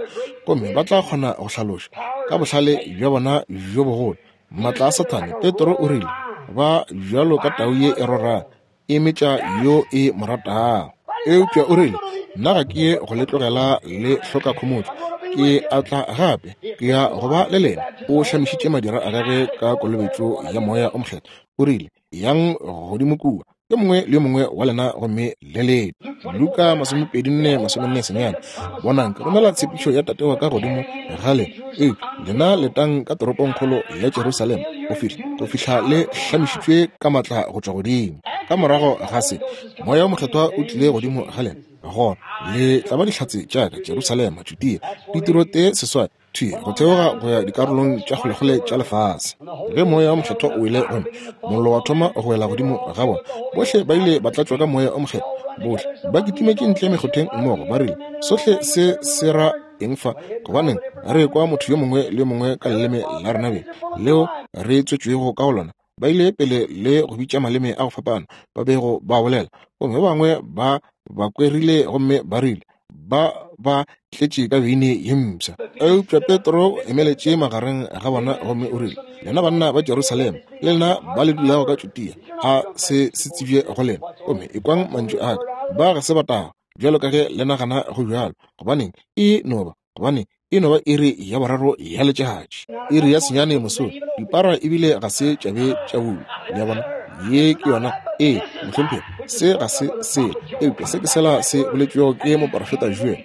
gomme ba tla kgona go hlaloša ka bohlale bja bona bjo bogolo maatla a Sathane. Petro o rile, Ba bjalo ka tau ye e rorago, e metša yo e mo ratago. Eupša o rile, Nna ga ke ye go le tlogela le hloka khomotšo. Ke a tla gape, ke ya go ba le lena. O hlamišitše madira a gagwe ka kolobetšo ya Moya o Mokgethwa. O rile, Yang godimo kua, yo mongwe le yo mongwe wa lena, gomme le lete. Luka 24:49. Bonang, ke romela tshepišo ya Tate wa ka godimo ga lena, eupša lena letang ka toropongkgolo ya Jerusalema go fihla go fihla le hlamišitšwe ka matla go tšwa godimo. Ka morago ga se, Moya o Mokgethwa o tlile godimo ga lena, gona le tla ba dihlatse tša ka Jerusalema, Judea, ditiro tee seswai thwi go theoga go ya dikarolong tša kgolekgole tša lefase. Ge Moya o Mokgethwa o wele gomme mollo wa thoma go wela godimo ga bona, bohle ba ile ba tlatšwa ka Moya o Mokgethwa. Bohle ba kitimetše ntle mekgotheng mmogo, ba rile, Sohle se se ra eng fa? Gobaneng re kwa motho yo mongwe le yo mongwe ka leleme la rena beng leo re tswetšwego ka go lona? Ba ile pele le go bitša maleme a go fapana ba bego ba bolela, gomme ba bangwe ba ba kwerile gomme ba rile ba ba tletše ka beine ye mpsha. Eupša Petro o emeletše magareng ga bona gomme o rile, Lena banna ba Jerusalema, le lena ba le dulago ka Judea, a se se tsebje go lena, gomme ekwang mantšu a ka. Ba ga se ba tagwa, bjalo ka ge le nagana go bjalo, gobaneng e no ba gobane e no ba iri ya boraro ya letšatši, iri ya senyane mosong, dipara ebile ga se tša be tša bulwa. Le a bona? Ye ke yona. Ee, mohlomphegi, se ga se sela, eupša se ke sela se boletšwego ke moporofeta Joel,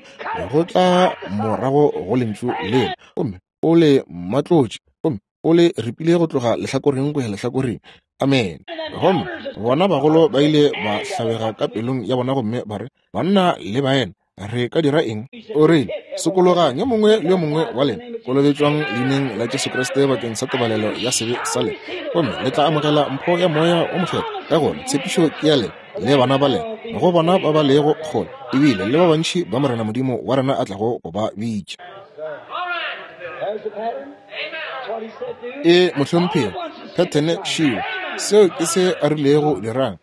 go tla morago go Lentšu lela, gomme o le matlotše, gomme o le ripile go tloga lehlakoreng go ya lehlakoreng. Amene. Gomme bona bagolo ba ile ba hlabega ka pelong ya bona gomme ba re, Banna le baena, re ka dira eng? O rile, Sokologang, yo mongwe le yo mongwe wa lena, kolobetšwang leineng la Jesu Kriste bakeng sa tebalelo ya sebe sa lena, gomme le tla amogela mpho ya Moya wo Mokgethwa. Ka gona tshepišo ke ya lena le bana ba lena, go bona ba ba lego kgole, ebile le ba bantši ba Morena Modimo wa rena a tlago go ba bitša. E, mohlomphegi, phethene šio. Seo ke se a rilego dirang.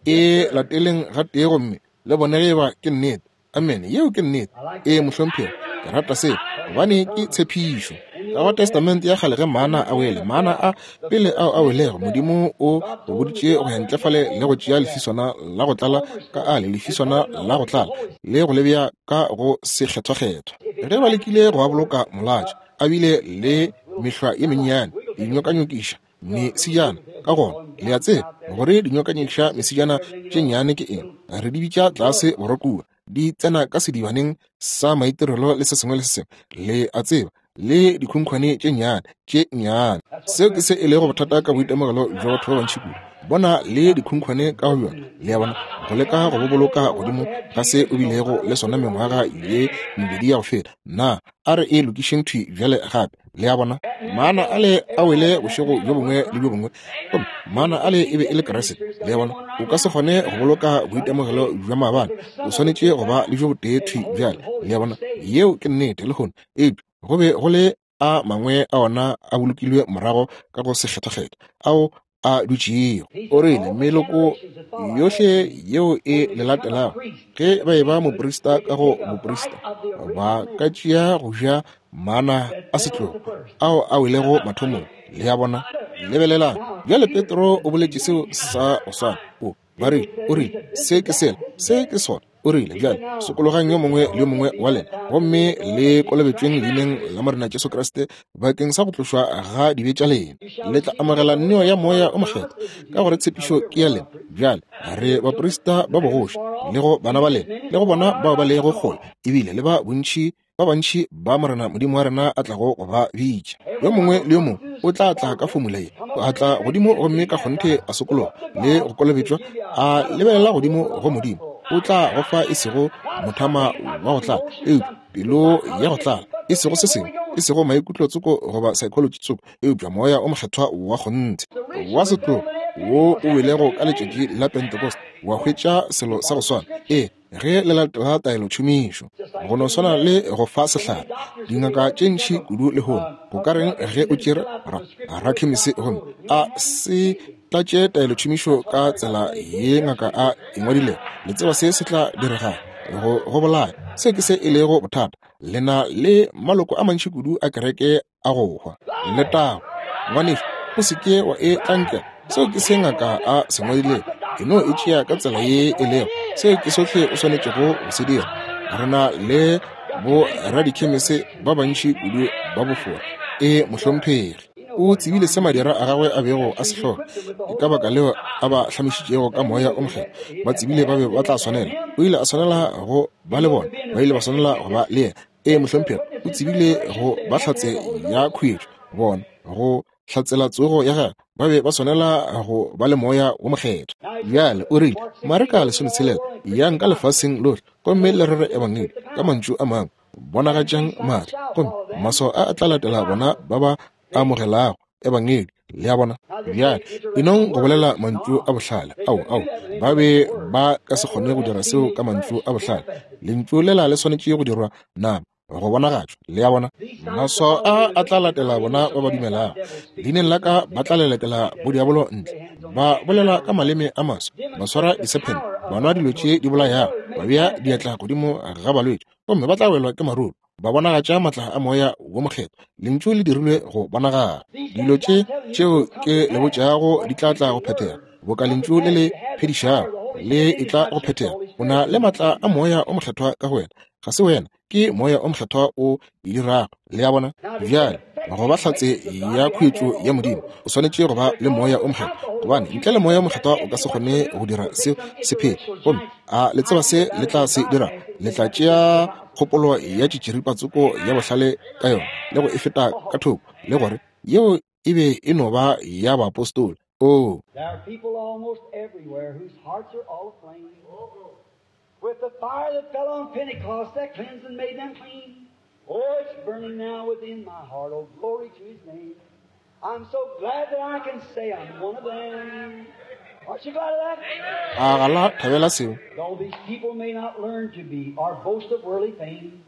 E lateleng gatee gomme le bone ge eba ke nnete. Amene. Yeo ke nnete. Ee, mohlomphegi, ke rata seo, gobane ke tshepišo. Ka go Testamente ya Kgale ge mana a wele, mana a pele ao a welego, Modimo o go boditše go ya ntle fale le go tšea lefiswana la go tlala ka ale, lefiswana la go tlala, le go le bea ka go sekgethwakgethwa. Ge ba lekile go a boloka molatša, a bile le mehlwa ye mennyane, dinyokanyokiša mesijana. Ka gona le a tseba gore dinyokanyokiša mesijana tše nnyane ke eng, re di bitša tlase borwa kua, di tsena ka sedibaneng sa maitirelo le se sengwe le se sengwe, le a tseba, le dikhunkhwane tše nnyane tše nnyane. Seo ke se e lego bothata ka boitemogelo bja batho ba bantši kudu, bona le dikhunkhwane ka go bjona, le a bona, go leka go bo boloka godimo ga se o bilego le sona mengwaga ye mebedi ya go feta. Na a re e lokišeng thwi bjale gape, le a bona. Mana ale a wele bošego bjo bongwe le bjo bongwe, gomme mana ale e be e le Kriste, le a bona. O ka se kgone go boloka boitemogelo bja maabane, o swanetše go ba le bjo botee thwi bjale, le a bona. Yeo ke nnete lehono, eupša go be go le a mangwe a ona a bolokilwe morago ka go sekgethwakgethwa ao a dutšego. O rile, meloko yohle yeo e le latelago, ge ba eba moprista ka go moprista, ba ka tšea go ja mana a setlogo ao a welego mathomong. Le a bona? Lebelelang bjale, Petro o boletše seo sa go swana. O ba rile, o rile, se ke sela, se ke sona. O rile, bjale sokologang yo mongwe le yo mongwe wa lena, gomme le kolobetšweng leineng la Morena Jesu Kriste bakeng sa go tlošwa ga dibe tša lena, le tla amogela neo ya Moya o Mokgethwa, ka gore tshepišo ke ya lena. Bjale re baprista ba bogoši, le go bana ba lena, le go bona bao ba lego kgole, ebile le ba bontši ba bantši ba Morena Modimo wa rena a tlago go ba bitša. Yo mongwe le yo mongwe o tla tla ka fomula ye, a tla godimo gomme ka kgonthe a sokologa le go kolobetšwa, a lebelela godimo go Modimo, o tla go fa e sego mothama wa go tlala, eupša pelo ya go tlala, e sego se sengwe, e sego maikutlo tsoko goba psychology tsoko, eupša Moya o Mokgethwa wa kgonthe wa setlogo wo o welego ka letšatši la Pentecost, wa hwetša selo sa go swana. Ee, ge le latela taelotšhomišo, go no swana le go fa sehlare. Dingaka tše ntši kudu lehono, go ka reng ge o tšere rakhemisi gomme a se tlatše taelotšhomišo ka tsela ye ngaka a e ngwadilego? Le tseba se se tla diregago, go bolaya. Se ke se e lego bothata. Le na le maloko a mantši kudu a kereke a go hwa. Letago, ngwanešu, o se ke wa e tlankela. Seo ke se ngaka a se ngwadilego. E no e tšea ka tsela ye e lego. Seo ke sohle o swanetšego go se dira. Re na le bo radikhemese ba bantši kudu ba bofora. E, mohlomphegi. O tsebile se madira a gagwe a bego a se hloka. Ke ka baka leo a ba hlamišitšego ka Moya o Mokgethwa. Ba tsebile ba be ba tla swanela. O ile a swanela go ba le bona. Ba ile ba swanela go ba le yena. Ee, mohlomphegi, o tsebile go ba hlatse ya khuetšo, bona, go hlatsela tsogo ya gagwe, ba be ba swanela go ba le Moya wo Mokgethwa. Bjale o rile, Mareka 16, Yang ka lefaseng lohle gomme le rere Ebangedi, ka mantšu a mangwe, bonagatšang maatla, gomme maswao a a tla latela bona ba ba amogelago Ebangedi. Le a bona? Bjale, enong go bolela mantšu a bohlale. Ao, ao, ba be ba ka se kgone go dira seo ka mantšu a bohlale. Lentšu lela le swanetše go dirwa nama, go bonagatšwa. Le a bona? Maswao a a tla latela bona ba ba dumelago. Leineng la ka ba tla lelekela bodiabolo ntle, ba bolela ka maleme a maswa, ba swara disephente, ba nwa dilo tše di bolayago, ba bea diatla godimo ga balwetši, gomme ba tla welwa ke maruru. Ba bonagatša maatla a Moya wo Mokgethwa. Lentšu le dirilwe go bonagala. Dilo tše tšeo ke le botšago di tla tla go phethega, boka Lentšu le le phedišago le etla go phethega. O na le maatla a Moya o Mokgethwa ka go wena. Ga se wena, ke Moya o Mokgethwa o e dirago. Le a bona? Bjale, go ba hlatse ya khuetšo ya Modimo, o swanetše go ba le Moya o Mokgethwa, gobane ntle le Moya o Mokgethwa o ka se kgone go dira seo se phele. Gomme a le tseba se le tla se dira? Le tla tšea kgopolo ya tšitširipa tsoko ya bohlale ka yona le go e feta ka thoko, le gore yeo e be e no ba ya baapostola. Oo. There are people almost everywhere whose hearts are all aflame with the fire that fell on Pentecost that cleansed and made them clean. Oh, it's burning now within my heart. Oh, glory to His name. I'm so glad that I can say I'm one of them. Aren't you glad of that? A ga la thabela seo? Though these people may not learn to be or boast of worldly fame,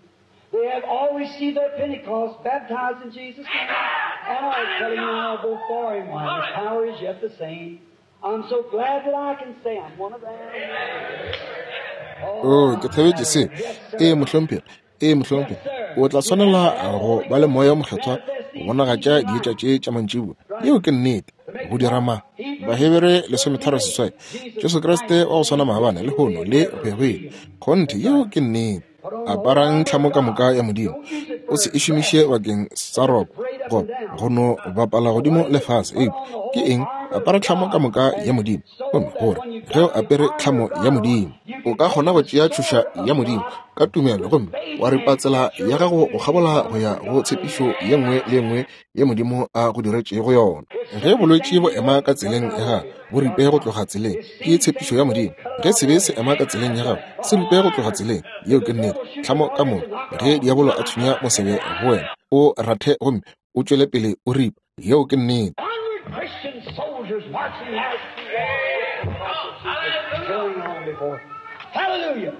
they have all received their Pentecost, baptized in Jesus' name, and are telling now before Him why His power is yet the same. I'm so glad that I can say I'm one of them. Oh, ke thabetše se. Ee, mohlomphegi. Ee, mohlomphegi. O tla swanela go ba le Moya wo Mokgethwa go bonagatša dietša tše tša mantšiboa. Yeo ke nnete. Go dira ma Bahebere 13:8. Jesu Kriste wa go swana maabane, lehono, le go ya go ile. Kgonthe, yeo ke nnete. Aparang tlhamo ka moka ya Modimo. O se e šomiše bakeng sa roko. Goba go no bapala godimo le fase. Eupša ke eng? Apara tlhamo ka moka ya Modimo. Gomme gore ge o apere tlhamo ya Modimo, o ka kgona go tšea tšhoša ya Modimo ka tumelo gomme wa ripa tsela ya gago go kgabola go ya go tshepišo ye nngwe le ye nngwe ye Modimo a go diretšego yona. Ge bolwetši bo ema ka tseleng ya gago, bo ripe go tloga tseleng. Ke tshepišo ya Modimo. Ge sebe se ema ka tseleng ya gago, se ripe go tloga tseleng. Yeo ke nnete. Tlhamo ka moka. Ge diabolo a thunya mosebe go wena, o rathe gomme o tšwele pele o ripa. Yeo ke nnete. Hallelujah.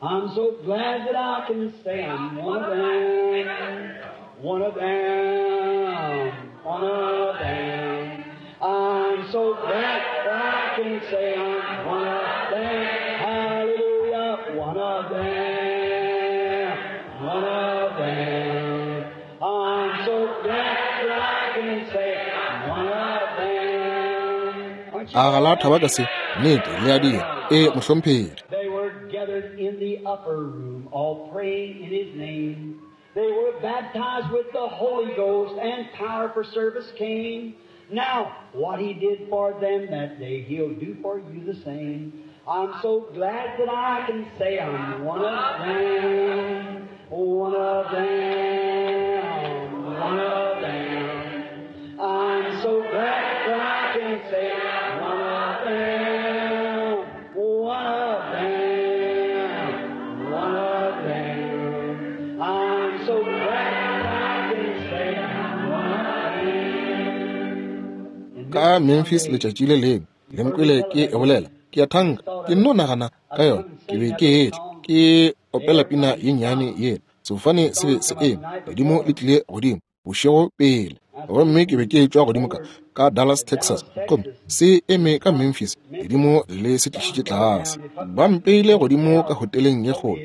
I'm so glad that I can say I'm one of them, one of them, one of them. I'm so glad that I can say I'm one of them. Hallelujah, one of them, one of them. I'm so glad that I can say I'm one of them. Aren't you A ga la thaba ka se? Nnete, le a dira. Ee, mohlomphegi. They were gathered in the upper room, all praying in His name. They were baptized with the Holy Ghost, and power for service came. Now, what He did for them that day, He'll do for you the same. I'm so glad that I can say I'm one of them, one of them, one of them. I'm so glad that I can say I'm one of them, one of them, one of them. I'm so glad that I can say I'm one of them. Ka Memphis letšatši le lengwe, le nkwele ke e bolela. Ke a thanka, ke nno nagana ka yona. Ke be ke etla, ke opela pina ye nnyane yela. Sefofane se be se eme, ledimo le tlile godimo bošego pele. Gomme ke be ke etšwa godimo ka, ka Dallas, Texas, gomme se eme ka Memphis, ledimo le se tlišitše tlase. Ba mpeile godimo ka hoteleng ye kgolo.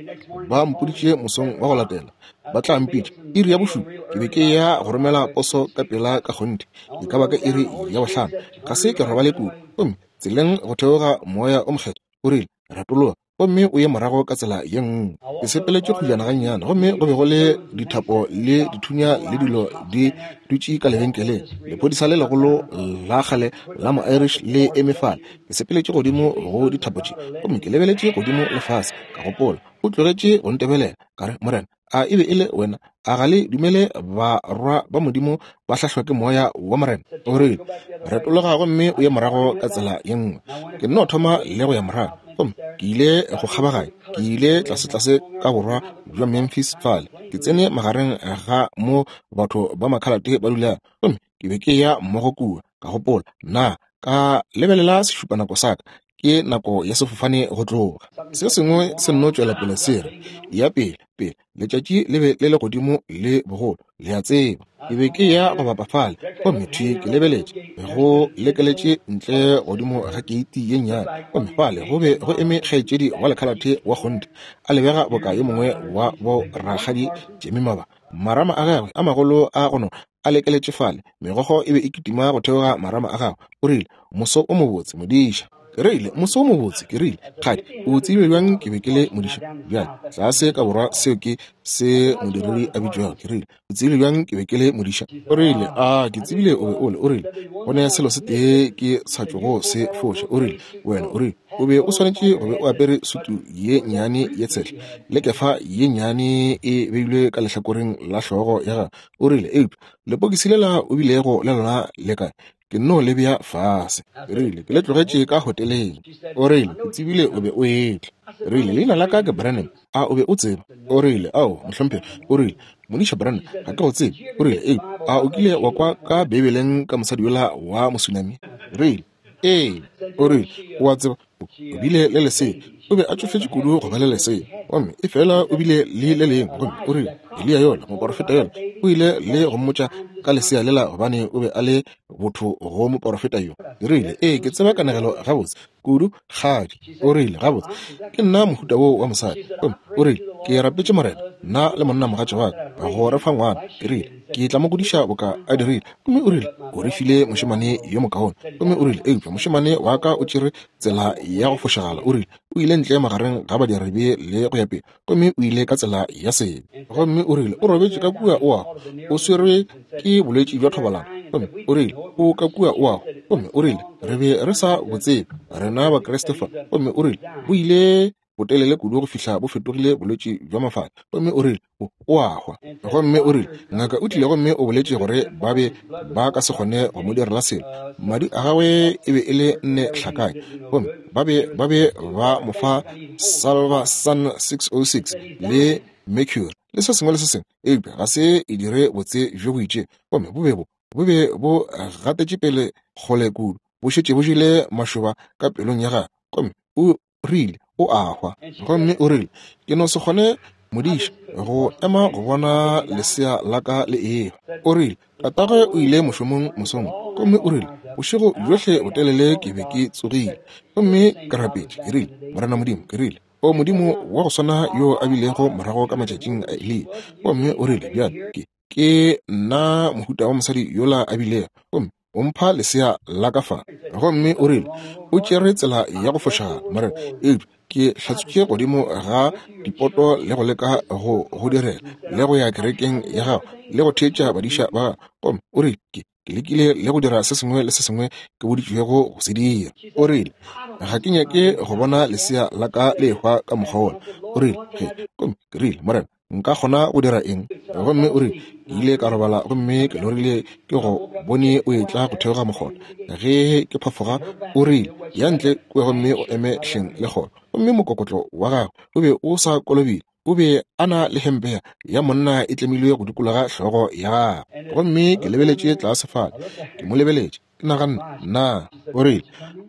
Ba mpoditše mosong wa go latela ba tla mpitša iri ya bošupa. Ke be ke ya go romela poso ka pela ka kgonthe, e ka ba ka iri ya bohlano. Ga se ke robale kudu. Gomme tseleng go theoga moya o mokgethwa o rile, Retologa gomme o ye morago ka tsela ye nngwe. Ke sepeletše kgojana gannyane, gomme go be go le dithapo le dithunya le dilo di dutše ka lebenkeleng. Lephodisa le legolo la kgale la mo-Irish le eme fale. Ke sepeletše godimo go dithapo tše, gomme ke lebeletše godimo le fase. Ka gopola, o tlogetše go ntebelela. Ka re, Morena, a e be e le wena? A ga le dumele barwa ba Modimo ba hlahlwa ke moya wa Morena? O rile, Retologa gomme o ye morago ka tsela ye nngwe. Ke nno thoma le go ya morago, gomme ke ile go kgabaganya. Ke ile tlasetlase ka borwa bja Memphis fale. Ke tsene magareng ga mo batho ba makhalate ba dulago, gomme ke be ke ya mmogo kua. Ka gopola, na ka lebelela sešupanako sa ka, ke nako ya sefofane go tloga. Se sengwe se nno tšwela pele se re, ya pele, pele, letšatši le be le le godimo le bogolo, le a tseba. Ke be ke ya go bapa fale, gomme thwi ke lebeletše, go lekeletše ntle godimo ga keiti ye nnyane, gomme fale go be go eme kgaetšedi wa lekhalathe wa kgonthe, a lebega boka yo mongwe wa bo rakgadi Jemima ba. Marama a gagwe a magolo a go nona a lekeletše fale, megokgo e be e kitima go theoga marama a gagwe. O rile, Moso o mobotse, modiša. Ke rile, Moso o mobotse. Ke rile, Kgadi, o tsebile bjang ke be ke le modiša? Bjale, tlase ka borwa, seo ke se modiredi a bitšwago. Ke rile, O tsebile bjang ke be ke le modiša? O rile, A ke tsebile o be o le. O rile, Go ne selo se tee ke sa tšogo se foša. O rile, Wena, o rile, o be o swanetše go be o apere sutu ye nnyane ye tshehla le kefa ye nnyane e beilwe ka lehlakoreng la hlogo ya gago. O rile, Eupša lepokisi lela o bilego le lona le kae? Ke nno le bea fase. Ke rile, Ke le tlogetše ka hoteleng. O rile, Ke tsebile o be o etla. Ke rile, Leina la ka ke Branham. A o be o tseba? O rile, Ao, mohlomphegi. O rile, Modiša Branham, ga ke go tsebe. O rile, Eupša a o kile wa kwa ka Beibeleng ka mosadi yola wa Mosunami? Ke rile, Ee. O rile, O a tseba, o bile le lesea. O be a tšofetše kudu go ba le lesea, gomme efela o bile le le lengwe. Gomme o rile, Eliya yola, moporofeta yola, o ile le go mmotša ka lesea lela, gobane o be a le botho go moporofeta yo. Ke rile, Ee, ke tseba kanegelo gabotse kudu, kgadi. O rile, Gabotse, ke nna mohuta woo wa mosadi. Gomme o rile, Ke rapetše Morena, nna le monnamogatša wa ka, go re fa ngwana. Ke rile, Ke tla mo godiša boka a dirile. Gomme o rile, O re file mošemane yo mokaone. Gomme o rile, Eupša mošemane wa ka o tšere tsela ya go fošagala. O rile, O ile ntle magareng ga badiribe le go ya pele, gomme o ile ka tsela ya sebe. Gomme o rile, o robetše ka kua o a, o swerwe ke bolwetši bja thobalano. Gomme o rile, o ka kua o a, gomme o rile, re be re sa bo tsebe, rena Bakriste fa. Gomme o rile, bo ile botelele kudu go fihla bo fetogile bolwetši bja mafahla. Gomme o rile, o a hwa. Gomme o rile, ngaka o tlile gomme o boletše gore ba be ba ka se kgone go mo direla selo. Madi a gagwe e be e le 4 hlakanya. Gomme ba be ba be ba mo fa Salvarsan 606 le mercury le se sengwe le se sengwe, eupša ga se e dire botse bjo bo itšego. Gomme bo be bo bo be bo gatetše pele kgole kudu, bo šetše bo jele mašoba ka pelong ya gagwe. Gomme o rile, o a hwa. Gomme o rile, ke no se kgone modiša go ema go bona lesea la ka le ehwa. O rile, tatagwe o ile mošomong mosong. Gomme o rile, bošego bjohle botelele ke be ke tsogile gomme ke rapetše. Ke rile, Morena Modimo, ke rile, o Modimo wa go swana yo a bilego morago ka matšatšing a Eliya. Gomme o rile, bjale ke ke nna mohuta wa mosadi yola a bilego, gomme o mpha lesea la ka fa. Gomme o rile, o tšere tsela ya go fošagala, Morena, eupša ke hlatswitše godimo ga dipoto le go leka go go direla le go ya kerekeng ya gago le go theetša badiša ba gago. Gomme o rile, ke lekile le go dira se sengwe le se sengwe ke boditšwego go se dira. O rile, ga ke nyake go bona lesea la ka le ehwa ka mokgwa wola. O rile, ge, gomme ke rile, Morena, nka kgona go dira eng? Gomme o rile, ke ile ka robala gomme ke lorile ke go bone o etla go theoga mokgotha. Ge ke phafoga, o rile, ya ntle kua gomme o eme hleng le kgoro. Gomme mokokotlo wa gagwe o be o sa kolobile, o be a na le hempe ya monna e tlemilwe go dikologa hlogo ya gagwe. Gomme ke lebeletše tlase fale, ke mo lebeletše, ke naganne, nna, o rile,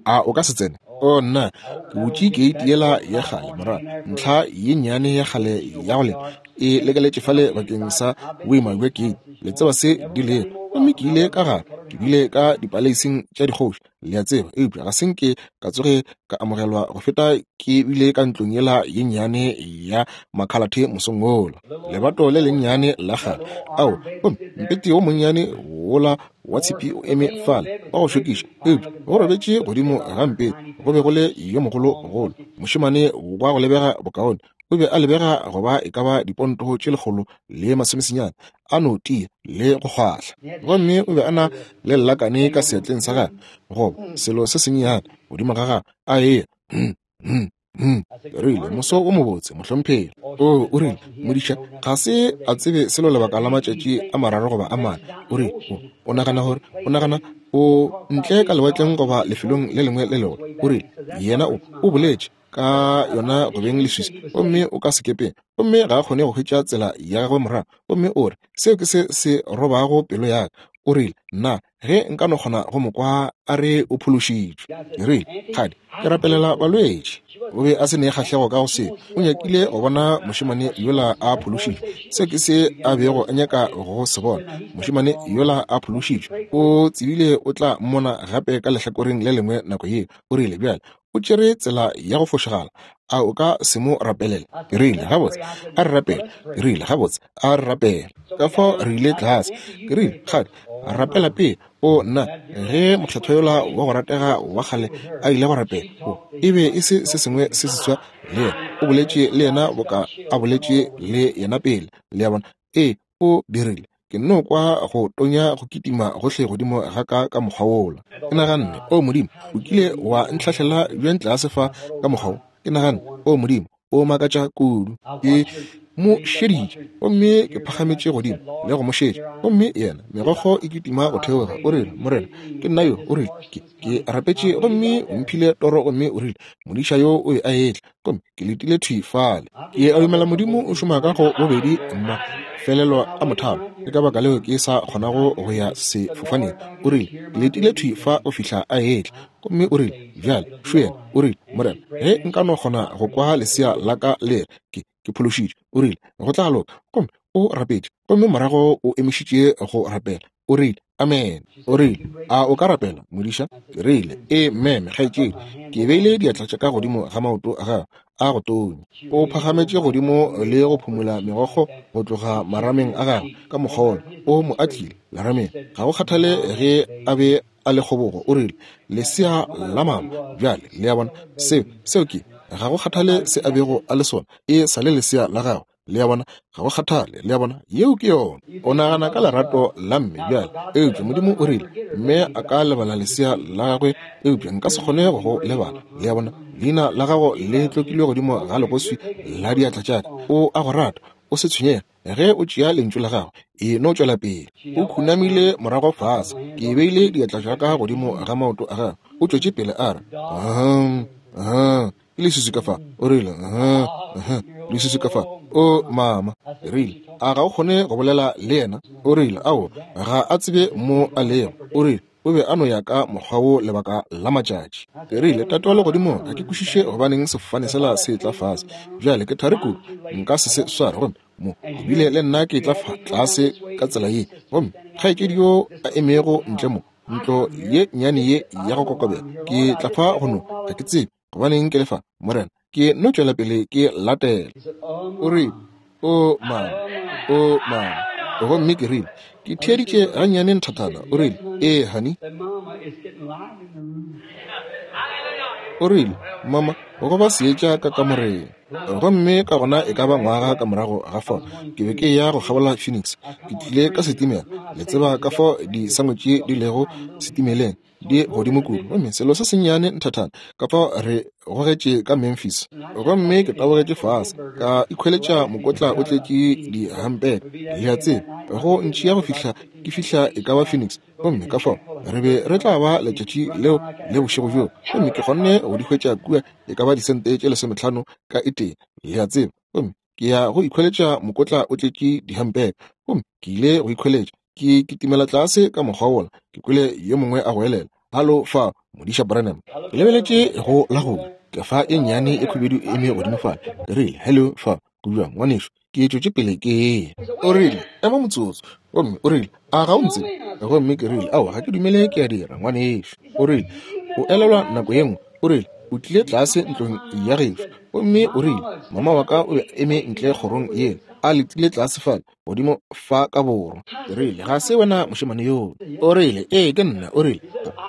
a o ka se tsene? O nna, ke butše keiti yela ya kgale morago, ntlha ye nnyane ya kgale ya go lema e lekeletše fale bakeng sa boima bja keiti, le tseba se di lego. Gomme ke ile ka gare, ke bile ka dipaleising tša dikgoši, le a tseba, eupša ga se nke ka tsoge ka amogelwa go feta ke bile ka ntlong yela ye nnyane ya makhalathe mosong wola, lebato le lennyane la kgale. Ao, gomme mpete wo monnyane wola wa tshipi o eme fale wa go šokiša, eupša go robetše godimo ga mpete go be go le yo mogologolo mošemane wa go lebega bokaone. O be a lebega go ba e ka ba diponto tše 190, a no tia le go kgwahla. Gomme o be a na le lelakane ka seatleng sa gagwe, goba selo se sennyane godimo ga gagwe, a eya. Ke rile, moso o mobotse, mohlomphegi. O, o rile, modiša ga se a tsebe selo lebaka la matšatši a 3 goba a 4. O rile, o nagana gore, o nagana o ntle ka lewatleng goba lefelong le lengwe le legolo. O rile, yena o, o boletše ka yona go beng leswiswi, gomme o ka sekepeng, gomme ga a kgone go hwetša tsela ya gagwe morago. Gomme o re, seo ke se se robago pelo ya ka. O rile, nna, ge nka no kgona go mo kwa a re o phološitšwe. Ke rile, kgadi, ke rapelela balwetši. O be a se ne kgahlego ka go seo. O nyakile go bona mošemane yola a phološitšwe. Seo ke se a bego a nyaka go se bona, mošemane yola a phološitšwe. O tsebile o tla mmona gape ka lehlakoreng le lengwe nako yeo. O rile, bjale, o tšere tsela ya go fošagala, a o ka se mo rapelele? Ke rile, gabotse, a re rapele. Ke rile, gabotse, a re rapele. Ka fao re ile tlase. Ke rile, kgadi, rapela pele. O nna, ge mokgethwa yola wa go ratega wa kgale a ile go rapela, o e be e se se sengwe se seswa le yena. O boletše le yena boka a boletše le yena pele. Le a bona? Ee, o dirile. Ke nno kwa go tonya go kitima gohle godimo ga ka ka mokgwa wola. Ke naganne, o Modimo, o kile wa ntlhahlela bjang tlase fa ka mokgwa wo? Ke naganne, o Modimo, o makatša kudu. Ke mo šeditše, gomme ke phagametše godimo le go mo šetša. Gomme yena, megokgo e kitima go theoga, o rile, Morena, ke nna yo. O rile, ke, ke rapetše, gomme o mphile toro, gomme o rile, modiša yo o be a etla, gomme ke letile thwi fale. Ke a dumela Modimo o šoma ka go bobedi mafelelo a mothalo, ke ka baka leo ke sa kgonago go ya sefofaneng. O rile, ke letile thwi fa go fihla a etla. Gomme o rile, bjale, šo yena. O rile, Morena, ge nka no kgona go kwa lesea la ka le re, ke, ke phološitšwe. O rile, go tla loka. Gomme o rapetše, gomme morago o emišitše go rapela. O rile, amen. O rile, a o ka rapela, modiša? Ke rile, ee, meme, kgaetšedi. Ke beile diatla tša ka godimo ga maoto a gagwe a go tonya. O phagametše godimo le go phumula megokgo go tloga marameng a gagwe ka mokgwa wola. O mo atlile lerameng. Ga go kgathale ge a be a le kgobogo. O rile, lesea la mama. Bjale, le a bona, seo, seo ke. Ga go kgathale se a bego a le sona, e sa le lesea la gagwe. Le a bona? Ga go kgathale. Le a bona? Yeo ke yona. O nagana ka lerato la mme bjale. Eupša Modimo o rile, Mme a ka lebala lesea la gagwe, eupša nka se kgone go go lebala. Le a bona? Leina la gago le tlokilwe godimo ga legoswi la diatla tša ka. O a go rata. O se tshwenyege. Ge o tšea lentšu la gagwe, e no tšwela pele. O khunamile morago fase. Ke beile diatla tša ka godimo ga maoto a gagwe. O tšwetše pele a re, Hum, hum. Ke leswiswi ka fa. O rile, uh, uh, leswiswi ka fa. O, mama. Ke rile, a ga o kgone go bolela le yena? O rile, ao, ga a tsebe mo a lego. O rile, o be a no ya ka mokgwa wo lebaka la matšatši. Ke rile, Tate wa Legodimong, ga ke kwešiše gobaneng sefofane sela se etla fase. Bjale ke thari kudu, nka se se sware. Gomme mo, ebile le nna ke etla fa tlase ka tsela ye. Gomme kgaetšedi yo a emego ntle mo, ntlo ye nnyane ye ya go kokobela, ke tla fa go no, ga ke tsebe gobaneng ke le fa, Morena, ke no tšwela pele ke latela. O rile, O mama, o mama. Gomme ke rile, Ke theeditše gannyane nthathana. O rile, Ee, honey. O rile, Mama, go ba seetša ka kamoreng. Gomme ka gona e ka ba ngwaga ka morago ga fao, ke be ke eya go kgabola Phoenix. Ke tlile ka setimela. Le tseba ka fao disangwetše di lego setimeleng, di godimo kudu. Gomme selo se sennyane nthathana, ka fao re gogetše ka Memphis. Gomme ke tabogetše fase, ka ikhweletša mokotla o tletše dihampeke, le a tseba, go ntšea go fihla ke fihla e ka ba Phoenix. Gomme ka fao re be re tla ba letšatši leo le bošego bjoo. Gomme ke kgonne go di hwetša kua e ka ba disente tše 15 ka e tee, le a tseba. Gomme ke ya go ikhweletša mokotla o tletše dihampeke. Gomme ke ile go ikhweletša, ke kitimela tlase ka mokgwa wola, ke kwele yo mongwe a goelela, Halo fa, Modiša Branham. Ke lebeletše go la go ke fa e nnyane e khubedu e eme godimo fale. Ke rile, Hello fa, go bjang, ngwanešu? Ke tšwetše pele ke eya. O rile, Ema motsotso. Gomme o rile, A ga o ntsebe? Gomme ke rile, Aowa, ga ke dumele ke a dira, ngwanešu. O rile, O elelwa nako ye nngwe, o rile, o tlile tlase ntlong ya gešo, gomme o rile, mama wa ka o be a eme ntle kgorong yela, a letile tlase fale, godimo fa ka borwa. Ke rile, Ga se wena mošemane yoo? O rile, Ee, ke nna. O rile,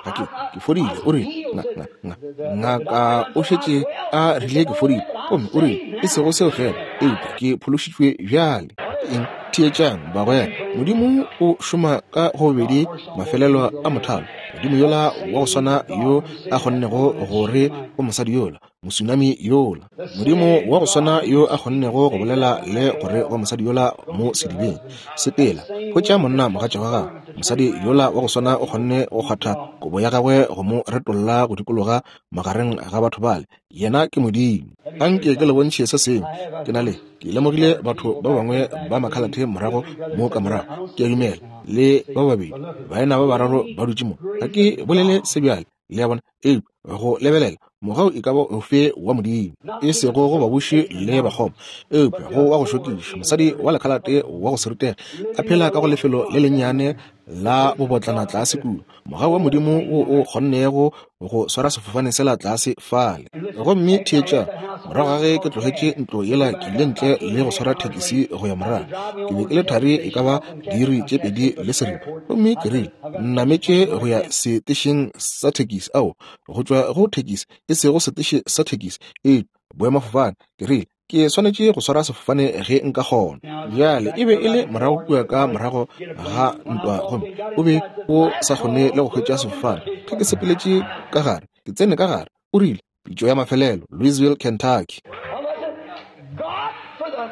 Ga ke, ke fodile. O rile, Nga, nga, nga, ngaka o šetše a rile ke fodile. Gomme o rile, E sego seo feela, eupša ke phološitšwe bjale. Eng? Theetšang, bagwera. Modimo o šoma ka go bobedi mafelelo a mothalo. Modimo yola wa go swana yo a kgonnego go re go mosadi yola, mosunami yola. Modimo wa go swana yo a kgonnego go bolela le gore go mosadi yola mo sedibeng, sepela, hwetša monna mogatša wa gago. Mosadi yola wa go swana o kgonne go kgwatha kobo ya gagwe go mo retolla go dikologa magareng ga batho bale. Yena ke Modimo. Anke ke le bontšhe se sengwe. Ke na le, ke lemogile batho ba bangwe ba makhalathe morago mo ka morago, ke a dumela, le ba babedi, baena ba bararo ba dutše mo. Ga ke bolele se bjale, le a bona, eupša go lebelela mogau e ka ba ofe wa Modimo, e sego go babuši le bakgoma, eupša go wa go šokiša, mosadi wa lekhalate wa go se rutege, a phela ka go lefelo le lennyane la bobotlana tlase kua, mogau wa Modimo wo o kgonnego go swara sefofane sela tlase fale. Gomme theetša, morago ga ge ke tlogetše ntlo yela, ke ile ntle le go swara thekisi go ya morago. Ke be ke le thari e ka ba diiri tše 2:30. Gomme ke rile, Nnametše go ya setešeng sa thekisi, ao, go tšwa go thekisi, e sego seteše sa thekisi, e boemafofane. Ke rile, Ke swanetše go swara sefofane ge nka kgona. Bjale, e be e le morago kua ka morago ga ntwa, gomme o be o sa kgone le go hwetša sefofane. Ge ke sepeletše ka gare, ke tsene ka gare, o rile, Pitšo ya mafelelo, Louisville, Kentucky.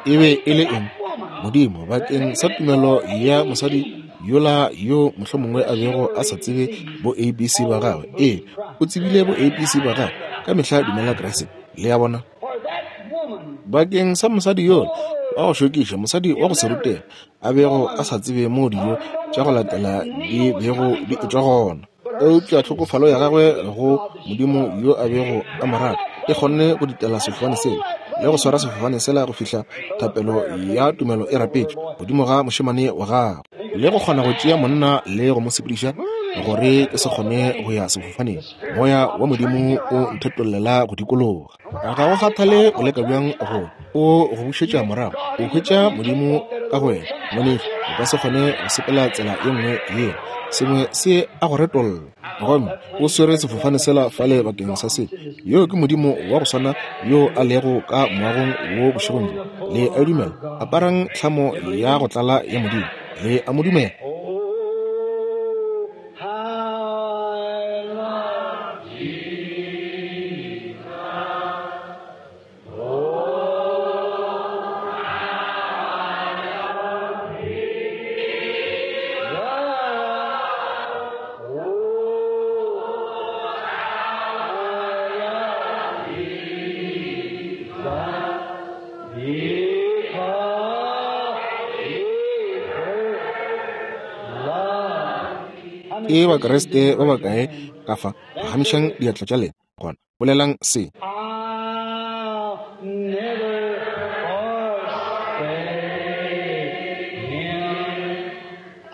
E be e le eng? Modimo, bakeng sa tumelo ya mosadi yola yo mohlomongwe a bego a sa tsebe bo ABC ba gagwe. Ee, o tsebile bo ABC ba gagwe. Ka mehla dumela Kriste. Le a bona? Bakeng sa mosadi yola wa go šokiša, mosadi wa go se rutege, a bego a sa tsebe moo dijo tša go latela di bego di etšwa gona. Eupša tlhokofalo ya gagwe go Modimo yo a bego a mo rata e kgonne go ditela sefofane sela le go swara sefofane sela go fihla thapelo ya tumelo e rapetšwe godimo ga mošemane wa gagwe, le go kgona go tšea monna le go mo sepediša gore ke se kgone go ya sefofaneng. Moya wa Modimo o nthetollela go dikologa. Ga go kgathale o leka bjang go. O go bušetša morago, o hwetša Modimo ka go wena. Ngwanešu, o ka se kgone go sepela tsela ye nngwe yeo. Sengwe se a go retolla. Gomme o swere sefofane sela fale bakeng sa se. Yoo ke Modimo wa go swana yo a lego ka moagong wo bošegong bjo. Le a dumela? Aparang tlhamo ya go tlala ya Modimo. Le a mo dumela? Oh, how I love Jesus. Oh, how I love Jesus. Oh, how I love Jesus. Because he first loved. How many Ke Christians Bakriste here ba raise your bakae hand? ka fa? Phagamišang diatla tša lena. Gona bolelang se. I'll never forsake him.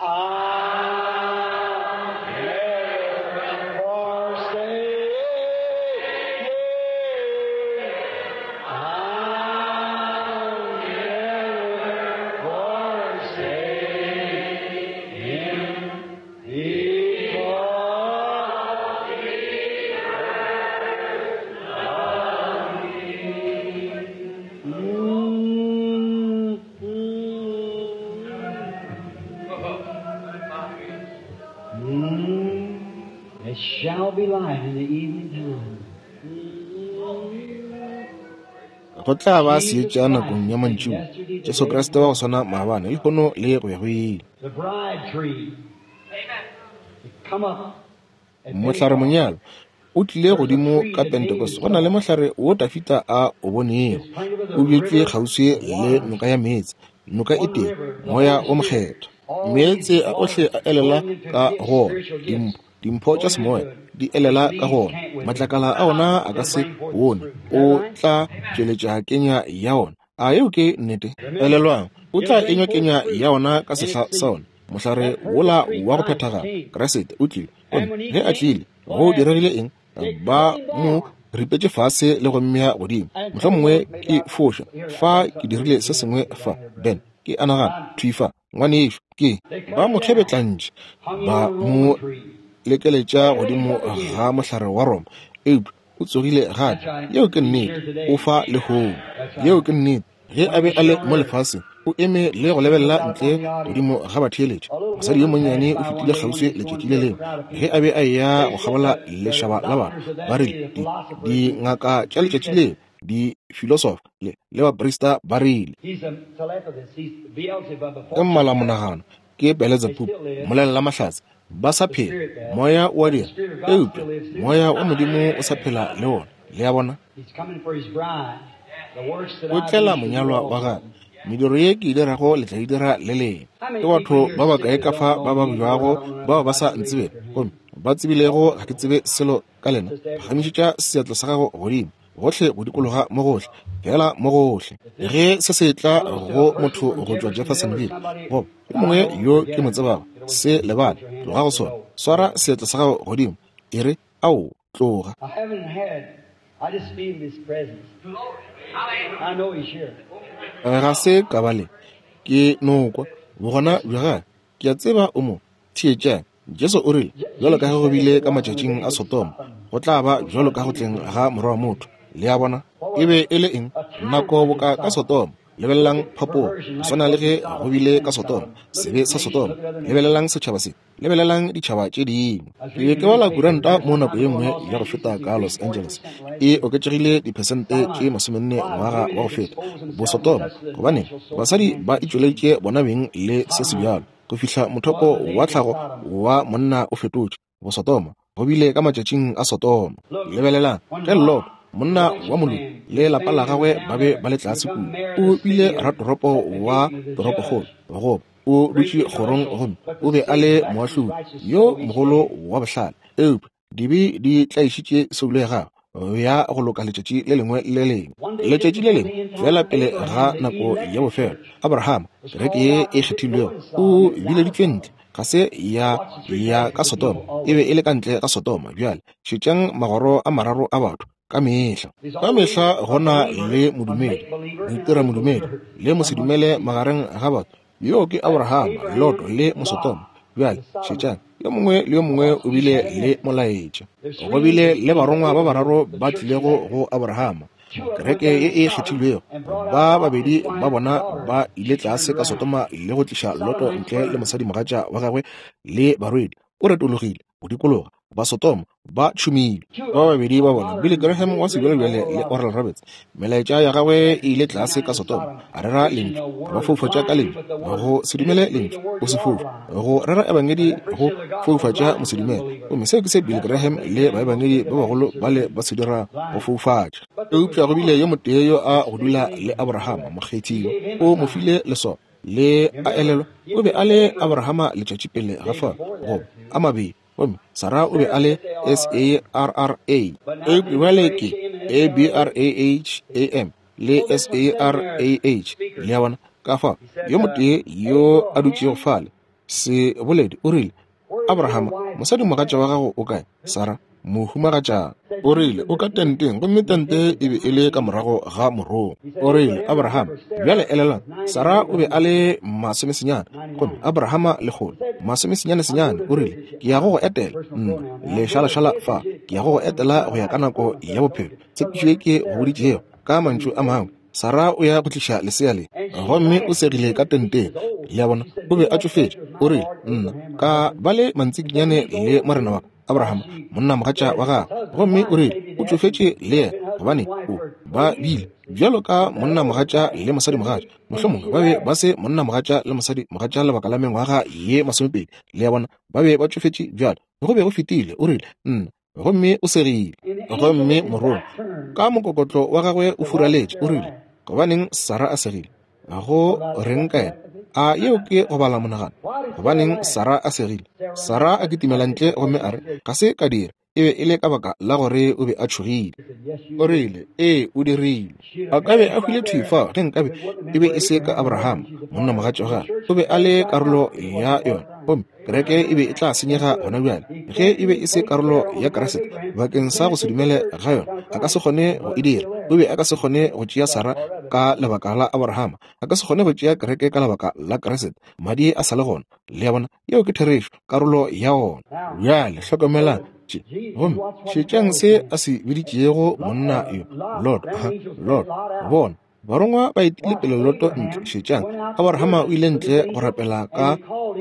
I'll never forsake him. I'll never forsake him because he It shall be light in the evening time. Go tla ba Jesus seetša nakong Christ, ya same mantšiboa. yesterday, Jesu today, Kriste wa go swana maabane, lehono le go ya go ile. the bride tree. Come up at Mohlare Pentecost. monyalo o tlile There's a godimo tree ka that David Pentecost. Go na le saw. mohlare wo Dafita a o bonego. It's planted by O the bjetšwe river kgauswi of le water. noka ya meetse. Noka e One tee, river, the moya Holy o Spirit. mokgethwa. All these Meetse a ohle waters a elela flowing into ka gifts, go ona. spiritual gifts, Dimpho tša flowing semoya into it. di elela The ka go leaves ona. can't wither. Matlakala a ona a ka It'll se bring forth its bone. fruit. Is that O right? tla tšweletša kenya ya ona. A yeo ke nnete? Remember, Elelwang, o it'll tla bring enywa forth kenya fruit ya ona ka in sehla its sa ona. season. Mohlare That perfect wola tree wa go Christ phethagala, came. Kriste o tlile. And Gomme when he ge a came, tlile, what go happened? diregile eng? They Ba cut him mo down ripetše fase le go mmea godimo. and told Mohlomongwe him, maybe ke I foša here I fa got ke something dirile written se down sengwe here, fa. down here, brother. Ben, ke a nagana I'm, thwi fa, ngwanešu, ke they cut ba him mo down, kgebetlantše, hung him ba on a mo Roman tree. lekeletša They raised godimo up again. ga mohlare wa Roma, eupša o tsogile That's gape. right. Yeo ke He's nnete. here O today. fa lehono. That's Yeo right. ke nnete. Ge a When be he a le was on mo earth, lefaseng, o eme le go he lebelela looked out ntle upon the audience. godimo ga batheeletši. A little Mosadi yo woman monnyane passed o by one fetile day when kgauswi he was going letšatši le through a lengwe. crowd of Ge people. a be a eya They go said kgabola the, the lešaba la batho, doctors of ba that rile day, the philosophers, and dingaka tša priests letšatši said, leo, difilosofa le baprista ba rile, he's a telepathist, he's Beelzebub, a ke fortune teller. mmalamonagano, ke They Beelzebub, still live. mmolelela mahlatse, ba sa The phela. spirit does. Moya o a But the dira, Spirit of God eupša still lives too. moya wa Modimo o sa phela le ona. Le a bona? He's coming for his bride. The works that O I do tlela shall do monyalwa wa also. gagwe. Mediro ye ke e dirago le tla e dira le lena. How Ke many people batho here ba are bakae sick ka that fa don't ba know me or babjago I don't know bao nothing ba sa about you? Raise ntsebego, up your hand. gomme ba tsebilego ga ke tsebe selo ka lena? Just everywhere. Phagamišetša seatla sa gago godimo, gohle go dikologa mo gohle, fela mo gohle. If this Ge se se tla comes to go a person motho from go tšwa Jeffersonville or Jeffersonville somebody goba yo that I mongwe know, yo forget ke mo it. tsebago, Get away se from it. lebale, Put your hand tloga up go to the sona. Lord. Swara seatla sa gago godimo, e re, Ao, tloga. I haven't had, I just feel his presence. I know he's here. Ga se ka ba le ke no kwa bogona bja gagwe. Ke a tseba o mo theetšang. Jesu o rile, bjalo ka Jesus ge go said as bile it ka was in the matšatšing days a of Sodoma, Sodom, go tla ba so bjalo shall ka it go be tleng in the ga Morwa wa motho. Le a bona? What E was be it? e le eng? A time Nako like in boka ka Sodom. Sodoma. Look Lebelelang at phapogo, perversion go like swana it le was in ge go Sodom, bile sin ka in Sodoma, Sodom. Look at sebe this sa nation, Sodoma. look at other nations. Lebelelang setšhaba se, lebelelang ditšhaba tše dingwe. I was Ke be reading ke a bala newspaper kuranta here mo some nako time ye ago in nngwe Los ya go Angeles, feta it's ka Los increased Angeles. 40% last E year. oketšegile diphesente tše Sodomite. 40 Why? ngwaga Women wa go have feta. exposed themselves and Bosodoma, touched the gobane natural source of basadi man ba through sin. itšweleditše bona beng le se se Sodomite bjalo go fihla was mothopo the wa days of tlhago Sodom. wa monna o fetotše. Bosodoma go bile ka matšatšing a Sodoma. Look, Lebelelang when ge Lot, Lot, the monna wa righteous moloki, man, le his lapa la family was gagwe down ba be there ba le to tlase become kua. mayor of O the bile city of, ratoropo at the wa gate of the toropokgolo, judge. goba o Great dutše kgorong intellectual, gomme but o the be a sin le lacked his moahlodi righteous yo soul each mogolo day. wa bohlale. Eupša dibe di tlaišitše soulo ya gagwe ya go loka letšatši le lengwe le le lengwe. One day just Letšatši le before lengwe the end fela time, pele Abraham, ga the nako elect ya bofelo, church, Abrahama, was kereke called ye out e to go kgethilwego, in o Sodom and out of bileditšwe ntle. Sodom. Ga se ya Watch the three ya ka classes of Sodoma, people e be always. e le ka ntle ga Sodoma. Bjale šetšang magoro a mararo a batho Ka mehla, ka mehla go na le modumedi, moitira modumedi, le mosedumele magareng ga batho. Yoo ke Abrahama, Loto, le Mosotoma. Bjale, šetšang, yo mongwe le yo mongwe o bile le molaetša. Go bile le barongwa ba bararo ba tlilego go Abrahama, kereke ye e kgethilwego. Ba babedi ba bona ba ile tlase ka Sodoma le go tliša Loto ntle le mosadimogatša wa gagwe le barwedi. O retologile go dikologa, ba Sodoma ba tšhumile. Ba babedi ba bona, Billy Graham wa sebjalebjale le Oral Roberts, melaetša ya gagwe e ile tlase ka Sodoma, a rera lentšu, a ba foufatša ka lentšu, go se dumele lentšu, o se foufa, go rera ebangedi, go foufatša mosedumele. Gomme seo ke se Billy Graham le baebangedi ba bagolo bale ba se dira, go foufatša. Eupša go bile yo motee yo a go dula le Abrahama, mokgethiwa, o mo file leswao. Le a elelwa, o be a le Abrahama letšatši pele ga fao, goba a mabedi. Gomme Sarah o be a le S-A-R-R-A. Eupša bjale ke A-B-R-A-H-A-M le S-A-R-A-H. Le a bona? Ka fao, yo motee yo a dutšego fale, seboledi, o rile, Abrahama, mosadimogatša wa gago o kae? Sarah, mohumagatšana. O rile, O ka tenteng, gomme tente e be e le ka morago ga morongwa. O rile, Abrahama, bjale elelang, Sarah o be a le masomesenyane, gomme Abrahama lekgolo, masomesenyane-senyane. O rile, Ke ya go go etela, nna, lešalašala fa, ke ya go go etela go ya ka nako ya bophelo, tshepišo ye ke go boditšego. Ka mantšu a mangwe, Sarah o ya go tliša lesea le. Gomme o segile ka tenteng. Le a bona, o be a tšofetše. O rile, Nna, ka ba le mantsikinyane le morena wa ka, Abraham, monnamogatša wa gagwe. Gomme o rile, O tšofetše le yena, gobane o ba bile bjalo ka monnamogatša le mosadimogatša. Mohlomongwe ba be ba se monnamogatša le mosadimogatša lebaka la mengwaga ye masomepedi. Le a bona, ba be ba tšofetše bjalo. Go be go fetile. O rile, Nna. Gomme o segile. Gomme morongwa, ka mokokotlo wa gagwe o furaletše, o rile, Gobaneng Sarah a segile? Go reng ka yena? A yeo ke go bala monagano? Gobaneng Sarah a segile? Sarah a kitimela ntle gomme a re, Ga se ka dira. E be e le ka baka la gore o be a tšhogile. O rile, Ee, o dirile. A ka be a hwile thwi fao ge nkabe e be e se ka Abraham, monnamogatša wa gagwe. O be a le karolo ya yona. Gomme kereke e be e tla senyega gona bjale ge e be e se karolo ya Kriste. Bakeng sa go se dumele ga yona, a ka se kgone go e dira. O be a ka se kgone go tšea Sarah ka lebaka la Abrahama. A ka se kgone go tšea kereke ka lebaka la Kriste. Madi a sa le gona. Le a bona? Yeo ke therešo, karolo ya ona. Bjale hlokomelang tše, gomme šetšang se a se biditšego monna yo, Lot. Ha, Lot, bona, Barongwa ba etile pele Loto ntle. Šetšang, Abrahama o ile ntle go rapela ka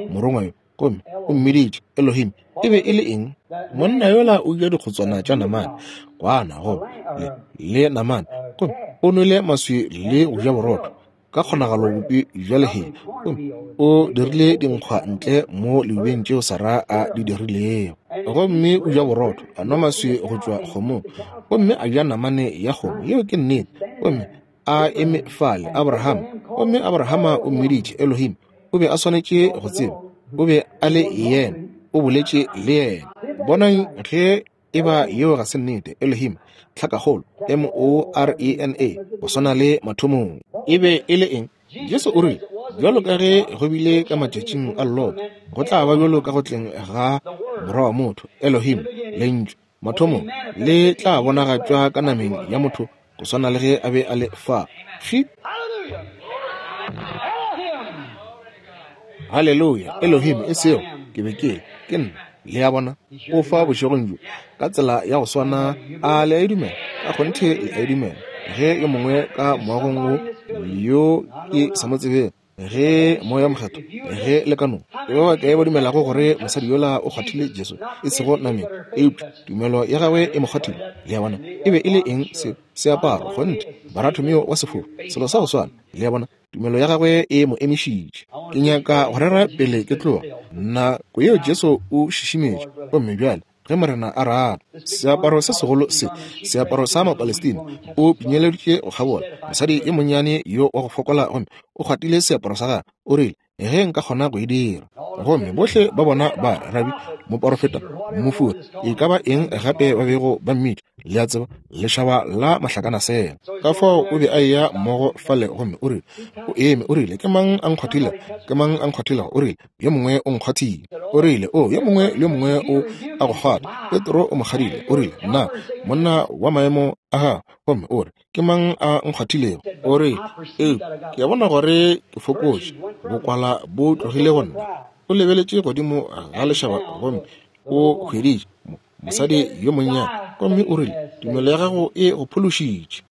morongwa yo, gomme o mmiditše Elohim. E be e le eng? Monna yola o ja dikgotswana tša namane, kwana goba le, le namane, gomme o nwele maswi le go ja borotho, ka kgonagalo bupi bja lehea, gomme o dirile dinkgwa ntle mo leubeng tšeo Sara a di dirilego. Gomme o ja borotho, a nwa maswi go tšwa kgomong, gomme a ja namane ya kgomo. Yeo ke nnete. Gomme a eme fale, Abrahama. Gomme Abrahama o mmiditše Elohim. O be a swanetše go tseba. O be a le Yena. O boletše le yena. Bonang ge e ba yeo ga se nnete. Elohim, tlhakakgolo, M-O-R-E-N-A, go swana le mathomong. E be e le eng? Jesu o rile, Bjalo ka ge go bile ka matšatšing a Loto, go tla ba bjalo ka go tleng ga Morwa wa motho, Elohim, Lentšu, mathomong, le tla bonagatšwa ka nameng ya motho go swana le ge a be a le fa. Fši! Haleluya! Elohim, e sego, ke be ke le, ke nna. Le a bona? O fa bošegong bjo, ka tsela ya go swana. A le a e dumela? Ka kgonthe le a e dumela. Ge yo mongwe ka moagong wo yo ke sa mo tsebego, ge Moya Mokgethwa, ge le ka no, ke ba bakae ba dumelago gore mosadi yola o kgwathile Jesu, e sego nameng, eupša tumelo ya gagwe e mo kgwathile? Le a bona? E be e le eng seo? Seaparo, kgonthe, Baratomeo wa sefofu, selo sa go swana. Le a bona? Tumelo ya gagwe e mo emišitše. Ke nyaka go rera pele ke tloga. Nako yeo Jesu o šišimetše, gomme bjale, ge Morena a rata. Seaparo se segolo se, seaparo sa Mapalestina, o pinyeleditše go kgabola mosadi yo monnyane yo wa go fokola, gomme o kgwathile seaparo sa gagwe. O rile, Ge nka kgona go e dira. Gomme bohle ba bona ba re, Rabi, moporofeta, mofori, e ka ba eng gape ba bego ba mmitša. Le a tseba, lešaba la mahlakanasela. Ka fao o be a eya mmogo fale gomme o rile, o eme, o rile, Ke mang a nkgwathilego? Ke mang a nkgwathilego? O rile, Yo mongwe o nkgwathile. O rile, O, yo mongwe le yo mongwe o a go kgwatha. Petro o mo kgadile. O rile, Nna, monna wa maemo a gago, gomme o re, Ke mang a nkgwathilego? O rile, Eupša ke a bona gore ke fokotše, bokwala bo tlogile go nna. O lebeletše godimo ga lešaba gomme o hweditše mosadi yo monnyane, gomme o rile, Tumelo ya gago e go phološitše.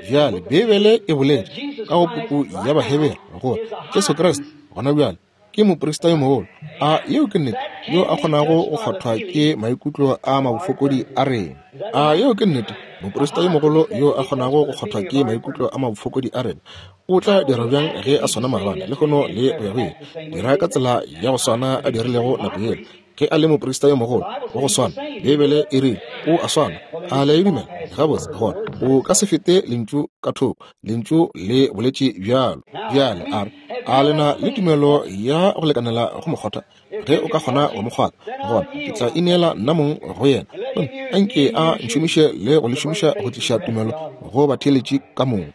Bjale, Beibele e boletše ka go puku ya Bahebere gore Jesu Kriste gona bjale ke moprista yo mogolo, a yeo ke nnete, yo a kgonago go kgwathwa ke maikutlo a mabofokodi a rena. A yeo ke nnete, moprista yo mogolo yo a kgonago go kgwathwa ke maikutlo a mabofokodi a rena. O tla dira bjang ge a swana maabane, lehono le go ya go ile? Dira ka tsela ya go swana a dirilego nako yela ge a le moprista yo mogolo wa go swana. Beibele e rile o a swana. A le a e dumela? Gabotse, gona o ka se fete Lentšu ka thoko. Lentšu le boletše bjalo. Bjale a re, A le na le tumelo ya go lekanela go mo kgotha? Ge o ka kgona go mo kgwatha, gona ke tla ineela nna mong go yena, gomme a nke a ntšhomiše le go le šomiša go tliša tumelo go batheeletši ka moka.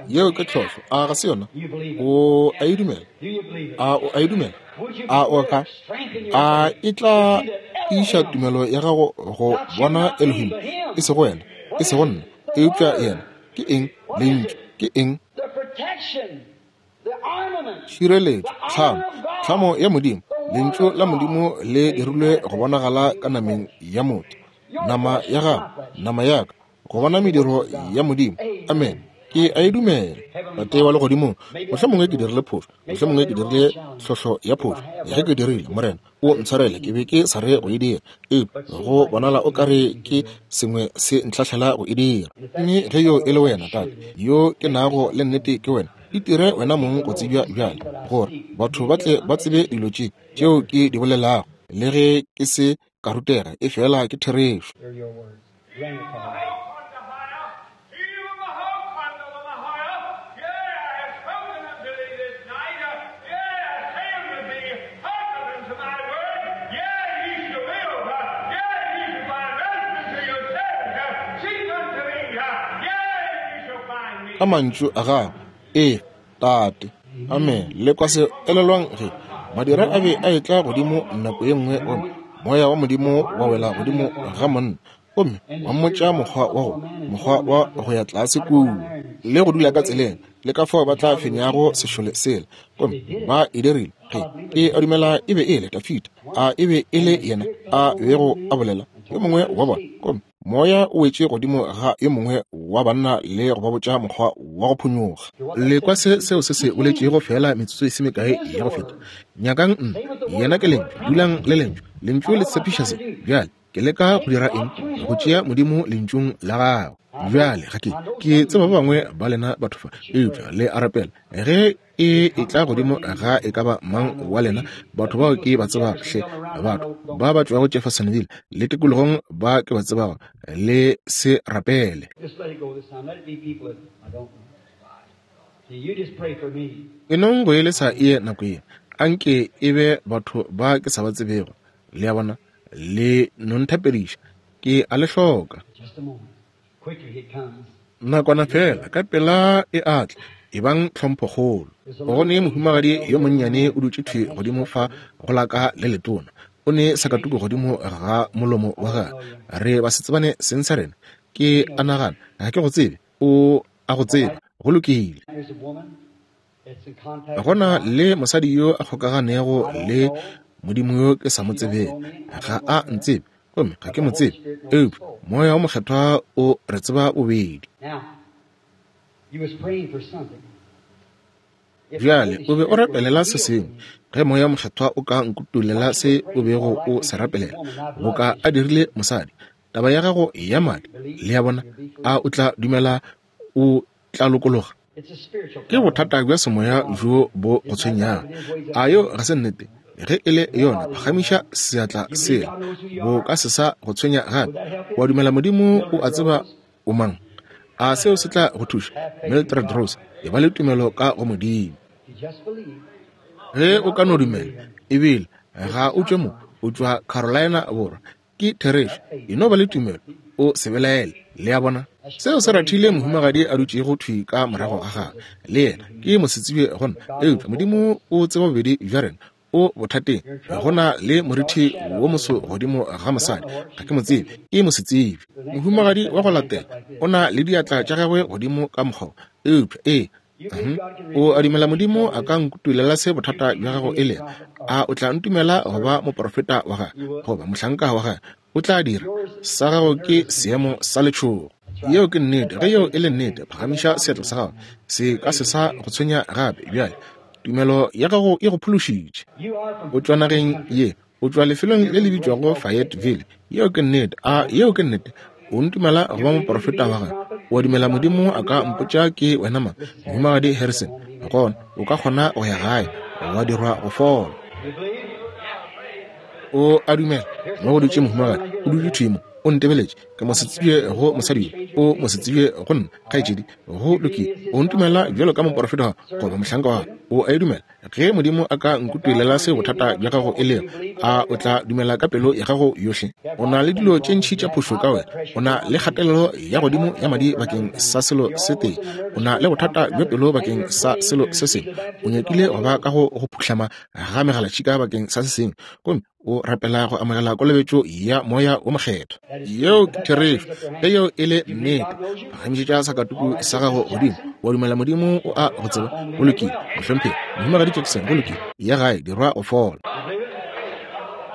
Yeo ke tlhohlo, a ga se yona? O a e dumela? A o a e dumela? A o ka? A e tla tiiša tumelo ya gago go bona Elohim, e sego wena, e sego nna, eupša yena? Ke eng Lentšu? Ke eng? Tšhireletšo, tlhamo, tlhamo ya Modimo, Lentšu la Modimo le dirilwe go bonagala ka nameng ya motho, nama ya gago, nama ya ka, go bona mediro ya Modimo. Amene. Ke a e dumela. Tate wa Legodimong, mohlomongwe ke dirile phošo, mohlomongwe ke dirile tlhohlo ya phošo. Ge ke dirile, Morena, o ntshwarele, ke be ke sa re go e dira, eupša go bonala o ka re ke sengwe se ntlhahlela go e dira. Mme ge yo e le wena, Tate, yo ke nago le nnete ke wena, itire wena mong go tsebja bjale, gore batho ba tle ba tsebe dilo tše tšeo ke di bolelago, le ge ke se ka rutega, efela ke therešo. Ka mantšu a gago, Ee, Tate. Amene. Le kwa se? Elelwang ge madira a be a etla godimo nako ye nngwe, gomme Moya wa Modimo wa wela godimo ga monna, gomme wa mmotša mokgwa wa go, mokgwa wa go ya tlase kua le go dula ka tseleng, le ka fao ba tla fenyago sešole sela. Gomme ba e dirile. Ge ke a dumela e be e le Dafida, a e be e le yena a bego a bolela, yo mongwe wa bona. Gomme Moya o wetše godimo ga yo mongwe wa banna le go ba botša mokgwa wa go phonyokga. Le kwa se seo se se boletšego feela metsotso e se mekae ya go feta. Nyakang nna, yena ke Lentšu. Dulang le Lentšu. Lentšu le tshepiša se. Bjale, ke leka go dira eng? Go tšea Modimo Lentšung la Gagwe. Bjale, ga ke, ke tseba ba bangwe ba lena batho fa, eupša le a rapela. Ge e etla godimo ga e ka ba mang wa lena batho bao ke ba tsebago, hle batho ba ba tšwago Jeffersonville le tikologong ba ke ba tsebago, le se rapele. E nong go e lesa e ye nako ye, a nke e be batho ba ke sa ba tsebego. Le a bona, le no nthapediša, ke a le hloka. Nakwana feela, ka pela e a tla, ebang tlhomphokgolo. Go ne mohumagadi yo monnyane o dutše thwi godimo fa go la ka le letona, o ne sakatuku godimo ga molomo wa gagwe. Re basetsebane seng sa rena. Ke a nagana ga ke go tsebe, o a go tseba. Go lokile. Go na le mosadi yo a kgokaganego le Modimo yo ke sa mo tsebego. Ga a ntsebe, gomme ga ke mo tsebe, eupša Moya wo Mokgethwa o re tseba bobedi. Bjale, o be o rapelela se sengwe. Ge Moya wo Mokgethwa o ka nkutulela se o bego o se rapelela, boka a dirile mosadi, taba ya gago ya madi, le a bona, a o tla dumela o tla lokologa? Ke bothata bja semoya bjo bo go tshwenyago. A yo ga se nnete? Ge e le yona, phagamiša seatla sela. Bo ka se sa go tshwenya gape. Wa dumela Modimo o a tseba o mang? A seo se tla go thuša? Mildred Rose, e ba le tumelo ka go Modimo. Ge o ka no dumela, ebile ga o tšwe mo, o tšwa Carolina Borwa. Ke therešo. E no ba le tumelo. O se belaele. Le a bona? Seo se rathile mohumagadi a dutšego thwi ka morago ga gagwe. Le yena ke mosetsebje go nna, eupša Modimo o tseba bobedi bja rena. O bothateng. Go na le morithi wo moso godimo ga mosadi. Ga ke mo tsebe. Ke mosetsebje. Mohumagadi wa go latela o na le diatla tša gagwe godimo ka mokgwa wo. Eupša, ee, O a dumela Modimo a ka nkutulela se bothata bja gago e lego? A o tla ntumela go ba moprofeta wa gagwe goba mohlanka wa gagwe? O tla dira. Sa gago ke seemo sa letšhogo. Yeo ke nnete. Ge yeo e le nnete, phagamiša seatla sa gago. Se ka se sa go tshwenya gape bjale. Tumelo ya gago e go phološitše. O tšwa nageng ye. O tšwa lefelong le le bitšwago Fayetteville. Yeo ke nnete. A yeo ke nnete? O ntumela go ba moprofeta wa gagwe? O a dumela Modimo a ka mpotša ke wena mang? Mohumagadi Harrison. Gona o ka kgona go ya gae, wa dirwa go fola. O a dumela? Mo go dutše mohumagadi, o dutše thwi mo, o ntebeletše. Ke mosetsebje go mosadi yo, o mosetsebje go nna, kgaetšedi. Go lokile. O ntumela bjalo ka moprofeta goba mohlanka wa gagwe? O a e dumela? Ge Modimo a ka nkutulela se bothata bja gago e lego, a o tla dumela ka pelo ya gago yohle? O na le dilo tše ntši tša phošo ka wena. O na le kgatelelo ya godimo ya madi bakeng sa selo se tee. O na le bothata bja pelo bakeng sa selo se sengwe. O nyakile go ba ka go go phuhlama ga megalatšhika bakeng sa se sengwe. Gomme o rapela go amogela kolobetšo ya Moya wo Mokgethwa. Yeo ke therešo. Ge yeo e le nnete, phagamišetša sakatuku sa gago godimo. Wa dumela Modimo o a go tseba? Go lokile, mohlomphegi. Mohumagadi Jackson, go lokile. Ya gae, dirwa go fola.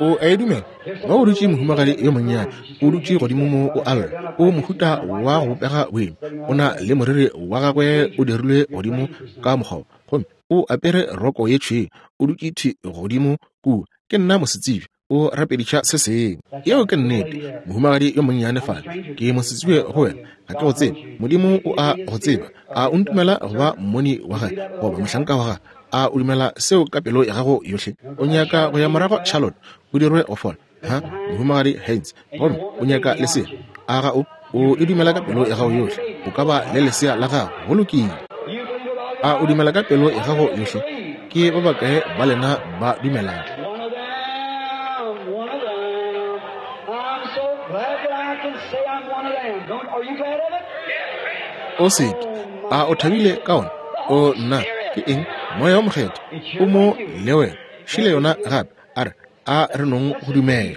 O a e dumela? Mo o dutše mohumagadi yo monnyane, o dutše godimo mo o a lla. O mohuta wa go bopega boima. O na le moriri wa gagwe o dirilwe godimo ka mokgwa wo, gomme o apere roko ye tšhweu, o dutše thwi godimo kua. Ke nna mosetsebje, o rapediša se sengwe. Yeo ke nnete, mohumagadi yo monnyane fale. Ke mosetsebje go wena, ga ke go tsebe. Modimo o a go tseba. A o ntumela go ba mmoni wa gagwe goba mohlanka wa gagwe? A o dumela seo ka pelo ya gago yohle? O nyaka go ya morago Charlotte, o dirwe go fola? Ha, mohumagadi Haynes, gomme o nyaka lesea? A ga o? O e dumela ka pelo ya gago yohle, o ka ba le lesea la gago. Go lokile. A o dumela ka pelo ya gago yohle? Ke ba bakae ba lena ba dumelago? O se ke. A o thabile ka ona? O nna, ke eng? Moya wo Mokgethwa o mo le wena. Šile yona gape. A re, A re nong go dumela.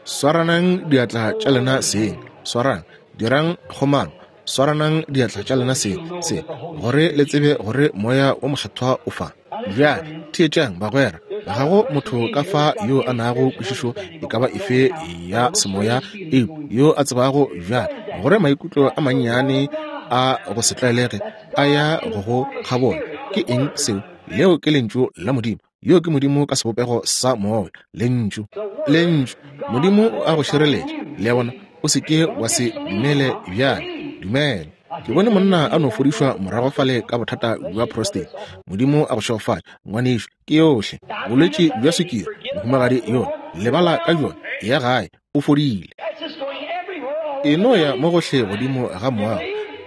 Swaranang diatla tša lena seng. Swarang. Dirang kgomano. Swaranang diatla tša lena seng, se, gore le tsebe gore Moya wo Mokgethwa o fa. Bjale, theetšang, bagwera. Ga go motho ka fa yo a nago kwešišo e ka ba efe ya semoya, eupša yo a tsebago bjale gore maikutlo a mannyane a go se tlwaelege a ya go go kgabola. Ke eng seo? Leo ke Lentšu la Modimo. Yo ke Modimo ka sebopego sa Moya, Lentšu. Lentšu! Modimo o a go šireletša. Le a bona? O se ke wa se dumele bjale. Dumela. Ke bone monna a no fodišwa morago fale ka bothata bja prostate. Modimo a go šegofatše, ngwanešu. Ke yohle. Bolwetši bja swikiri, mohumagadi yola. Lebala ka bjona. Eya gae, o fodile. E no ya mo gohle godimo ga moago.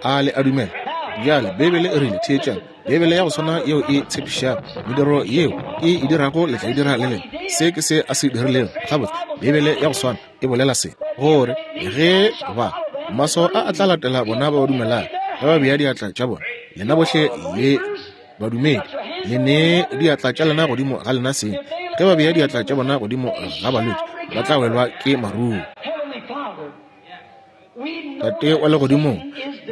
A le a dumela? Bjale, Beibele e rile, theetšang, Beibele ya go swana yeo e tshepišago mediro yeo ke e dirago le tla e dira le lena. Se ke se a se dirilego. Gabotse, Beibele ya go swana e bolela se, gore ge ba maswao a a tla latela bona ba ba dumelago, ge ba bea diatla tša bona, lena bohle le badumedi, le nee diatla tša lena godimo ga lena seng. Ge ba bea diatla tša bona godimo ga balwetši, ba tla welwa ke maruo. Tate wa Legodimong,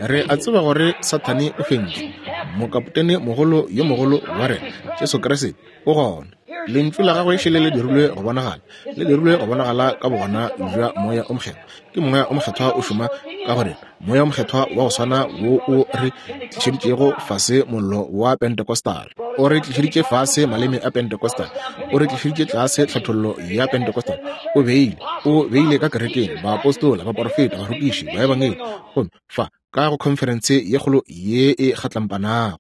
re a tseba gore Sathane o fentšwe. Mokapotene mogolo yo mogolo wa rena, Jesu Kriste, o gona. Lentšu la gagwe šele le dirilwe go bonagala, le dirilwe go bonagala ka bogona bja Moya o Mokgethwa. Ke Moya o Mokgethwa o šoma ka go rena, Moya o Mokgethwa wa go swana wo o re tlišeditšego fase mollo wa Pentecostal, o re tlišeditše fase maleme a Pentecostal, o re tlišeditše tlase tlhathollo ya Pentecostal, o beile, o beile ka kerekeng baapostola, baporofeta, barutiši, baebangedi, gomme fa ka go khonferense ye kgolo ye e kgatlampanago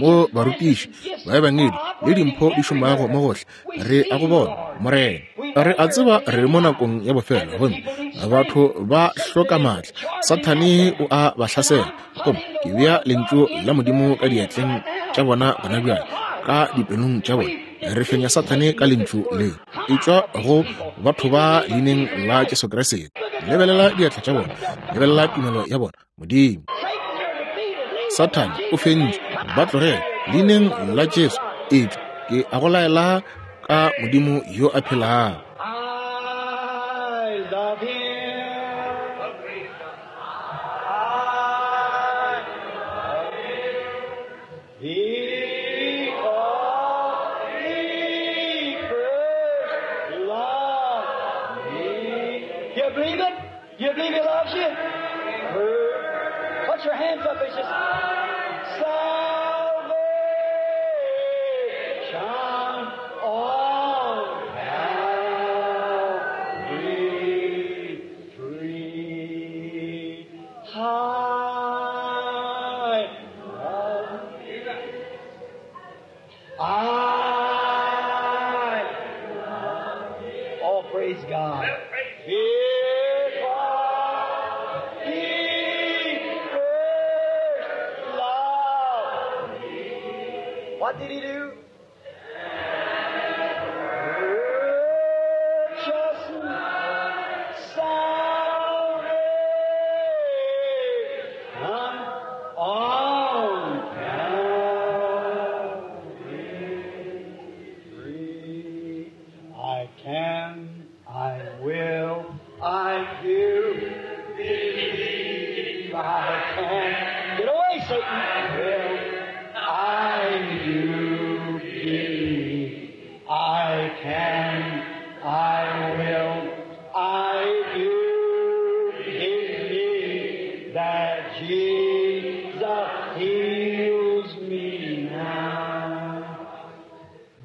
mo barutiši, baebangedi le dimpho di šomago mo gohle. Re a go bona, Morena. Re a tseba re mo nakong ya bofelo, gomme batho ba hloka maatla. Sathane o a ba hlasela. Gomme ke bea Lentšu la Modimo ka diatleng tša bona gona bjale, ka dipelong tša bona. Re fenya Sathane ka Lentšu le. Etšwa go batho ba Leineng la Jesu Kriste. Lebelela diatla tša bona. Lebelela tumelo ya bona. Modimo. Sathane o fentšwe. Ba tlogele. Leineng la Jesu. Etšwa. Ke a go laela ka Modimo yo a phelago. I love him. Because he first loved me. You believe it? You believe he loves you? Put your hands up. It's just salvation on Calvary tree. I love I oh praise God. Because he first loved me. What did he do? Purchase salvation on Calvary tree. I can, I will, I do believe I can. Get away, Satan. Will, I do believe I can, I will, I do believe that Jesus heals me now.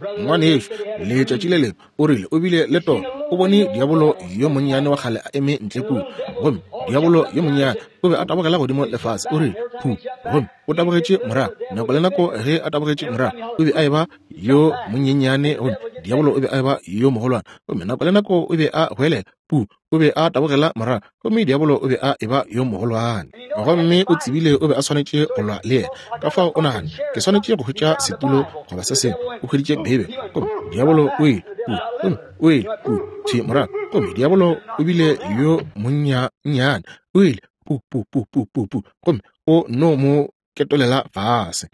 Ngwanešu, letšatši le lengwe o rile o bile le toro, o bone diabolo yo monnyane wa kgale a eme ntle kua, gomme diabolo yo monnyane o be a tabogela godimo le fase. O rile phu, gomme o tabogetše morago. Nako le nako ge a tabogetše morago, o be a eba yo monyenyane, gomme diabolo o be a eba yo mogolwane. Gomme nako le nako o be a goelela pu, o be a tabogela morago, gomme diabolo o be a eba yo mogolwane. Gomme o tsebile o be a swanetše go lwa le yena. Ka fao o nagane, ke swanetše go hwetša setulo goba se sengwe. O hweditše Beibe, gomme diabolo o ile pu, gomme o ile pu, thwi morago, gomme diabolo o bile yo monnyane, o ile pu pu pu pu pu pu, gomme o no mo ketolela fase.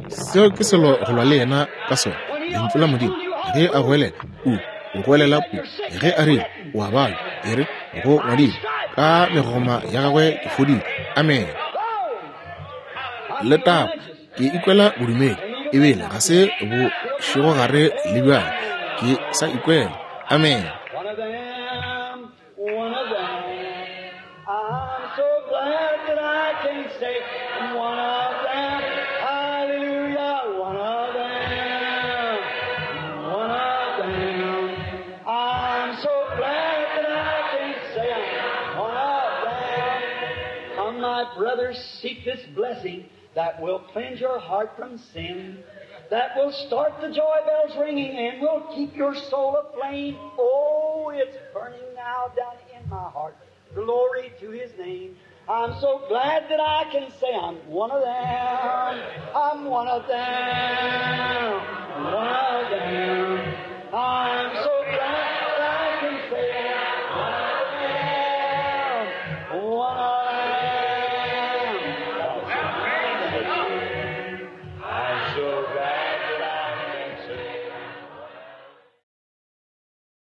Seo ke selo go lwa le yena ka sona, Lentšu la Modimo. Ge a goelela pu, o goelela pu. Ge a rile o a balwa, e re go ngwadilwe, ka megoma ya gagwe ke fodile. Amen. Letago, ke ikwela bodumedi, ebile ga se bošegogare le bjale, ke sa ikwela. Amen. One of them, one of them. I'm so glad that I can say I'm one of them. Hallelujah, one of them, one of them. I'm so glad that I can say I'm one of them. Come, my brothers, seek this blessing that will cleanse your heart from sin, that will start the joy bells ringing and will keep your soul aflame. Oh, it's burning now down in my heart. Glory to His name. I'm so glad that I can say I'm one of them. I'm one of them.